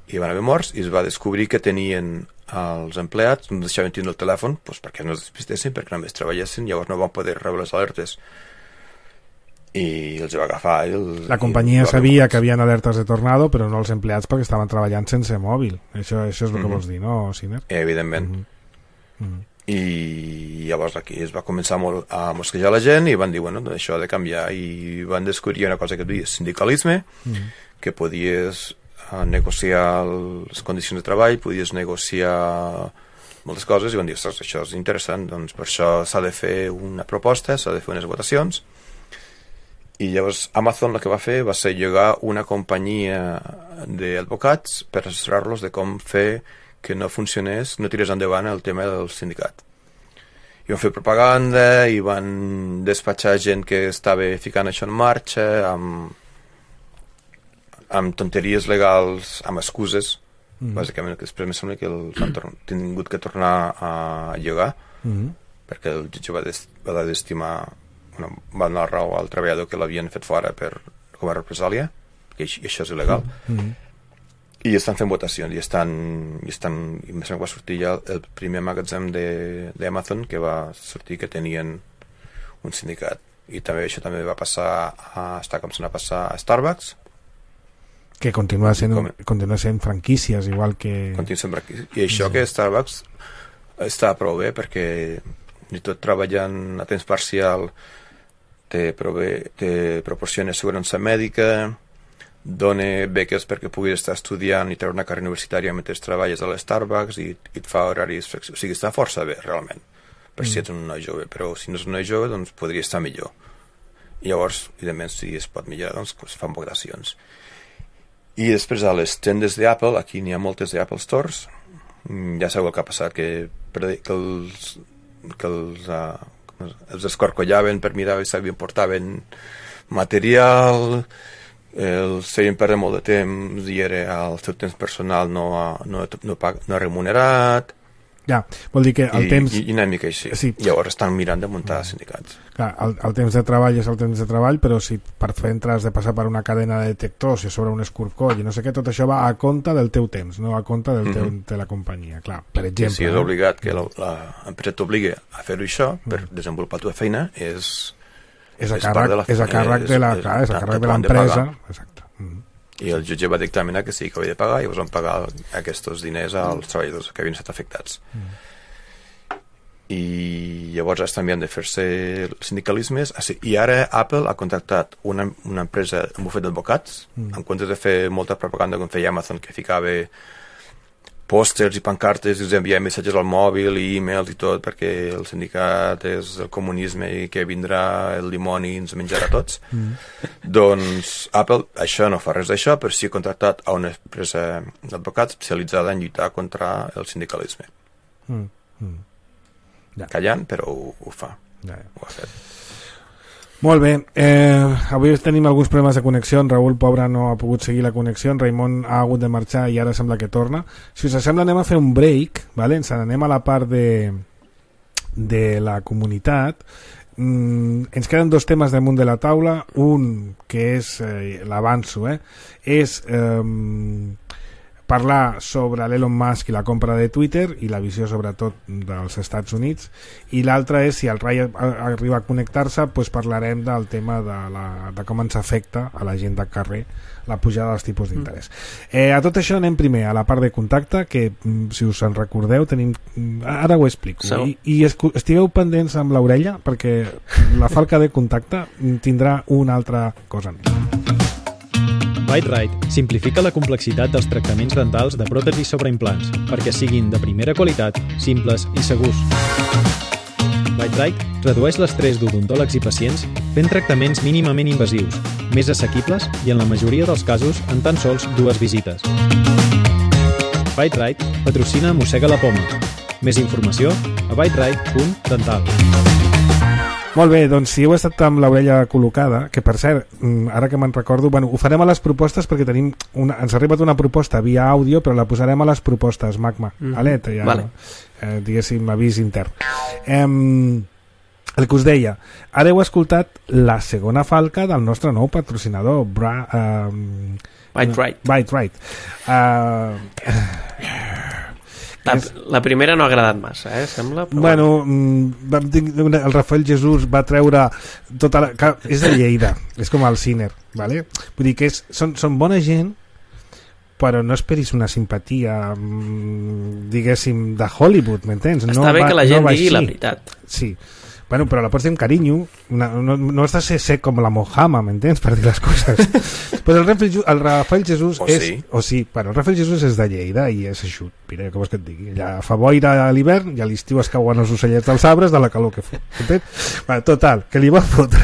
[SPEAKER 3] I van haver morts i es va descobrir que tenien els empleats, no deixaven tindre el telèfon doncs perquè no es despistessin, perquè només treballessin, llavors no van poder rebre les alertes. I els va agafar. El,
[SPEAKER 2] la companyia sabia que havien alertes de tornado, però no els empleats perquè estaven treballant sense mòbil. Això, això és el que mm -hmm. vols dir, no, Siner?
[SPEAKER 3] Evidentment.
[SPEAKER 2] Mm -hmm.
[SPEAKER 3] I llavors aquí es va començar molt a mosquejar la gent i van dir, bueno, això ha de canviar. I van descobrir una cosa que es deia sindicalisme, mm -hmm. que podies negociar les condicions de treball, podies negociar moltes coses, i van dir, ostres, això és interessant, doncs per això s'ha de fer una proposta, s'ha de fer unes votacions. I llavors Amazon el que va fer va ser llogar una companyia d'advocats per assessorar-los de com fer que no funcionés, no tirés endavant el tema del sindicat. I van fer propaganda i van despatxar gent que estava ficant això en marxa amb, amb tonteries legals, amb excuses, mm. bàsicament, que després em sembla que els han tingut que tornar a llogar, mm. perquè el jutge va, des, va desestimar, bueno, va donar raó al treballador que l'havien fet fora per, com a represàlia, que i això és il·legal. Mm. I estan fent votacions i estan, i estan i em sembla que va sortir ja el primer magatzem d'Amazon que va sortir que tenien un sindicat. I també això també va passar a, està com se n'ha passat a Starbucks,
[SPEAKER 2] que continua sent, com, continua sent franquícies igual que...
[SPEAKER 3] Continua sent franquícies. I això sí. Que Starbucks està prou bé perquè ni tot treballant a temps parcial te, prové, te proporciona assegurança mèdica, dona beques perquè puguis estar estudiant i treure una carrera universitària mentre treballes a l'Starbucks i, i et fa horaris flexibles. O sigui, està força bé, realment, per mm. si ets un noi jove, però si no és un noi jove, doncs podria estar millor. I llavors, evidentment, si es pot millorar, doncs es fan votacions. I després a les tendes d'Apple, aquí n'hi ha moltes d'Apple Stores, ja sabeu el que ha passat, que, que els, que els, uh, els escorcollaven per mirar si portaven material, els feien perdre molt de temps i era el seu temps personal no, no, no, no remunerat.
[SPEAKER 2] Ja, vol dir que el
[SPEAKER 3] I,
[SPEAKER 2] temps...
[SPEAKER 3] I, i una mica així.
[SPEAKER 2] Sí.
[SPEAKER 3] Llavors estan mirant de muntar mm. sindicats.
[SPEAKER 2] Clar, el, el temps de treball és el temps de treball, però si per fer has de passar per una cadena de detectors i sobre un escorcoll i no sé què, tot això va a compte del teu temps, no a compte del teu, mm -hmm. de la companyia. Clar, per exemple...
[SPEAKER 3] Si és eh? obligat que l'empresa t'obligui a fer-ho això per mm. desenvolupar la teva feina, és...
[SPEAKER 2] És a càrrec de, és a càrrec de la, clar, és a càrrec de l'empresa. Exacte. Mm.
[SPEAKER 3] I el jutge va dictaminar que sí que havia de pagar i llavors van pagar aquests diners als treballadors que havien estat afectats. Mm. I llavors estan enviant de fer-se sindicalismes i ara Apple ha contactat una, una empresa, un bufet d'advocats, mm. en comptes de fer molta propaganda com feia Amazon, que ficava pòsters i pancartes i us enviem missatges al mòbil i e-mails i tot perquè el sindicat és el comunisme i que vindrà el dimoni i ens menjarà tots. Mm. Doncs Apple això no fa res d'això, però sí ha contractat a una empresa d'advocats especialitzada en lluitar contra el sindicalisme.
[SPEAKER 2] Mm. Mm. Ja.
[SPEAKER 3] Callant, però ho, ho fa.
[SPEAKER 2] Ja, ja.
[SPEAKER 3] Ho ha fet.
[SPEAKER 2] Molt bé, eh, avui tenim alguns problemes de connexió, en Raül, pobre, no ha pogut seguir la connexió, en Raimon ha hagut de marxar i ara sembla que torna. Si us sembla anem a fer un break, vale? Ens anem a la part de, de la comunitat. Mm, ens queden dos temes damunt de la taula, un que és, eh, l'avanço, eh, és... Eh, parlar sobre l'Elon Musk i la compra de Twitter i la visió sobretot dels Estats Units, i l'altre és, si el Rai arriba a connectar-se, doncs parlarem del tema de, la, de com ens afecta a la gent de carrer la pujada dels tipus d'interès. Eh, a tot això anem primer a la part de contacte, que si us en recordeu tenim, ara ho explico, so. i, i estigueu pendents amb l'orella perquè la falca de contacte tindrà una altra cosa més.
[SPEAKER 7] BiteRite simplifica la complexitat dels tractaments dentals de pròtesis sobre implants perquè siguin de primera qualitat, simples i segurs. BiteRite redueix l'estrès d'odontòlegs i pacients fent tractaments mínimament invasius, més assequibles i en la majoria dels casos en tan sols dues visites. BiteRite patrocina Mossega la Poma. Més informació a biterite punt dental.
[SPEAKER 2] Molt bé, doncs si heu estat amb l'orella col·locada, que per cert, ara que me'n recordo, bueno, ho farem a les propostes perquè tenim una, ens ha arribat una proposta via àudio, però la posarem a les propostes, Magma. Mm. Alet, ja,
[SPEAKER 4] vale.
[SPEAKER 2] eh, diguéssim, avís intern. Eh, el que us deia, ara heu escoltat la segona falca del nostre nou patrocinador, Bra... Eh,
[SPEAKER 4] BiteRite.
[SPEAKER 2] BiteRite. Eh...
[SPEAKER 4] La, la primera no ha agradat massa, eh, sembla. Però
[SPEAKER 2] bueno, bueno, el Rafael Jesús va treure tota la... És de Lleida, és com el Ciner, ¿vale? Vull dir que és, són, són bona gent, però no esperis una simpatia, diguéssim, de Hollywood, m'entens?
[SPEAKER 4] Està no bé va, que la gent no digui la veritat.
[SPEAKER 2] Sí. Bueno, però la pots dir amb carinyo, una, no, no has de ser sec com la Mojama, m'entens, per dir les coses. Però el Rafael, el Rafael Jesús
[SPEAKER 3] o
[SPEAKER 2] és...
[SPEAKER 3] Sí.
[SPEAKER 2] O sí, bueno, el Rafael Jesús és de Lleida i és eixut. Mira, com vols que et digui? Allà fa boira a l'hivern i a l'estiu es cauen els ocellets dels arbres de la calor que fa. Entens? Bueno, total, que li va fotre...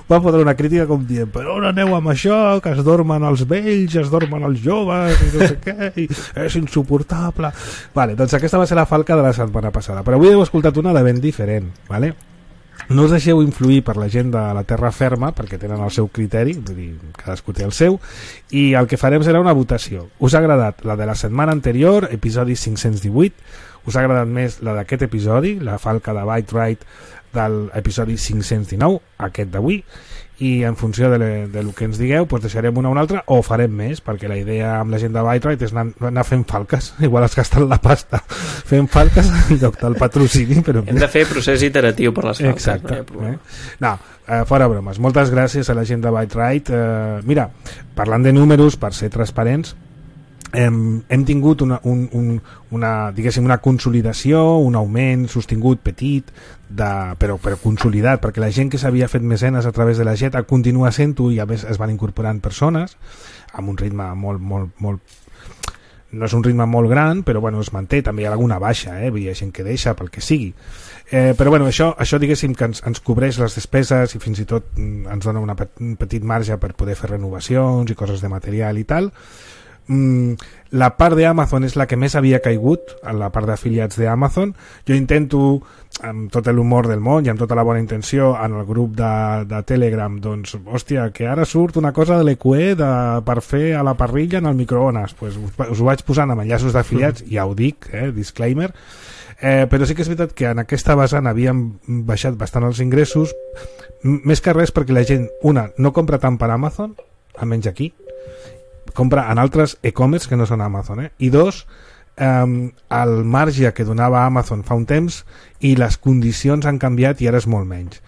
[SPEAKER 2] va fotre una crítica com dient, però on aneu amb això, que es dormen els vells, es dormen els joves i no sé què, i és insuportable. Vale, doncs aquesta va ser la falca de la setmana passada, però avui heu escoltat una de ben diferent, vale? No us deixeu influir per la gent de la terra ferma perquè tenen el seu criteri, vull dir, cadascú té el seu, i el que farem serà una votació. Us ha agradat la de la setmana anterior, episodi cinc-cents divuit? Us ha agradat més la d'aquest episodi, la falca de BiteRite de l'episodi cinc-cents dinou, aquest d'avui? I en funció de, le, de lo que ens digueu, doncs deixarem una o una altra o farem més, perquè la idea amb la gent de BiteRite és anar, anar fent falques, igual has gastat la pasta fent falques en lloc del patrocini, però...
[SPEAKER 4] Hem de fer procés iteratiu per les falques.
[SPEAKER 2] Exacte. No, eh? no eh, fora bromes, moltes gràcies a la gent de BiteRite. Eh, mira, parlant de números, per ser transparents, hem, hem tingut una, un, un, una, diguéssim, una consolidació, un augment sostingut petit, de, però, però consolidat, perquè la gent que s'havia fet mecenes a través de la Jeta continua sent-ho i a més es van incorporant persones amb un ritme molt, molt, molt... no és un ritme molt gran, però bueno, es manté, també hi ha alguna baixa, eh? Hi ha gent que deixa pel que sigui. Eh, però bueno, això, això diguéssim que ens, ens cobreix les despeses i fins i tot ens dona una, un petit marge per poder fer renovacions i coses de material i tal. Mm, la part d'Amazon és la que més havia caigut, la part d'afiliats d'Amazon. Jo intento, amb tot l'humor del món i amb tota la bona intenció, en el grup de, de Telegram, doncs, hòstia, que ara surt una cosa de l'E Q E de, per fer a la parrilla en el microones, pues, us, us ho vaig posant amb enllaços d'afiliats, mm. ja ho dic, eh, disclaimer, eh, però sí que és veritat que en aquesta vessant havíem baixat bastant els ingressos, més que res perquè la gent, una, no compra tant per Amazon, almenys aquí, compra en altres e-commerce que no són Amazon, eh? I dos, eh, el marge que donava Amazon fa un temps i les condicions han canviat i ara és molt menys.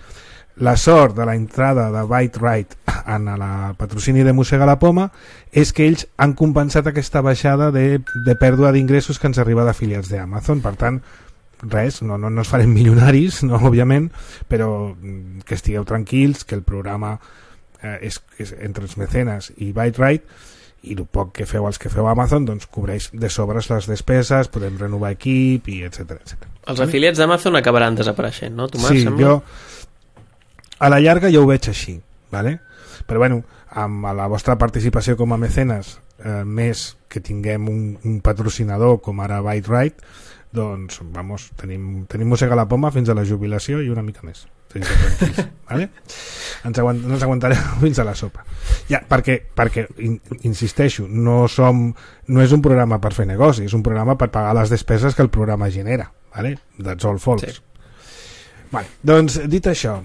[SPEAKER 2] La sort de la entrada de BiteRite en la patrocini de Mossega la Poma és que ells han compensat aquesta baixada de, de pèrdua d'ingressos que ens arriba d'afiliats d'Amazon. Per tant, res, no, no, no es farem milionaris, no, òbviament, però que estigueu tranquils, que el programa eh, és, és entre els mecenes i BiteRite i el poc que feu els que feu a Amazon doncs cobreix de sobres les despeses, podem renovar equip i etcètera etcètera.
[SPEAKER 4] Els afiliats d'Amazon acabaran desapareixent, no, Tomàs?
[SPEAKER 2] Sí,
[SPEAKER 4] sembla?
[SPEAKER 2] jo a la llarga jo ho veig així, ¿vale? Però bueno, amb la vostra participació com a mecenes, eh, més que tinguem un, un patrocinador com ara ByteRite, doncs vamos, tenim, tenim mossega la poma fins a la jubilació i una mica més. Vale? Ens, aguant, ens aguantarem fins a la sopa ja, perquè, perquè in, insisteixo, no som no és un programa per fer negoci, és un programa per pagar les despeses que el programa genera, vale? That's all folks. Sí. Vale, doncs dit això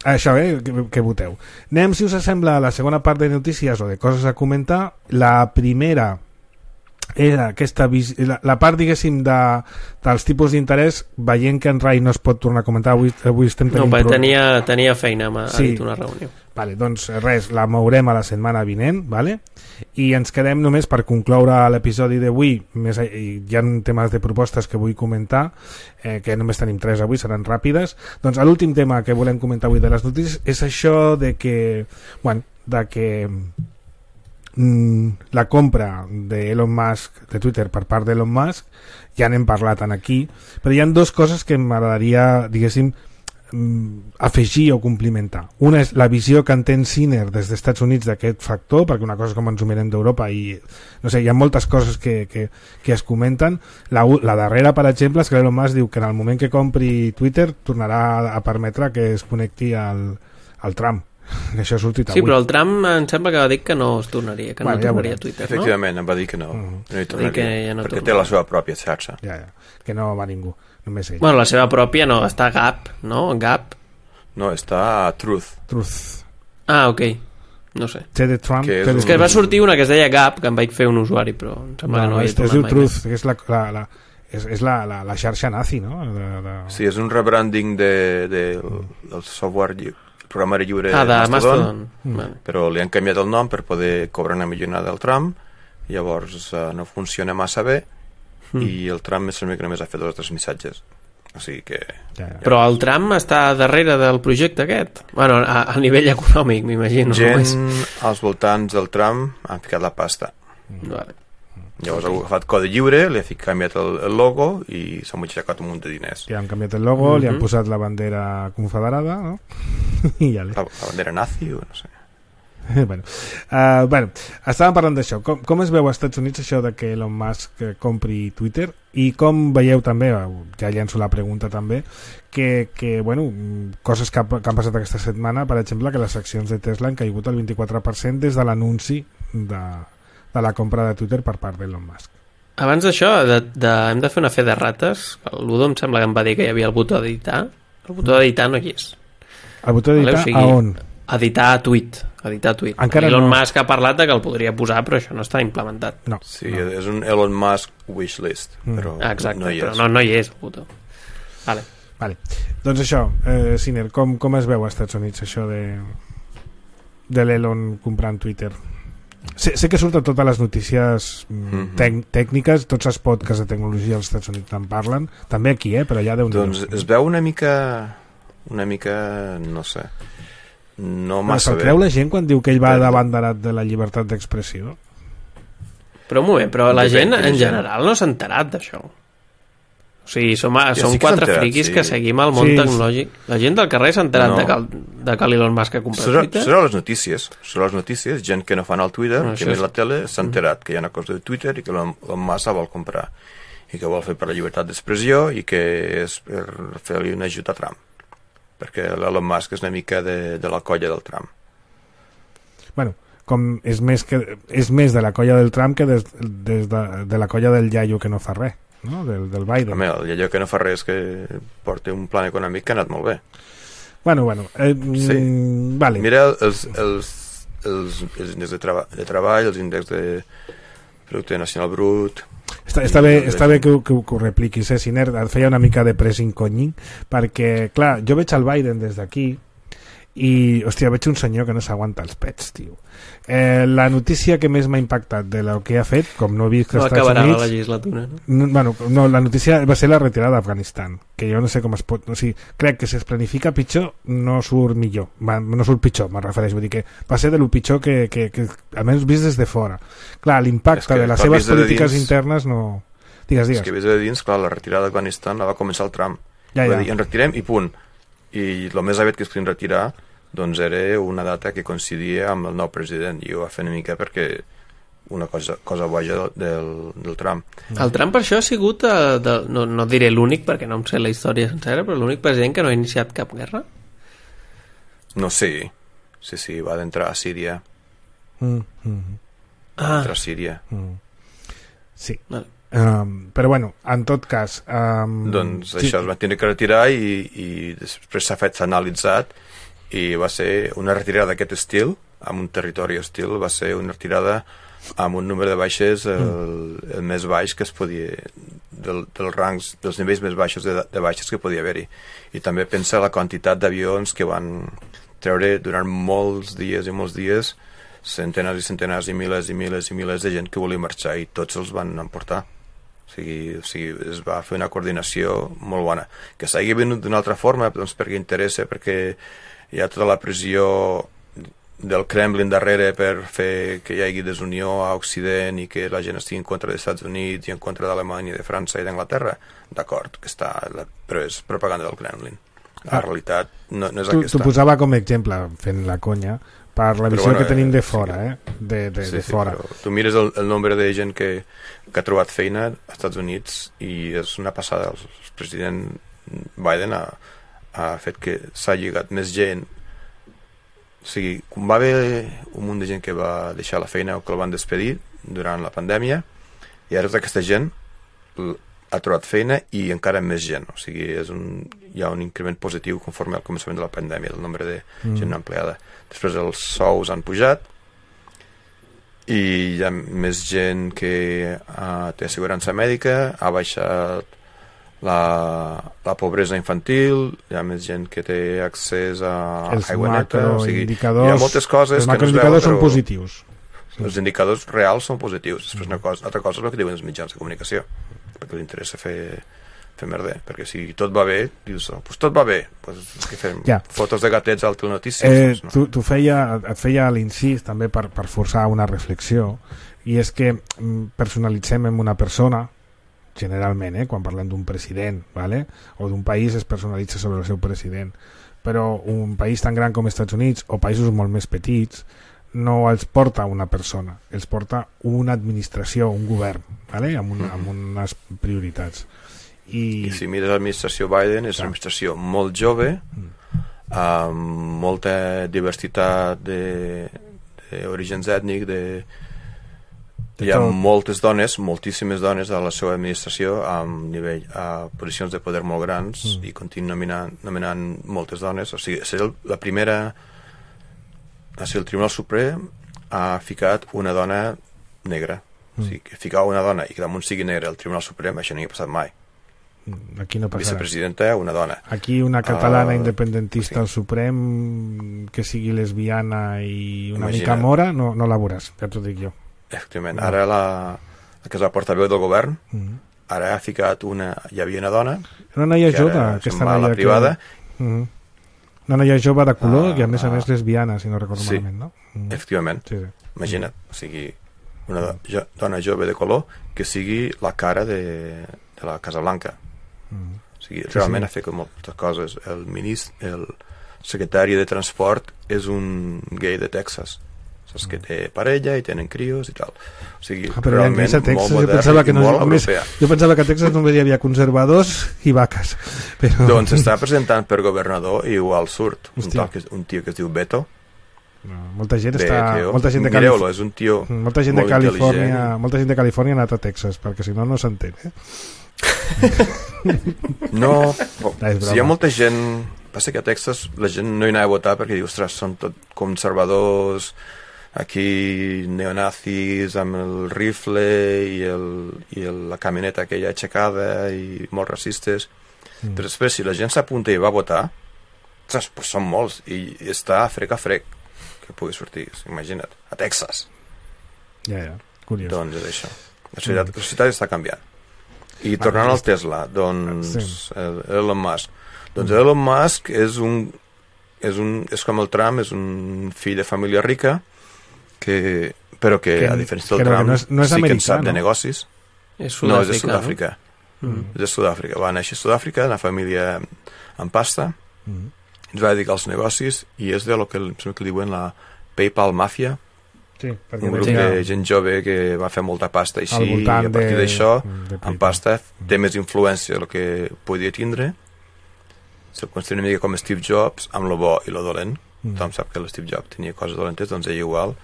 [SPEAKER 2] això, eh, que, que voteu, anem si us sembla a la segona part de notícies o de coses a comentar. La primera era aquesta vis... la, la part, diguéssim, de, dels tipus d'interès, veient que en Rai no es pot tornar a comentar avui, avui estem tenint...
[SPEAKER 4] No, perquè tenia, tenia feina, m'ha sí. dit una reunió.
[SPEAKER 2] Vale, doncs res, la mourem a la setmana vinent, vale? I ens quedem només per concloure l'episodi d'avui, més, hi ha temes de propostes que vull comentar, eh, que només tenim tres avui, seran ràpides. Doncs l'últim tema que volem comentar avui de les notícies és això de que, bueno, de que la compra de Elon Musk de Twitter per part d'Elon Musk, ja n'hem parlat aquí, però hi ha dues coses que m'agradaria, diguéssim, afegir o complementar. Una és la visió que entén Sinner des dels Estats Units d'aquest factor, perquè una cosa és com ens ho mirem d'Europa i no sé, hi ha moltes coses que, que, que es comenten. La, la darrera, per exemple, és que Elon Musk diu que en el moment que compri Twitter tornarà a permetre que es connecti al, al Trump. Que això ha sortit avui.
[SPEAKER 4] Sí, però el Trump em sembla que va dir que no es tornaria, que bueno, no tornaria
[SPEAKER 3] ja
[SPEAKER 4] a Twitter,
[SPEAKER 3] efectivament,
[SPEAKER 4] no?
[SPEAKER 3] em va dir que no,
[SPEAKER 2] uh-huh.
[SPEAKER 3] no hi tornaria,
[SPEAKER 4] que ja no
[SPEAKER 3] perquè
[SPEAKER 4] tornaria.
[SPEAKER 3] té la seva pròpia xarxa.
[SPEAKER 2] Ja, ja, que no va ningú, només ell.
[SPEAKER 4] Bueno, la seva pròpia no, està a Gap, no? Gap?
[SPEAKER 3] No, està a Truth.
[SPEAKER 2] Truth.
[SPEAKER 4] Ah, ok, no sé.
[SPEAKER 2] Té de Trump.
[SPEAKER 3] Que és,
[SPEAKER 2] té
[SPEAKER 3] un...
[SPEAKER 4] és que va sortir una que es deia Gap, que em vaig fer un usuari, però em sembla no, que no
[SPEAKER 2] és,
[SPEAKER 4] hi he
[SPEAKER 2] es diu
[SPEAKER 4] tornat mai
[SPEAKER 2] Truth,
[SPEAKER 4] més.
[SPEAKER 2] que és la, la, la és, és la, la, la xarxa nazi, no? De, de...
[SPEAKER 3] Sí, és un rebranding de, de, del software lliure, el programari lliure
[SPEAKER 4] ah, de
[SPEAKER 3] Mastodon,
[SPEAKER 4] Mastodon. Mm. Vale.
[SPEAKER 3] Però li han canviat el nom per poder cobrar una millonada del Trump, llavors uh, no funciona massa bé mm. i el Trump més sembla que només ha fet dos o tres missatges. O sigui que...
[SPEAKER 2] Ja, ja.
[SPEAKER 4] Però el Trump està darrere del projecte aquest? Bueno, a, a nivell econòmic, m'imagino.
[SPEAKER 3] Gent
[SPEAKER 4] no?
[SPEAKER 3] als voltants del Trump han ficat la pasta.
[SPEAKER 4] Mm. Vale.
[SPEAKER 3] Llavors ha agafat codi lliure, li ha canviat el, el logo i s'ha motxacat un munt de diners.
[SPEAKER 2] Li han canviat el logo, mm-hmm. li han posat la bandera confederada, no? I ja li...
[SPEAKER 3] la, la bandera nazi o no sé.
[SPEAKER 2] bueno, uh, bueno, estàvem parlant d'això. Com, com es veu als Estats Units això de que Elon Musk compri Twitter i com veieu també, ja llenço la pregunta també, que, que bueno, coses que, ha, que han passat aquesta setmana, per exemple, que les accions de Tesla han caigut el vint-i-quatre per cent des de l'anunci de, de la compra de Twitter per part d'Elon Musk.
[SPEAKER 4] Abans d'això, de, de, hem de fer una fe de rates. L'Udo em sembla que em va dir que hi havia el botó d'editar. El botó d'editar no hi és.
[SPEAKER 2] El botó d'editar,
[SPEAKER 4] vale, o sigui,
[SPEAKER 2] a on?
[SPEAKER 4] Editar a tuit. Editar a tuit.
[SPEAKER 2] Encara
[SPEAKER 4] Elon
[SPEAKER 2] no.
[SPEAKER 4] Musk ha parlat de que el podria posar, però això no està implementat.
[SPEAKER 2] No.
[SPEAKER 3] Sí,
[SPEAKER 2] no.
[SPEAKER 3] és un Elon Musk wishlist,
[SPEAKER 2] Mm.
[SPEAKER 3] però
[SPEAKER 4] Ah, exacte,
[SPEAKER 3] no hi
[SPEAKER 4] però
[SPEAKER 3] és.
[SPEAKER 4] no, no hi és el botó. Vale.
[SPEAKER 2] Vale. Doncs això, eh, Sinner, com, com es veu als Estats Units això de, de l'Elon comprant Twitter? Sé, sé que surten totes les notícies mm-hmm. tec, tècniques, tots els podcasts de tecnologia als Estats Units en parlen, també aquí, eh, però allà deu
[SPEAKER 3] Doncs es veu una mica una mica, no sé, no massa
[SPEAKER 2] bé. Se'l creu la gent quan diu que ell va d'abanderat de la llibertat d'expressió?
[SPEAKER 4] Però un moment, però la
[SPEAKER 3] Depèn
[SPEAKER 4] gent
[SPEAKER 3] quina
[SPEAKER 4] en
[SPEAKER 3] gent.
[SPEAKER 4] general no s'ha enterat d'això. O sigui, som,
[SPEAKER 3] Ja,
[SPEAKER 4] som
[SPEAKER 3] sí que
[SPEAKER 4] quatre
[SPEAKER 3] s'ha enterat,
[SPEAKER 4] friquis
[SPEAKER 3] sí.
[SPEAKER 4] que seguim el món
[SPEAKER 2] Sí.
[SPEAKER 4] tecnològic. La gent del carrer s'ha enterat
[SPEAKER 3] No.
[SPEAKER 4] de, que, el- de que l'Elon Musk ha comprat
[SPEAKER 3] Serà,
[SPEAKER 4] Twitter?
[SPEAKER 3] serà les notícies, serà les notícies, gent que no fan el Twitter,
[SPEAKER 4] No,
[SPEAKER 3] que
[SPEAKER 4] això
[SPEAKER 3] mira
[SPEAKER 4] és-
[SPEAKER 3] la tele, s'ha enterat que hi ha una cosa de Twitter i que la, la massa vol comprar i que vol fer per la llibertat d'expressió i que és per fer-li un ajut a Trump, perquè l'Elon Musk és una mica de, de la colla del Trump.
[SPEAKER 2] Bueno, com és més, que, és més de la colla del Trump que des, des de, de la colla del iaio que no fa res, no? del, del Biden.
[SPEAKER 3] Home, allò que no fa res que porta un plan econòmic que ha anat molt bé.
[SPEAKER 2] Bueno, bueno, eh,
[SPEAKER 3] Sí.
[SPEAKER 2] mm, vale.
[SPEAKER 3] Mira els, els, els, els índexs de, treba, de treball, els índexs de producte nacional brut...
[SPEAKER 2] Està, està, bé, està bé que, ho- que, ho- que ho repliquis, eh, Sinner, et feia una mica de pressing conyin, perquè, clar, jo veig el Biden des d'aquí i, hòstia, veig un senyor que no s'aguanta els pets, tio. Eh, la notícia que més m'ha impactat de lo que ha fet, com no he vist que
[SPEAKER 4] no
[SPEAKER 2] als Estats
[SPEAKER 4] acabarà
[SPEAKER 2] Units...
[SPEAKER 4] la legislatura, no?
[SPEAKER 2] no? Bueno, no, la notícia va ser la retirada d'Afganistan, que jo no sé com es pot... O sigui, crec que si es planifica pitjor, no surt millor. Va, no surt pitjor, me'n refereixo. Vull dir que va ser de lo pitjor que, que, que almenys vist des de fora. Clar, l'impacte de les seves polítiques dins... internes no... Digues, digues.
[SPEAKER 3] És que vist de dins, clar, la retirada d'Afganistan la va començar el Trump.
[SPEAKER 2] Ja, ja.
[SPEAKER 3] Va dir, en retirem i punt. I el més aviat que es podien retirar doncs era una data que coincidia amb el nou president, i ho va fer una mica perquè una cosa, cosa boja del, del Trump.
[SPEAKER 4] El Trump per això ha sigut eh, de, no, no diré l'únic perquè no em sé la història sencera, però l'únic president que no ha iniciat cap guerra.
[SPEAKER 3] No, sí, sí, sí, va d'entrar a Síria.
[SPEAKER 2] Mm, mm.
[SPEAKER 3] Va ah. entrar a Síria.
[SPEAKER 2] Mm. Sí.
[SPEAKER 4] Vale.
[SPEAKER 2] Um, però bueno, en tot cas um,
[SPEAKER 3] doncs
[SPEAKER 2] sí.
[SPEAKER 3] això es va tenir que retirar i, i després s'ha fet, s'ha analitzat i va ser una retirada d'aquest estil, amb un territori hostil, va ser una retirada amb un número de baixes el, mm. el més baix que es podia del, dels rangs, dels nivells més baixos de, de baixes que podia haver-hi, i també pensa la quantitat d'avions que van treure durant molts dies i molts dies centenars i centenars i milers i milers i milers de gent que volia marxar, i tots els van emportar. O sigui, o sigui, es va fer una coordinació molt bona. Que s'hagi venut d'una altra forma, doncs perquè interessa, perquè hi ha tota la pressió del Kremlin darrere per fer que hi hagi desunió a Occident i que la gent estigui en contra dels Estats Units i en contra d'Alemanya, de França i d'Anglaterra. D'acord, que està, però és propaganda del Kremlin. La ah. realitat no, no és
[SPEAKER 2] tu,
[SPEAKER 3] aquesta.
[SPEAKER 2] Tu posava com a exemple, fent la conya, per la visió bueno, que tenim de fora,
[SPEAKER 3] sí.
[SPEAKER 2] eh? De, de,
[SPEAKER 3] sí,
[SPEAKER 2] de
[SPEAKER 3] sí,
[SPEAKER 2] fora.
[SPEAKER 3] Tu mires el, el nombre de gent que, que ha trobat feina als Estats Units i és una passada. El, el president Biden ha, ha fet que s'ha lligat més gent. O sigui, com va haver un munt de gent que va deixar la feina o que el van despedir durant la pandèmia, i ara tota aquesta gent ha trobat feina i encara més gent. O sigui, és un, hi ha un increment positiu conforme al començament de la pandèmia del nombre de mm. gent empleada. Després els sous han pujat i hi ha més gent que uh, té assegurança mèdica, ha baixat la, la pobresa infantil, hi ha més gent que té accés a
[SPEAKER 2] els
[SPEAKER 3] aigua neta, o sigui, hi
[SPEAKER 2] ha
[SPEAKER 3] moltes coses
[SPEAKER 2] els
[SPEAKER 3] que no es veuen,
[SPEAKER 2] macroindicadors són
[SPEAKER 3] però
[SPEAKER 2] positius.
[SPEAKER 3] els indicadors reals són positius. Després una cosa, altra cosa és el que diuen els mitjans de comunicació, perquè li interessa fer fer merder, perquè si tot va bé dius, oh, pues tot va bé, pues, que fem
[SPEAKER 2] ja.
[SPEAKER 3] Fotos de gatets al Telenotícies,
[SPEAKER 2] eh,
[SPEAKER 3] no?
[SPEAKER 2] tu, tu feia, et feia l'incís també per, per forçar una reflexió, i és que personalitzem en una persona generalment, eh, quan parlem d'un president, ¿vale? O d'un país es personalitza sobre el seu president, però un país tan gran com els Estats Units o països molt més petits no els porta una persona, els porta una administració, un govern, ¿vale? amb, un, amb unes prioritats. I...
[SPEAKER 3] I si mires l'administració Biden, és una administració molt jove, mm. amb molta diversitat d'orígens ètnics, de... hi ha moltes dones, moltíssimes dones a la seva administració amb nivell, a posicions de poder molt grans, mm. i continuen nominant, nominant moltes dones. O sigui, és la primera... O sigui, el Tribunal Suprem ha ficat una dona negra. Mm. O sigui, que ficar una dona i que damunt sigui negra al Tribunal Suprem, això no hi ha passat mai.
[SPEAKER 2] Aquí no passarà.
[SPEAKER 3] Vicepresidenta, una dona.
[SPEAKER 2] Aquí una catalana uh, independentista
[SPEAKER 3] sí.
[SPEAKER 2] al Suprem que sigui lesbiana i una
[SPEAKER 3] Imagina.
[SPEAKER 2] mica mora, no, no la veuràs, ja t'ho dic jo.
[SPEAKER 3] Efectivament. Ara la, la que és la portaveu del govern,
[SPEAKER 2] mm -hmm.
[SPEAKER 3] ara ha ficat una... Hi havia una dona...
[SPEAKER 2] Una noia jove, aquesta noia
[SPEAKER 3] a la privada.
[SPEAKER 2] Que... Mm -hmm. Una noia jove de color uh, i a més a més lesbiana, si no recordo
[SPEAKER 3] sí.
[SPEAKER 2] malament, no? Mm -hmm.
[SPEAKER 3] Efectivament.
[SPEAKER 2] Sí, sí.
[SPEAKER 3] Imagina't, o sigui, una jo, dona jove de color que sigui la cara de, de la Casa Blanca. Mm. O sigui, sí, realment sí. ha fet moltes coses. El ministre, el secretari de Transport és un gay de Texas. Saps que té parella i tenen crios i tal. O sigui,
[SPEAKER 2] ah, però
[SPEAKER 3] realment
[SPEAKER 2] a Texas,
[SPEAKER 3] molt
[SPEAKER 2] jo
[SPEAKER 3] modern
[SPEAKER 2] pensava que
[SPEAKER 3] i
[SPEAKER 2] no,
[SPEAKER 3] molt
[SPEAKER 2] només,
[SPEAKER 3] europea.
[SPEAKER 2] jo pensava que a Texas només hi havia conservadors i vaques. Però...
[SPEAKER 3] Doncs està presentant per governador i igual surt un, tal que, un tio que es diu Beto.
[SPEAKER 2] No, molta gent
[SPEAKER 3] Bé,
[SPEAKER 2] està
[SPEAKER 3] tio.
[SPEAKER 2] molta gent de
[SPEAKER 3] Califòrnia és un tio
[SPEAKER 2] molta gent de Califòrnia molta gent de Califòrnia ha anat a Texas perquè si no no s'entén, eh?
[SPEAKER 3] No, si hi ha molta gent, passa que a Texas la gent no hi anava a votar perquè diu, ostres, són tot conservadors, aquí neonazis amb el rifle i, el, i el, la camioneta aquella aixecada i molt racistes, mm. però després si la gent s'apunta i va a votar, ostres, pues són molts, i està a frec a frec que pugui sortir, imagina't, a Texas.
[SPEAKER 2] Ja, ja, curiós.
[SPEAKER 3] Doncs és això. La societat, la societat està canviant. I tornant al Tesla, doncs sí. Elon Musk. Doncs Elon Musk és un, és un és com el Trump, és un fill de família rica, que, però que, que a diferència del Trump, no és, no és sí que en sap de negocis.
[SPEAKER 4] És
[SPEAKER 3] no, és de Sud-àfrica. No? Mm. És de Sud-àfrica. Va néixer a Sud-àfrica, una família amb pasta, mm. ens va dedicar als negocis, i és de lo que, que diuen la PayPal Mafia,
[SPEAKER 2] sí,
[SPEAKER 3] un grup de gent jove que va fer molta pasta així, i a partir de, d'això, amb pasta, té més influència del que podia tindre. Se'l considera una mica com Steve Jobs, amb lo bo i lo dolent. Mm. Tothom sap que Steve Jobs tenia coses dolentes, doncs ell igual.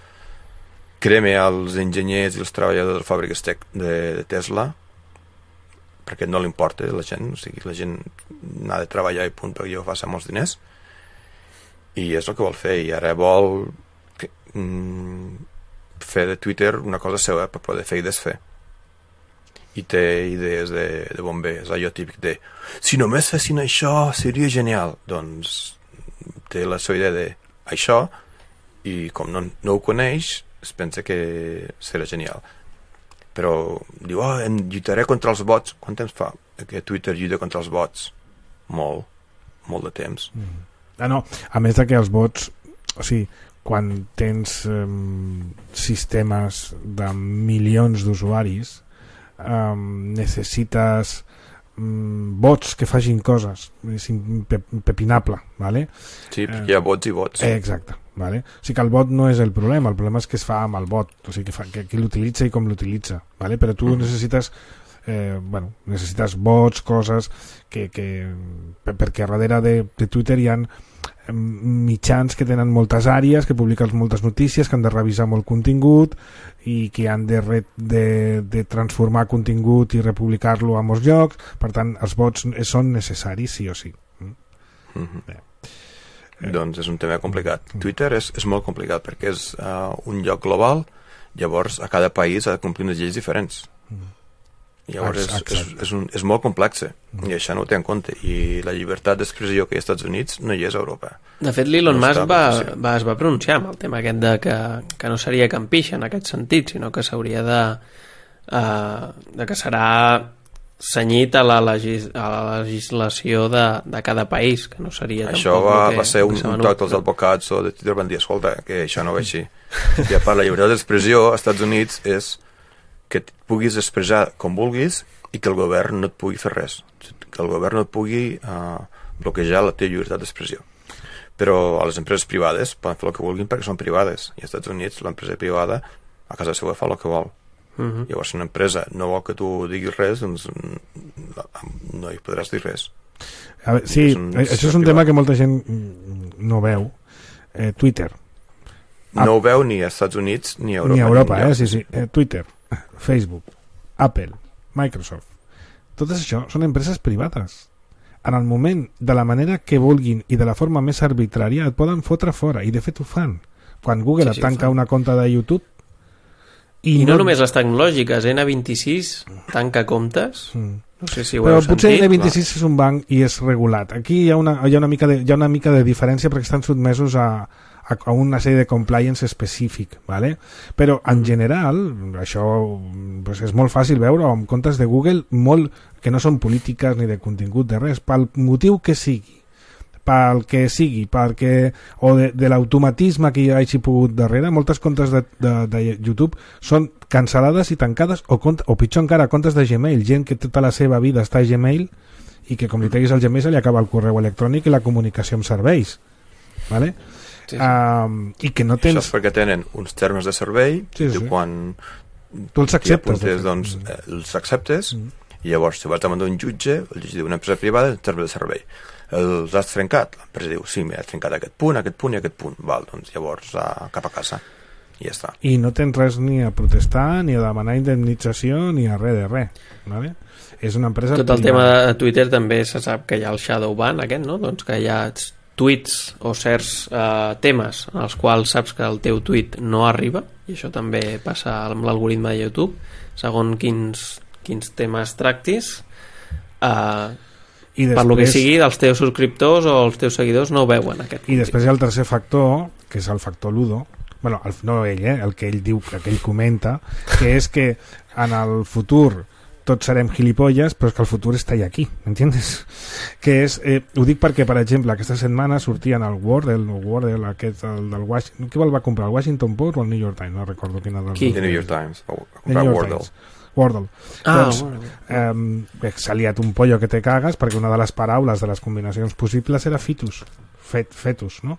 [SPEAKER 3] Crema als enginyers i els treballadors de fàbriques de, de Tesla, perquè no li importa la gent, o sigui, la gent n'ha de treballar i punt, perquè jo faci molts diners, i és el que vol fer, i ara vol que, mm, fer de Twitter una cosa seva per poder fer i desfer, i té idees de, de bomber, és allò típic de si només fessin això seria genial. Doncs té la seva idea de això, i com no, no ho coneix, es pensa que serà genial, però diu, oh, em lluitaré contra els bots. Quant temps fa que Twitter lluita contra els bots? Molt, molt de temps.
[SPEAKER 2] Mm. Ah, no, a més de que els bots, o sigui, quan tens um, sistemes de milions d'usuaris, um, necessites um, bots que facin coses, és impepinable, ¿vale?
[SPEAKER 3] Sí, eh, hi ha bots i bots.
[SPEAKER 2] Eh, exacte. Vale? O sigui que el bot no és el problema, el problema és què es fa amb el bot, o sigui, que fa, que, qui l'utilitza i com l'utilitza, vale? Però tu mm. necessites eh, bueno, necessites bots, coses que, que perquè darrere de, de Twitter hi ha mitjans que tenen moltes àrees, que publiquen moltes notícies, que han de revisar molt contingut i que han de, re, de, de transformar contingut i republicar-lo a molts llocs. Per tant, els bots són necessaris sí o sí.
[SPEAKER 3] Mm-hmm. Bé. Eh. Doncs és un tema complicat. Twitter és, és molt complicat perquè és uh, un lloc global, llavors a cada país ha de complir unes lleis diferents. Llavors és, és, és, un, és molt complex i això no ho té en compte, i la llibertat d'expressió que hi ha als Estats Units no hi és a Europa.
[SPEAKER 4] De fet, l'Elon no Musk va, va, es va pronunciar amb el tema aquest de que, que no seria campixa en aquest sentit, sinó que s'hauria de, uh, de que serà senyit a la, legis, a la legislació de, de cada país, que no seria
[SPEAKER 3] això
[SPEAKER 4] tampoc
[SPEAKER 3] va,
[SPEAKER 4] que,
[SPEAKER 3] va ser un, un toc dels advocats o de Twitter van dir, escolta, que això no va així. I a part, la llibertat d'expressió als Estats Units és que et puguis expressar com vulguis i que el govern no et pugui fer res, que el govern no et pugui uh, bloquejar la teva llibertat d'expressió. Però a les empreses privades poden fer el que vulguin perquè són privades, i als Estats Units l'empresa privada a casa seva fa el que vol. Uh-huh. Llavors, si una empresa no vol que tu diguis res, doncs no hi podràs dir res.
[SPEAKER 2] A veure, sí, és un, això és un tema que molta gent no veu. Eh, Twitter.
[SPEAKER 3] No ho veu ni als Estats Units ni a Europa.
[SPEAKER 2] Ni a Europa, ni eh? Sí, sí. Eh, Twitter, Facebook, Apple, Microsoft. Totes això són empreses privades. En el moment, de la manera que vulguin i de la forma més arbitrària, et poden fotre fora, i de fet ho fan. Quan Google sí, sí, tanca una compte de YouTube,
[SPEAKER 4] I, I no, no només les tecnològiques, N vint-i-sis tanca comptes, mm. no sé si ho
[SPEAKER 2] però
[SPEAKER 4] heu sentit.
[SPEAKER 2] Potser N vint-i-sis no. És un banc i és regulat. Aquí hi ha una, hi ha una, mica, de, hi ha una mica de diferència perquè estan sotmesos a, a, a una sèrie de compliance específic, ¿vale? Però en general, això pues, és molt fàcil veure amb comptes de Google molt, que no són polítiques ni de contingut de res, pel motiu que sigui, pel que sigui, perquè, o de, de l'automatisme que hi hagi pogut darrere, moltes comptes de, de, de YouTube són cancel·lades i tancades, o, compte, o pitjor encara, comptes de Gmail, gent que tota la seva vida està a Gmail i que com li treguis el Gmail se li acaba el correu electrònic i la comunicació amb serveis, ¿vale? Sí, sí. Um, i que no tens...
[SPEAKER 3] Això és perquè tenen uns termes de servei, sí, sí. quan
[SPEAKER 2] tu els acceptes,
[SPEAKER 3] apuntes, doncs, eh, els acceptes, mm. i llavors si vas davant d'un jutge, el jutge diu una empresa privada, termes de servei. Els has trencat? L'empresa diu, sí, m'he trencat aquest punt, aquest punt i aquest punt. Val, doncs llavors uh, cap a casa. I ja està.
[SPEAKER 2] I no tens res ni a protestar, ni a demanar indemnització, ni a res de res. ¿Vale? És una empresa...
[SPEAKER 4] Tot el tema de Twitter també se sap que hi ha el shadow ban aquest, no? Doncs que hi ha tuits o certs uh, temes en els quals saps que el teu tuit no arriba, i això també passa amb l'algoritme de YouTube, segons quins, quins temes tractis, uh,
[SPEAKER 2] I després,
[SPEAKER 4] per lo que sigui, dels teus subscriptors o els teus seguidors no ho veuen aquest
[SPEAKER 2] i després hi ha el tercer factor, que és el factor Ludo, bueno, el, no ell, eh, el que ell diu, que ell comenta, que és que en el futur tots serem gilipolles, però és que el futur està allà aquí, m'entiendes? Que és, eh, ho dic perquè, per exemple, aquesta setmana sortien el Wordle, el Wordle aquest, el del Washington, qui el va comprar, el Washington Post o el New York Times? No recordo quin era.
[SPEAKER 3] Qui? El New York Times, o comprar Wordle.
[SPEAKER 2] Wordle.
[SPEAKER 4] Ah,
[SPEAKER 2] doncs, eh, s'ha liat un pollo que te cagues perquè una de les paraules de les combinacions possibles era fitus, Fet, fetus, no?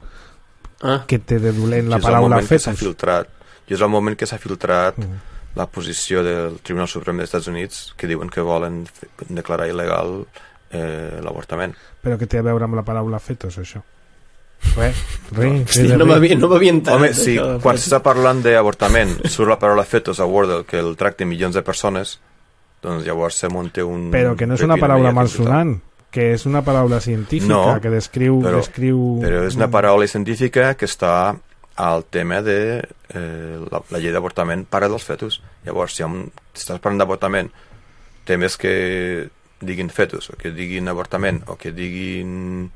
[SPEAKER 4] Ah.
[SPEAKER 2] Que té de dolent la
[SPEAKER 3] I
[SPEAKER 2] paraula fetus.
[SPEAKER 3] És el filtrat. I és el moment que s'ha filtrat mm. la posició del Tribunal Suprem dels Estats Units, que diuen que volen declarar il·legal eh, l'avortament.
[SPEAKER 2] Però què té a veure amb la paraula fetus, això? Res, res.
[SPEAKER 4] Hòstia, no m'havia no enterat.
[SPEAKER 3] Home, sí, quan s'està parlant d'avortament surt la paraula fetus a Wordle, que el tracta milions de persones, doncs llavors se munta un...
[SPEAKER 2] Però que no és una paraula malsonant, que és una paraula científica,
[SPEAKER 3] no,
[SPEAKER 2] que descriu,
[SPEAKER 3] però,
[SPEAKER 2] descriu...
[SPEAKER 3] però és una paraula científica que està al tema de eh, la, la llei d'avortament para dels fetus. Llavors, si un, estàs parlant d'avortament, temes que diguin fetus, o que diguin avortament, o que diguin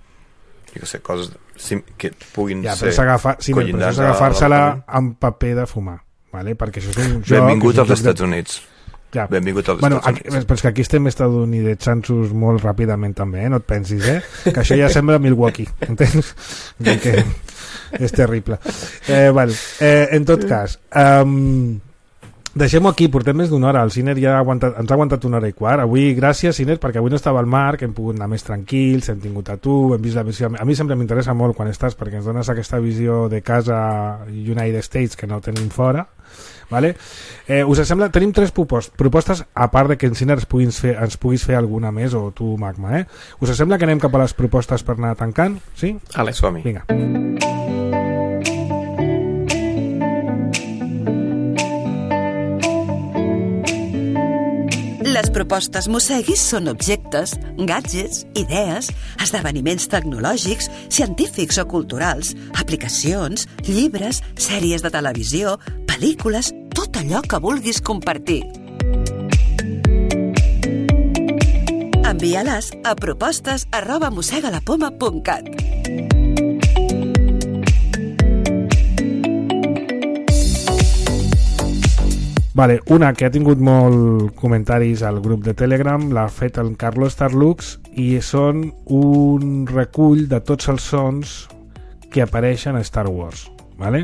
[SPEAKER 3] jo què sé, coses que puguin
[SPEAKER 2] ja,
[SPEAKER 3] ser
[SPEAKER 2] sí, collindants és agafar-se-la amb paper de fumar, vale? Perquè això és un joc...
[SPEAKER 3] Benvingut als Estats Units.
[SPEAKER 2] Ja.
[SPEAKER 3] Benvingut als
[SPEAKER 2] bueno,
[SPEAKER 3] Estats
[SPEAKER 2] aquí,
[SPEAKER 3] Units.
[SPEAKER 2] però és que aquí estem estadounidenses molt ràpidament també, eh? No et pensis, eh? Que això ja sembla Milwaukee, entens? Que és terrible. Eh, bueno, eh, en tot cas, um, deixem-ho aquí, portem més d'una hora. El Ciner ja ha aguantat, ens ha aguantat una hora i quart. Avui, gràcies, Ciner, perquè avui no estava al Marc, hem pogut anar més tranquils, hem tingut a tu, hem vist la visió... A mi sempre m'interessa molt quan estàs, perquè ens dones aquesta visió de casa United States que no tenim fora. Vale? Eh, us sembla? Tenim tres propostes, propostes a part de que en Ciner ens puguis, fer, ens puguis fer alguna més, o tu, Magma, eh? Us sembla que anem cap a les propostes per anar tancant? Sí?
[SPEAKER 3] Ale, som-hi.
[SPEAKER 2] Vinga.
[SPEAKER 6] Les propostes Mosseguis són objectes, gadgets, idees, esdeveniments tecnològics, científics o culturals, aplicacions, llibres, sèries de televisió, pel·lícules, tot allò que vulguis compartir. Envia-les a propostes arroba mossegalapoma punt cat.
[SPEAKER 2] Vale, una que ha tingut molt comentaris al grup de Telegram, l'ha fet el Carlos Starlux, i són un recull de tots els sons que apareixen a Star Wars, vale?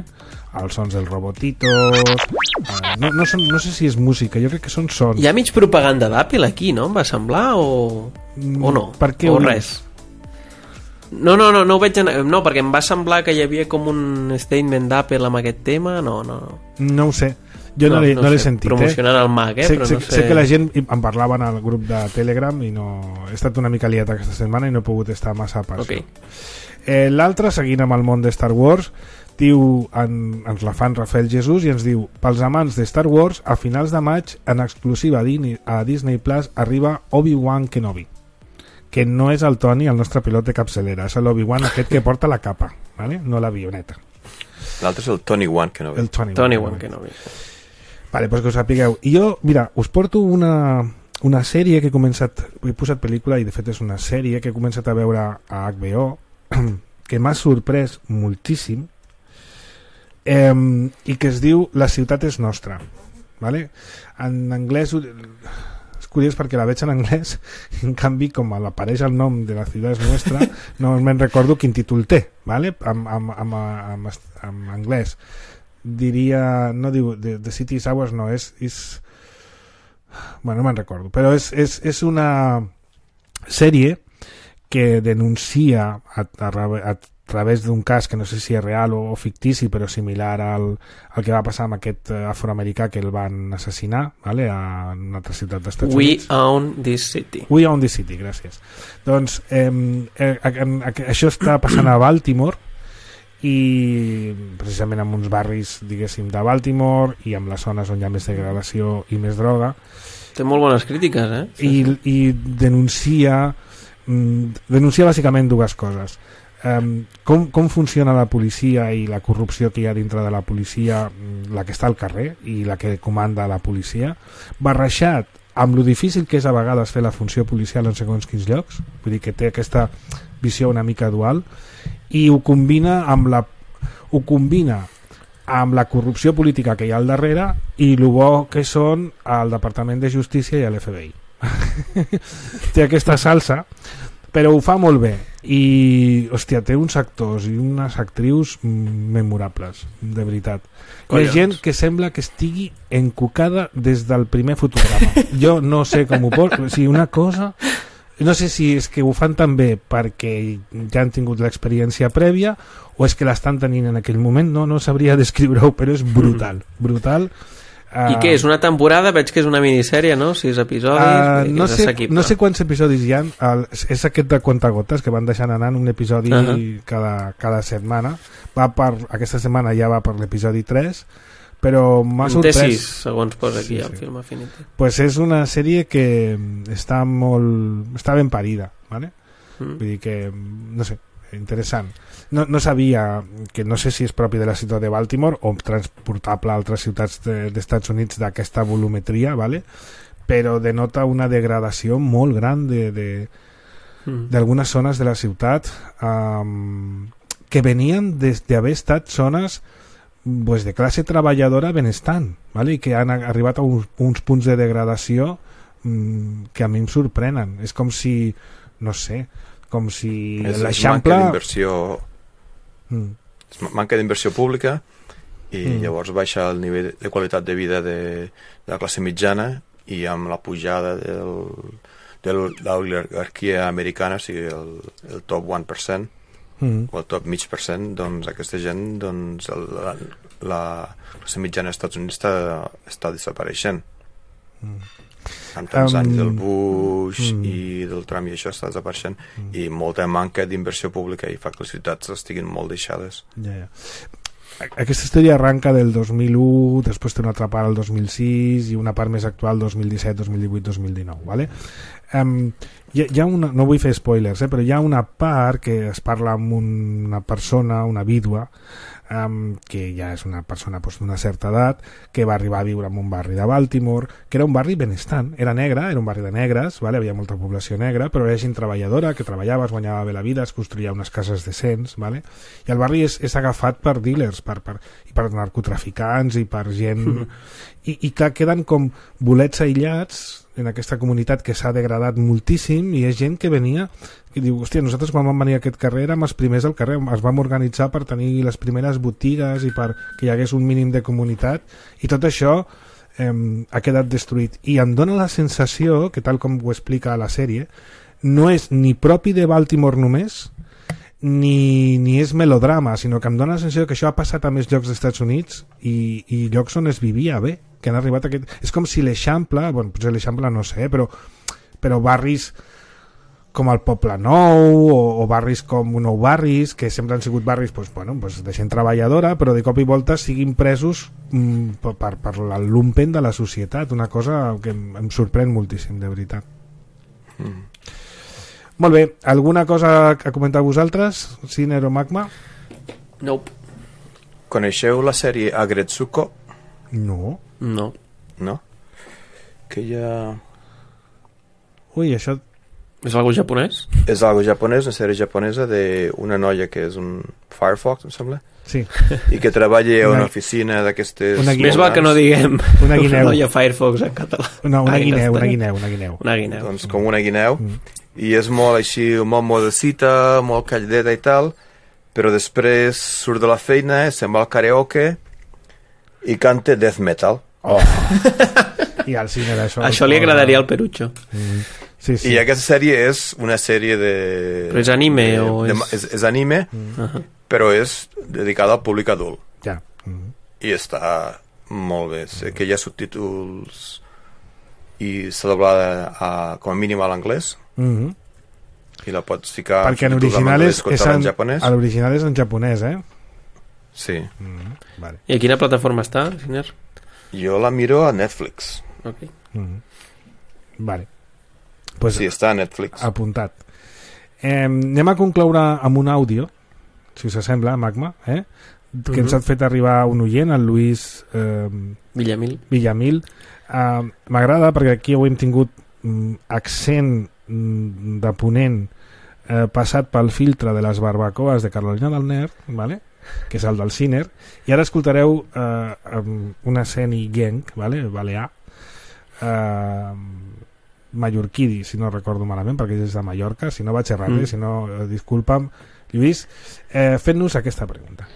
[SPEAKER 2] Els sons dels robotitos... Eh, no, no, són, no sé si és música, jo crec que són sons.
[SPEAKER 4] Hi ha mig propaganda d'Apple aquí, no? Em va semblar, o, o no?
[SPEAKER 2] Per què
[SPEAKER 4] o
[SPEAKER 2] ho
[SPEAKER 4] res? No, no, no, no ho veig en... No, perquè em va semblar que hi havia com un statement d'Apple amb aquest tema, no, no.
[SPEAKER 2] No ho sé. Jo no, no l'he no no sentit,
[SPEAKER 4] promocionant el Mac, eh?
[SPEAKER 2] Sé,
[SPEAKER 4] però
[SPEAKER 2] sé,
[SPEAKER 4] no sé...
[SPEAKER 2] sé que la gent em parlava en el grup de Telegram i no... He estat una mica liat aquesta setmana i no he pogut estar massa a pas.
[SPEAKER 4] Okay.
[SPEAKER 2] Eh, L'altre, seguint amb el món de Star Wars, diu, en, ens la fan Rafael Jesús i ens diu: pels amants de Star Wars, a finals de maig, en exclusiva a Disney Plus, arriba Obi-Wan Kenobi, que no és el Toni, el nostre pilot de capçalera, és l'Obi-Wan aquest que porta la capa, ¿vale? No l'avioneta.
[SPEAKER 3] L'altre és el Tony Wan Kenobi.
[SPEAKER 2] El Tony,
[SPEAKER 4] Tony
[SPEAKER 2] Wan
[SPEAKER 4] Wan Kenobi.
[SPEAKER 2] Vale, pues que us sapigueu. I jo, mira, us porto una, una sèrie que he començat, he posat pel·lícula i de fet és una sèrie que he començat a veure a H B O que m'ha sorprès moltíssim, eh, i que es diu La ciutat és nostra, vale? En anglès és curiós perquè la veig en anglès i en canvi com apareix el nom de La ciutat és nostra no me'n recordo quin títol té, vale? Amb, amb, amb, amb, amb anglès diria, no diu The, the City is Ours, no, és, és bueno, no me'n recordo, però és, és, és una sèrie que denuncia a, a, a través d'un cas que no sé si és real o, o fictici, però similar al, al que va passar amb aquest afroamericà que el van assassinar, vale? A una altra ciutat dels Estats
[SPEAKER 4] We
[SPEAKER 2] Units.
[SPEAKER 4] Own This City.
[SPEAKER 2] We Own This City, gràcies. Doncs eh, eh, eh, això està passant a Baltimore, i precisament en uns barris, diguéssim, de Baltimore, i amb les zones on hi ha més degradació i més droga.
[SPEAKER 4] Té molt bones crítiques, eh?
[SPEAKER 2] I, i denuncia denuncia bàsicament dues coses. Um, com, com funciona la policia i la corrupció que hi ha dintre de la policia, la que està al carrer i la que comanda la policia, barrejat amb lo difícil que és a vegades fer la funció policial en segons quins llocs, vull dir que té aquesta visió una mica dual, i ho combina amb la ho combina amb la corrupció política que hi ha al darrere i el bo que són el Departament de Justícia i l'F B I. Té aquesta salsa, però ho fa molt bé i, hòstia, té uns actors i unes actrius memorables, de veritat. Hi ha gent que sembla que estigui encucada des del primer fotograma. Jo no sé com ho pot... O sigui, una cosa... No sé si és que ho fan tan bé perquè ja han tingut l'experiència prèvia o és que l'estan tenint en aquell moment, no, no sabria descriure-ho, però és brutal, brutal.
[SPEAKER 4] Uh, I què, és una temporada? Veig que és una minissèrie, no? Sis episodis?
[SPEAKER 2] Uh, no, sé, no sé quants episodis hi ha. El, és aquest de Contagotes que van deixant anar un episodi uh -huh. cada, cada setmana. Va per, aquesta setmana ja va per l'episodi tres, però m'ha sorprès.
[SPEAKER 4] Té sis, segons posa aquí sí, el sí. film Affinity.
[SPEAKER 2] Pues és una sèrie que està molt... està ben parida, ¿vale? Mm. Vull dir que, no sé, interessant. No, no sabia, que no sé si és propi de la ciutat de Baltimore o transportable a altres ciutats de, d'Estats Units d'aquesta volumetria, ¿vale? Però denota una degradació molt gran de, de, mm. d'algunes zones de la ciutat um, que venien d'haver estat zones pues, de classe treballadora benestant, ¿vale? I que han arribat a uns, uns punts de degradació um, que a mi em sorprenen. És com si, no sé, com si l'Eixample...
[SPEAKER 3] Manca d'inversió mm. manca d'inversió pública i mm. llavors baixa el nivell de qualitat de vida de, de la classe mitjana i amb la pujada del, de l'oligarquia americana, o sigui el, el top un per cent mm. o el top mig per cent, doncs aquesta gent, doncs el, la, la classe mitjana als Estats Units està, està desapareixent. Mm. amb tants um, anys del Bush mm. i del Trump i això està desapareixent mm. i molta manca d'inversió pública i fa que les ciutats estiguin molt deixades.
[SPEAKER 2] Ja, ja. Aquesta història arranca del dos mil u, després té una altra part el dos mil sis i una part més actual dos mil disset, dos mil divuit, dos mil dinou, ¿vale? Um, hi, ha, hi ha una, no vull fer spoilers, eh, però hi ha una part que es parla amb una persona, una vídua, Um, que ja és una persona pues, d'una certa edat, que va arribar a viure en un barri de Baltimore, que era un barri benestant, era negre, era un barri de negres, vale? Havia molta població negra, però era gent treballadora, que treballava, es guanyava bé la vida, es construïa unes cases decents, vale? I el barri és, és agafat per dealers, per, per, i per narcotraficants, i per gent... Mm. I, i que queden com bolets aïllats en aquesta comunitat que s'ha degradat moltíssim i és gent que venia i diu, hòstia, nosaltres quan vam venir a aquest carrer érem els primers al carrer, ens vam organitzar per tenir les primeres botigues i per que hi hagués un mínim de comunitat i tot això eh, ha quedat destruït i em dóna la sensació que tal com ho explica a la sèrie no és ni propi de Baltimore només ni, ni és melodrama, sinó que em dóna la sensació que això ha passat a més llocs dels Estats Units i, i llocs on es vivia bé, que han arribat a aquest... És com si l'Eixample, bueno, potser l'Eixample no sé, però, però barris com el Poble Nou o, o barris com Nou Barris, que sempre han sigut barris pues, bueno, pues, de gent treballadora, però de cop i volta siguin presos mm, per, per el lumpen de la societat, una cosa que em, em sorprèn moltíssim, de veritat. Mm. Molt bé, alguna cosa a comentar vosaltres, Siner o Magma?
[SPEAKER 4] Nope.
[SPEAKER 3] Coneixeu la sèrie Agretsuko?
[SPEAKER 2] No.
[SPEAKER 4] No.
[SPEAKER 3] No? Que hi ha...
[SPEAKER 2] Ui, això...
[SPEAKER 4] És algo japonès?
[SPEAKER 3] És algo japonès, una sèrie japonesa d'una noia que és un Firefox, em sembla?
[SPEAKER 2] Sí.
[SPEAKER 3] I que treballa a una, una oficina d'aquestes...
[SPEAKER 4] Més val que no diguem
[SPEAKER 2] una guineu.
[SPEAKER 4] Noia Firefox en català.
[SPEAKER 2] No, una guineu, una guineu, una guineu.
[SPEAKER 4] Una guineu.
[SPEAKER 3] Doncs com una guineu. Mm. I és molt així, molt modecita, molt calladeta i tal, però després surt de la feina, se'n va al karaoke i canta death metal.
[SPEAKER 2] Oh. I al cine d'això...
[SPEAKER 4] Això li agradaria al Perucho.
[SPEAKER 2] Mm. Sí, sí.
[SPEAKER 3] I aquesta sèrie és una sèrie de...
[SPEAKER 4] Però és anime
[SPEAKER 3] de,
[SPEAKER 4] o és...
[SPEAKER 3] De, és, és anime, mm. uh-huh. però és dedicada al públic adult.
[SPEAKER 2] Ja. Mm.
[SPEAKER 3] I està molt bé. Sé que hi ha subtítols i s'ha doblada a, com a mínim a l'anglès.
[SPEAKER 2] Mm-hmm.
[SPEAKER 3] I la pots ficar
[SPEAKER 2] perquè en original és, és en, en japonès. L'original és en japonès, eh?
[SPEAKER 3] Sí.
[SPEAKER 2] Mm-hmm. Vale.
[SPEAKER 4] I a quina plataforma està, Siner?
[SPEAKER 3] Jo la miro a Netflix.
[SPEAKER 4] Ok.
[SPEAKER 2] Mm-hmm. Vale. Pues
[SPEAKER 3] sí, està a Netflix.
[SPEAKER 2] Apuntat. Eh, anem a concloure amb un àudio, si us sembla, Magma, eh? que uh-huh. ens ha fet arribar un oient, el Lluís eh,
[SPEAKER 4] Villamil.
[SPEAKER 2] Villamil. Eh, m'agrada perquè aquí avui hem tingut mm, accent mm, de ponent eh, passat pel filtre de les barbacoes de Carolina del Nord, ¿vale? Que és el del Ciner, i ara escoltareu eh, un accent genc, ¿vale? Balear, eh, mallorquí, si no recordo malament, perquè és de Mallorca, si no vaig errar mm. si no, eh, disculpa'm, Lluís, eh, fent-nos aquesta pregunta.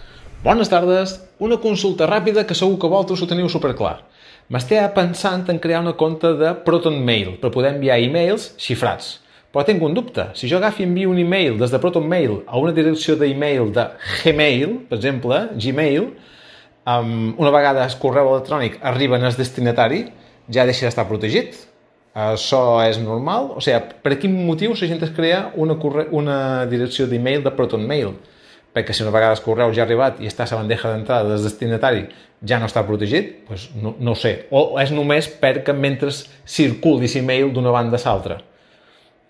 [SPEAKER 8] Bones tardes, una consulta ràpida que segur que vosaltres ho teniu superclar. M'estava pensant en crear una compte de ProtonMail per poder enviar e-mails xifrats. Però tinc un dubte. Si jo agafi i envio un e-mail des de ProtonMail a una direcció d'e-mail de Gmail, per exemple, Gmail, um, una vegada el correu electrònic arriba en el destinatari, ja deixa d'estar protegit. Això és normal? O sigui, per quin motiu la gent es crea una, corre... una direcció d'e-mail de ProtonMail? Perquè si una vegada el correu ja ha arribat i està a la bandeja d'entrada del destinatari ja no està protegit, doncs no, no ho sé. O és només perquè mentre circuli l'e-mail d'una banda a l'altra.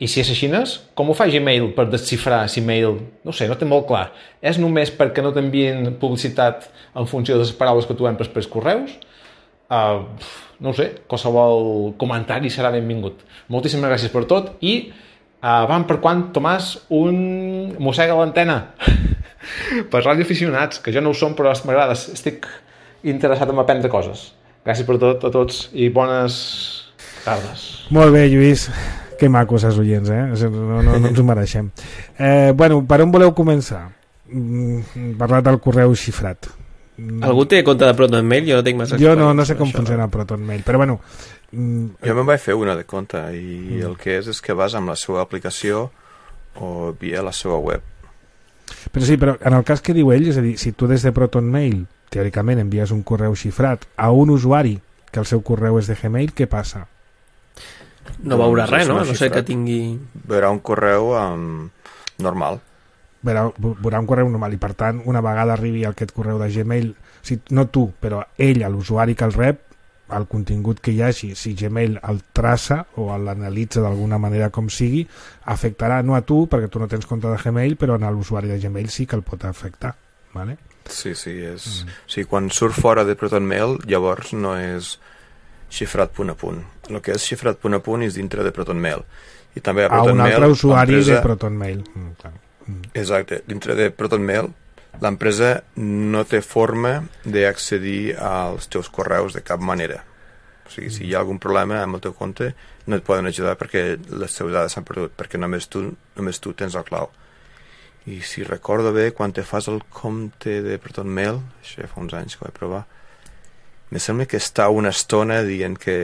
[SPEAKER 8] I si és així, com ho fa Gmail per desxifrar l'e-mail? No sé, no té molt clar. És només perquè no t'envien publicitat en funció de les paraules que tu empres pels correus? Uh, no ho sé, qualsevol comentari serà benvingut. Moltíssimes gràcies per tot i uh, vam per quan, Tomàs, un mossega a l'antena per radioaficionats, que jo no ho som però m'agrada, estic interessat en aprendre coses. Gràcies per tot a tots i bones tardes.
[SPEAKER 2] Molt bé, Lluís. Que macos els oients, eh? No, no, no ens ho mereixem. Eh, bueno, per on voleu començar? Mm, parlar del correu xifrat.
[SPEAKER 4] Algú té compte de ProtonMail? Jo no tinc massa...
[SPEAKER 2] Jo no, no sé com això. Funciona ProtonMail, però bueno...
[SPEAKER 3] Mm, jo me'n vaig fer una de compte i mm. el que és és que vas amb la seva aplicació o via la seva web.
[SPEAKER 2] Però sí, però en el cas que diu ell, és a dir, si tu des de ProtonMail teòricament envies un correu xifrat a un usuari que el seu correu és de Gmail, què passa?
[SPEAKER 4] No veurà res, no? No sé que tingui...
[SPEAKER 3] Veurà un correu um, normal.
[SPEAKER 2] Veurà, veurà un correu normal i per tant una vegada arribi aquest correu de Gmail, si, no tu, però ell, l'usuari que el rep, el contingut que hi hagi, si Gmail el traça o l'analitza d'alguna manera com sigui, afectarà no a tu perquè tu no tens compte de Gmail, però en l'usuari de Gmail sí que el pot afectar, ¿vale?
[SPEAKER 3] Sí, sí, és... Mm. Sí, quan surt fora de ProtonMail llavors no és xifrat punt a punt. El que és xifrat punt a punt és dintre de ProtonMail. I també a ProtonMail...
[SPEAKER 2] A un altre usuari empresa... de ProtonMail. Mm, clar. Mm.
[SPEAKER 3] Exacte. Dintre de ProtonMail l'empresa no té forma d'accedir als teus correus de cap manera. O sigui, mm. si hi ha algun problema amb el teu compte no et poden ajudar perquè les teves dades s'han perdut, perquè només tu, només tu tens el clau. I si recordo bé, quan te fas el compte de ProtonMail, això ja fa uns anys que ho vaig provar, me sembla que està una estona dient que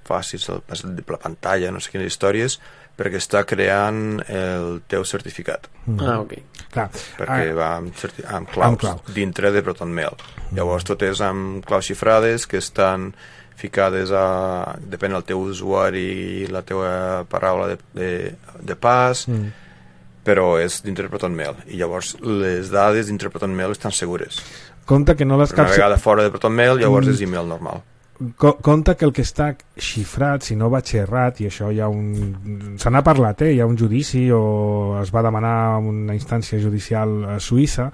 [SPEAKER 3] facis el, la pantalla, no sé quines històries, perquè està creant el teu certificat.
[SPEAKER 4] Mm. Ah, ok.
[SPEAKER 2] Clar.
[SPEAKER 3] Perquè ah, va amb, certi amb claus amb clau. dintre de ProtonMail. Mm. Llavors tot és amb claus xifrades que estan ficades a... depèn del teu usuari i la teva paraula de, de, de pas, mm. però és dintre de ProtonMail. I llavors les dades dintre de ProtonMail estan segures.
[SPEAKER 2] Compte que no les
[SPEAKER 3] una vegada fora de ProtonMail llavors mm. és email normal.
[SPEAKER 2] Co compte que el que està xifrat, si no vaig errat, i això hi ha un... se n'ha parlat, eh? Hi ha un judici o es va demanar una instància judicial a Suïssa,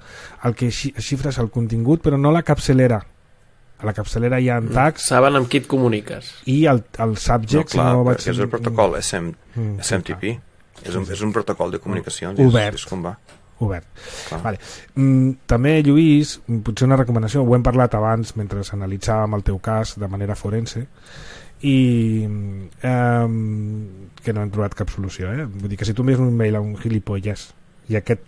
[SPEAKER 2] el que xifra és el contingut però no la capçalera. A la capçalera hi ha en tags...
[SPEAKER 4] Saben amb qui et comuniques.
[SPEAKER 2] I el, el subject...
[SPEAKER 3] No, clar,
[SPEAKER 2] no
[SPEAKER 3] vaig... és el protocol S M, mm, S M T P. És un, és un protocol de comunicacions.
[SPEAKER 2] Obert.
[SPEAKER 3] És, és com va.
[SPEAKER 2] Obert. Vale. Mm, també, Lluís, potser una recomanació, ho hem parlat abans mentre analitzàvem el teu cas de manera forense i eh, que no hem trobat cap solució, eh? Vull dir que si tu envies un mail a un gilipolles i aquest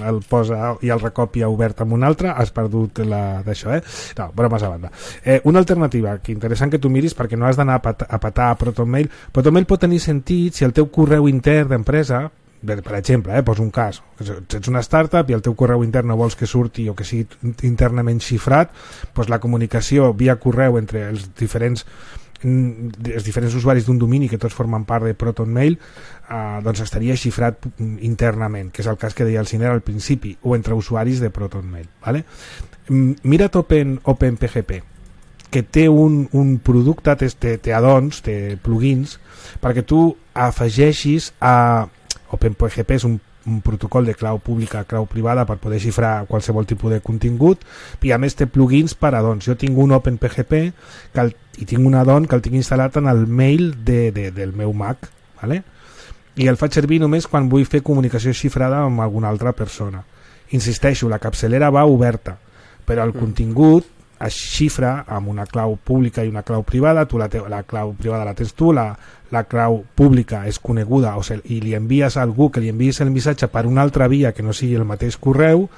[SPEAKER 2] el posa i el recopia obert amb un altre, has perdut d'això, eh? No, bromes a banda. Eh, una alternativa que interessant que tu miris perquè no has d'anar a, pat a patar a ProtonMail. ProtonMail pot tenir sentit si el teu correu intern d'empresa, per exemple, eh, poso un cas, ets una startup i el teu correu intern no vols que surti o que sigui internament xifrat, doncs la comunicació via correu entre els diferents els diferents usuaris d'un domini que tots formen part de ProtonMail eh, doncs estaria xifrat internament, que és el cas que deia el Ciner al principi, o entre usuaris de ProtonMail, ¿vale? Mira't Open, OpenPGP, que té un, un producte, té, té add-ons, té plugins, perquè tu afegeixis a OpenPGP és un un protocol de clau pública a clau privada per poder xifrar qualsevol tipus de contingut, i a més té plugins per addons. Jo tinc un OpenPGP que el, i tinc un addon que el tinc instal·lat en el mail de, de, del meu Mac, ¿vale? I el faig servir només quan vull fer comunicació xifrada amb alguna altra persona. Insisteixo, la capçalera va oberta, però el mm. contingut es xifra amb una clau pública i una clau privada. Tu la, te la clau privada la tens tu, la, la clau pública és coneguda, o sigui, i li envies a algú que li envies el missatge per una altra via que no sigui el mateix correu,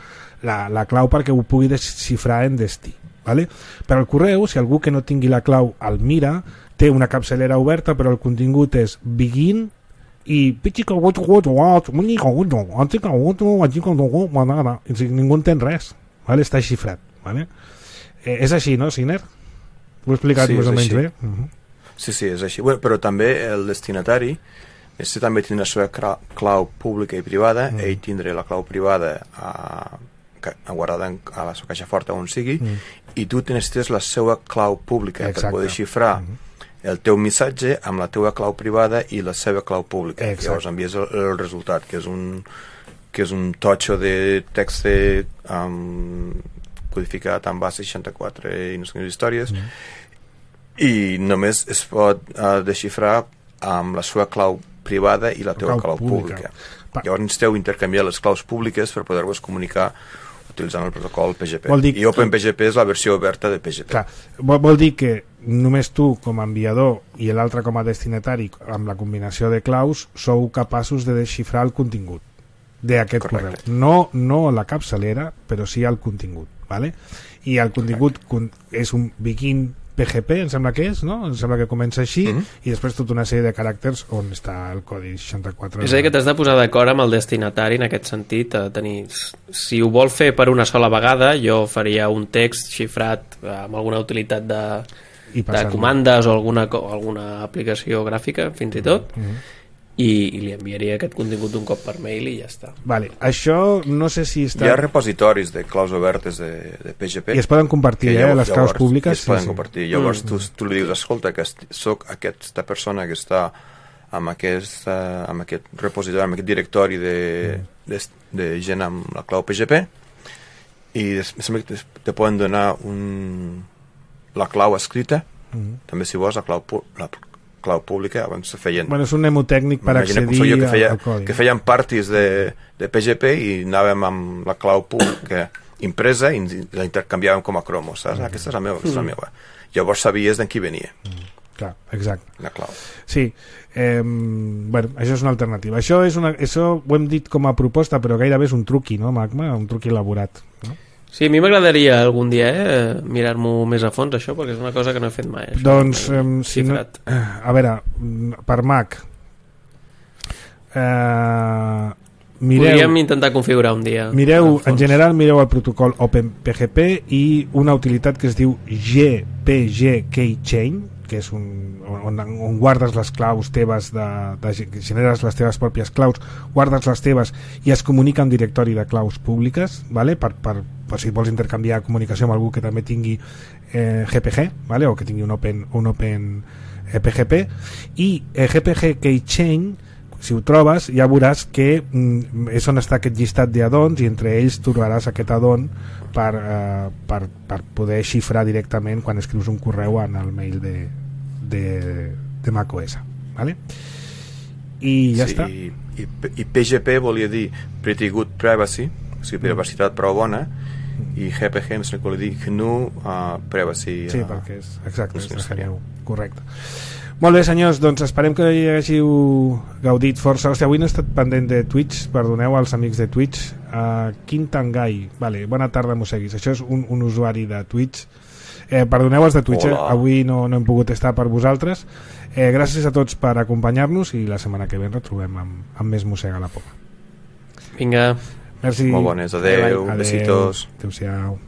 [SPEAKER 2] la, la clau perquè ho pugui desxifrar en destí, ¿vale? Per al correu, si algú que no tingui la clau el mira, té una capçalera oberta però el contingut és begin i ningú entén res, ¿vale? Està xifrat, ¿vale? Eh, és així, no, Signer? Ho he explicat sí, més o menys bé? Uh -huh.
[SPEAKER 3] Sí, sí, és així. Bueno, però també el destinatari, este també tindrà la seva clau pública i privada, mm. ell tindrà la clau privada a, a guardada a la seva caixa forta on sigui, mm. i tu necessites la seva clau pública. Exacte. Per poder xifrar mm. el teu missatge amb la teva clau privada i la seva clau pública. Exacte. Llavors envies el, el resultat, que és un, que és un totxo de text um, codificat amb base seixanta-quatre i no sé quines històries, mm. i només es pot uh, desxifrar amb la seva clau privada i la teva clau, clau pública. pública. Llavors necessiteu intercanviar les claus públiques per poder-vos comunicar utilitzant el protocol P G P. I OpenPGP és la versió oberta de P G P.
[SPEAKER 2] Clar, vol, vol dir que només tu com a enviador i l'altre com a destinatari, amb la combinació de claus, sou capaços de desxifrar el contingut d'aquest correu. No, no la capçalera, però sí el contingut, ¿vale? I el contingut és un begin P G P, em sembla que és, no? Em sembla que comença així, mm-hmm. i després tota una sèrie de caràcters on està el codi seixanta-quatre.
[SPEAKER 4] És a dir, que t'has de posar d'acord amb el destinatari en aquest sentit, a tenir... Si ho vol fer per una sola vegada, jo faria un text xifrat amb alguna utilitat de, de comandes o alguna, alguna aplicació gràfica, fins i tot, mm-hmm. I, i li enviaria aquest contingut un cop per mail i ja està.
[SPEAKER 2] Vale, això no sé si està...
[SPEAKER 3] Hi ha repositoris de claus obertes de, de P G P
[SPEAKER 2] i es poden compartir, eh,
[SPEAKER 3] llavors,
[SPEAKER 2] les claus públiques
[SPEAKER 3] es poden sí, compartir, sí. Llavors mm. tu, tu li dius, escolta, que soc aquesta persona que està amb aquest, amb aquest repositori, amb aquest directori de, mm. de, de gent amb la clau P G P, i després te poden donar un, la clau escrita, mm. també si vols la clau, la clau pública, abans se feien...
[SPEAKER 2] Bueno, és un mnemotècnic per accedir
[SPEAKER 3] que feia,
[SPEAKER 2] al codi.
[SPEAKER 3] Que feien parties de, de P G P i anàvem amb la clau pública impresa i la intercanviàvem com a cromos, saps? Mm. Aquesta és la meva, aquesta és la meva. Llavors sabies d'en qui venia.
[SPEAKER 2] Mm. Clar, exacte.
[SPEAKER 3] La clau.
[SPEAKER 2] Sí. Eh, bueno, això és una alternativa. Això, és una, això ho hem dit com a proposta, però gairebé és un truqui, no, Magma? Un truqui elaborat, no?
[SPEAKER 4] Sí, a mi m'agradaria algun dia eh, mirar-m'ho més a fons, això, perquè és una cosa que no he fet mai. Això,
[SPEAKER 2] doncs, eh, si no, a veure, per Mac, eh, mireu...
[SPEAKER 4] Podríem intentar configurar un dia.
[SPEAKER 2] Mireu, en general, mireu el protocol OpenPGP i una utilitat que es diu G P G Keychain, que és un, on, on guardes les claus teves, de, de, generes les teves pròpies claus, guardes les teves i es comunica en directori de claus públiques, ¿vale? per, per, per si vols intercanviar comunicació amb algú que també tingui eh, G P G, ¿vale? O que tingui un Open, un open eh, P G P, i eh, G P G Keychain, si ho trobes ja veuràs que mm, és on està aquest llistat d'addons i entre ells trobaràs aquest addon per, eh, per, per poder xifrar directament quan escrius un correu en el mail de, de, de macOS, ¿vale? I ja
[SPEAKER 3] sí,
[SPEAKER 2] està.
[SPEAKER 3] I, i P G P volia dir Pretty Good Privacy, o sigui, privacitat prou bona, i G P G em sembla que volia dir G N U uh, Privacy.
[SPEAKER 2] Sí, uh, perquè és exacte, és G N U, correcte. Molt bé, senyors, doncs esperem que hi hàgiu gaudit força. Hòstia, avui no he estat pendent de Twitch, perdoneu als amics de Twitch. Uh, Quintangai, vale, bona tarda, Moseguis. Això és un, un usuari de Twitch. Eh, perdoneu els de Twitch, eh? Avui no, no hem pogut estar per vosaltres. Eh, gràcies a tots per acompanyar-nos i la setmana que ve ens retrobem amb, amb més Mossega la Poma.
[SPEAKER 4] Vinga.
[SPEAKER 2] Merci.
[SPEAKER 3] Molt bones, adeu, adeu. Besitos.
[SPEAKER 2] Adéu-siau.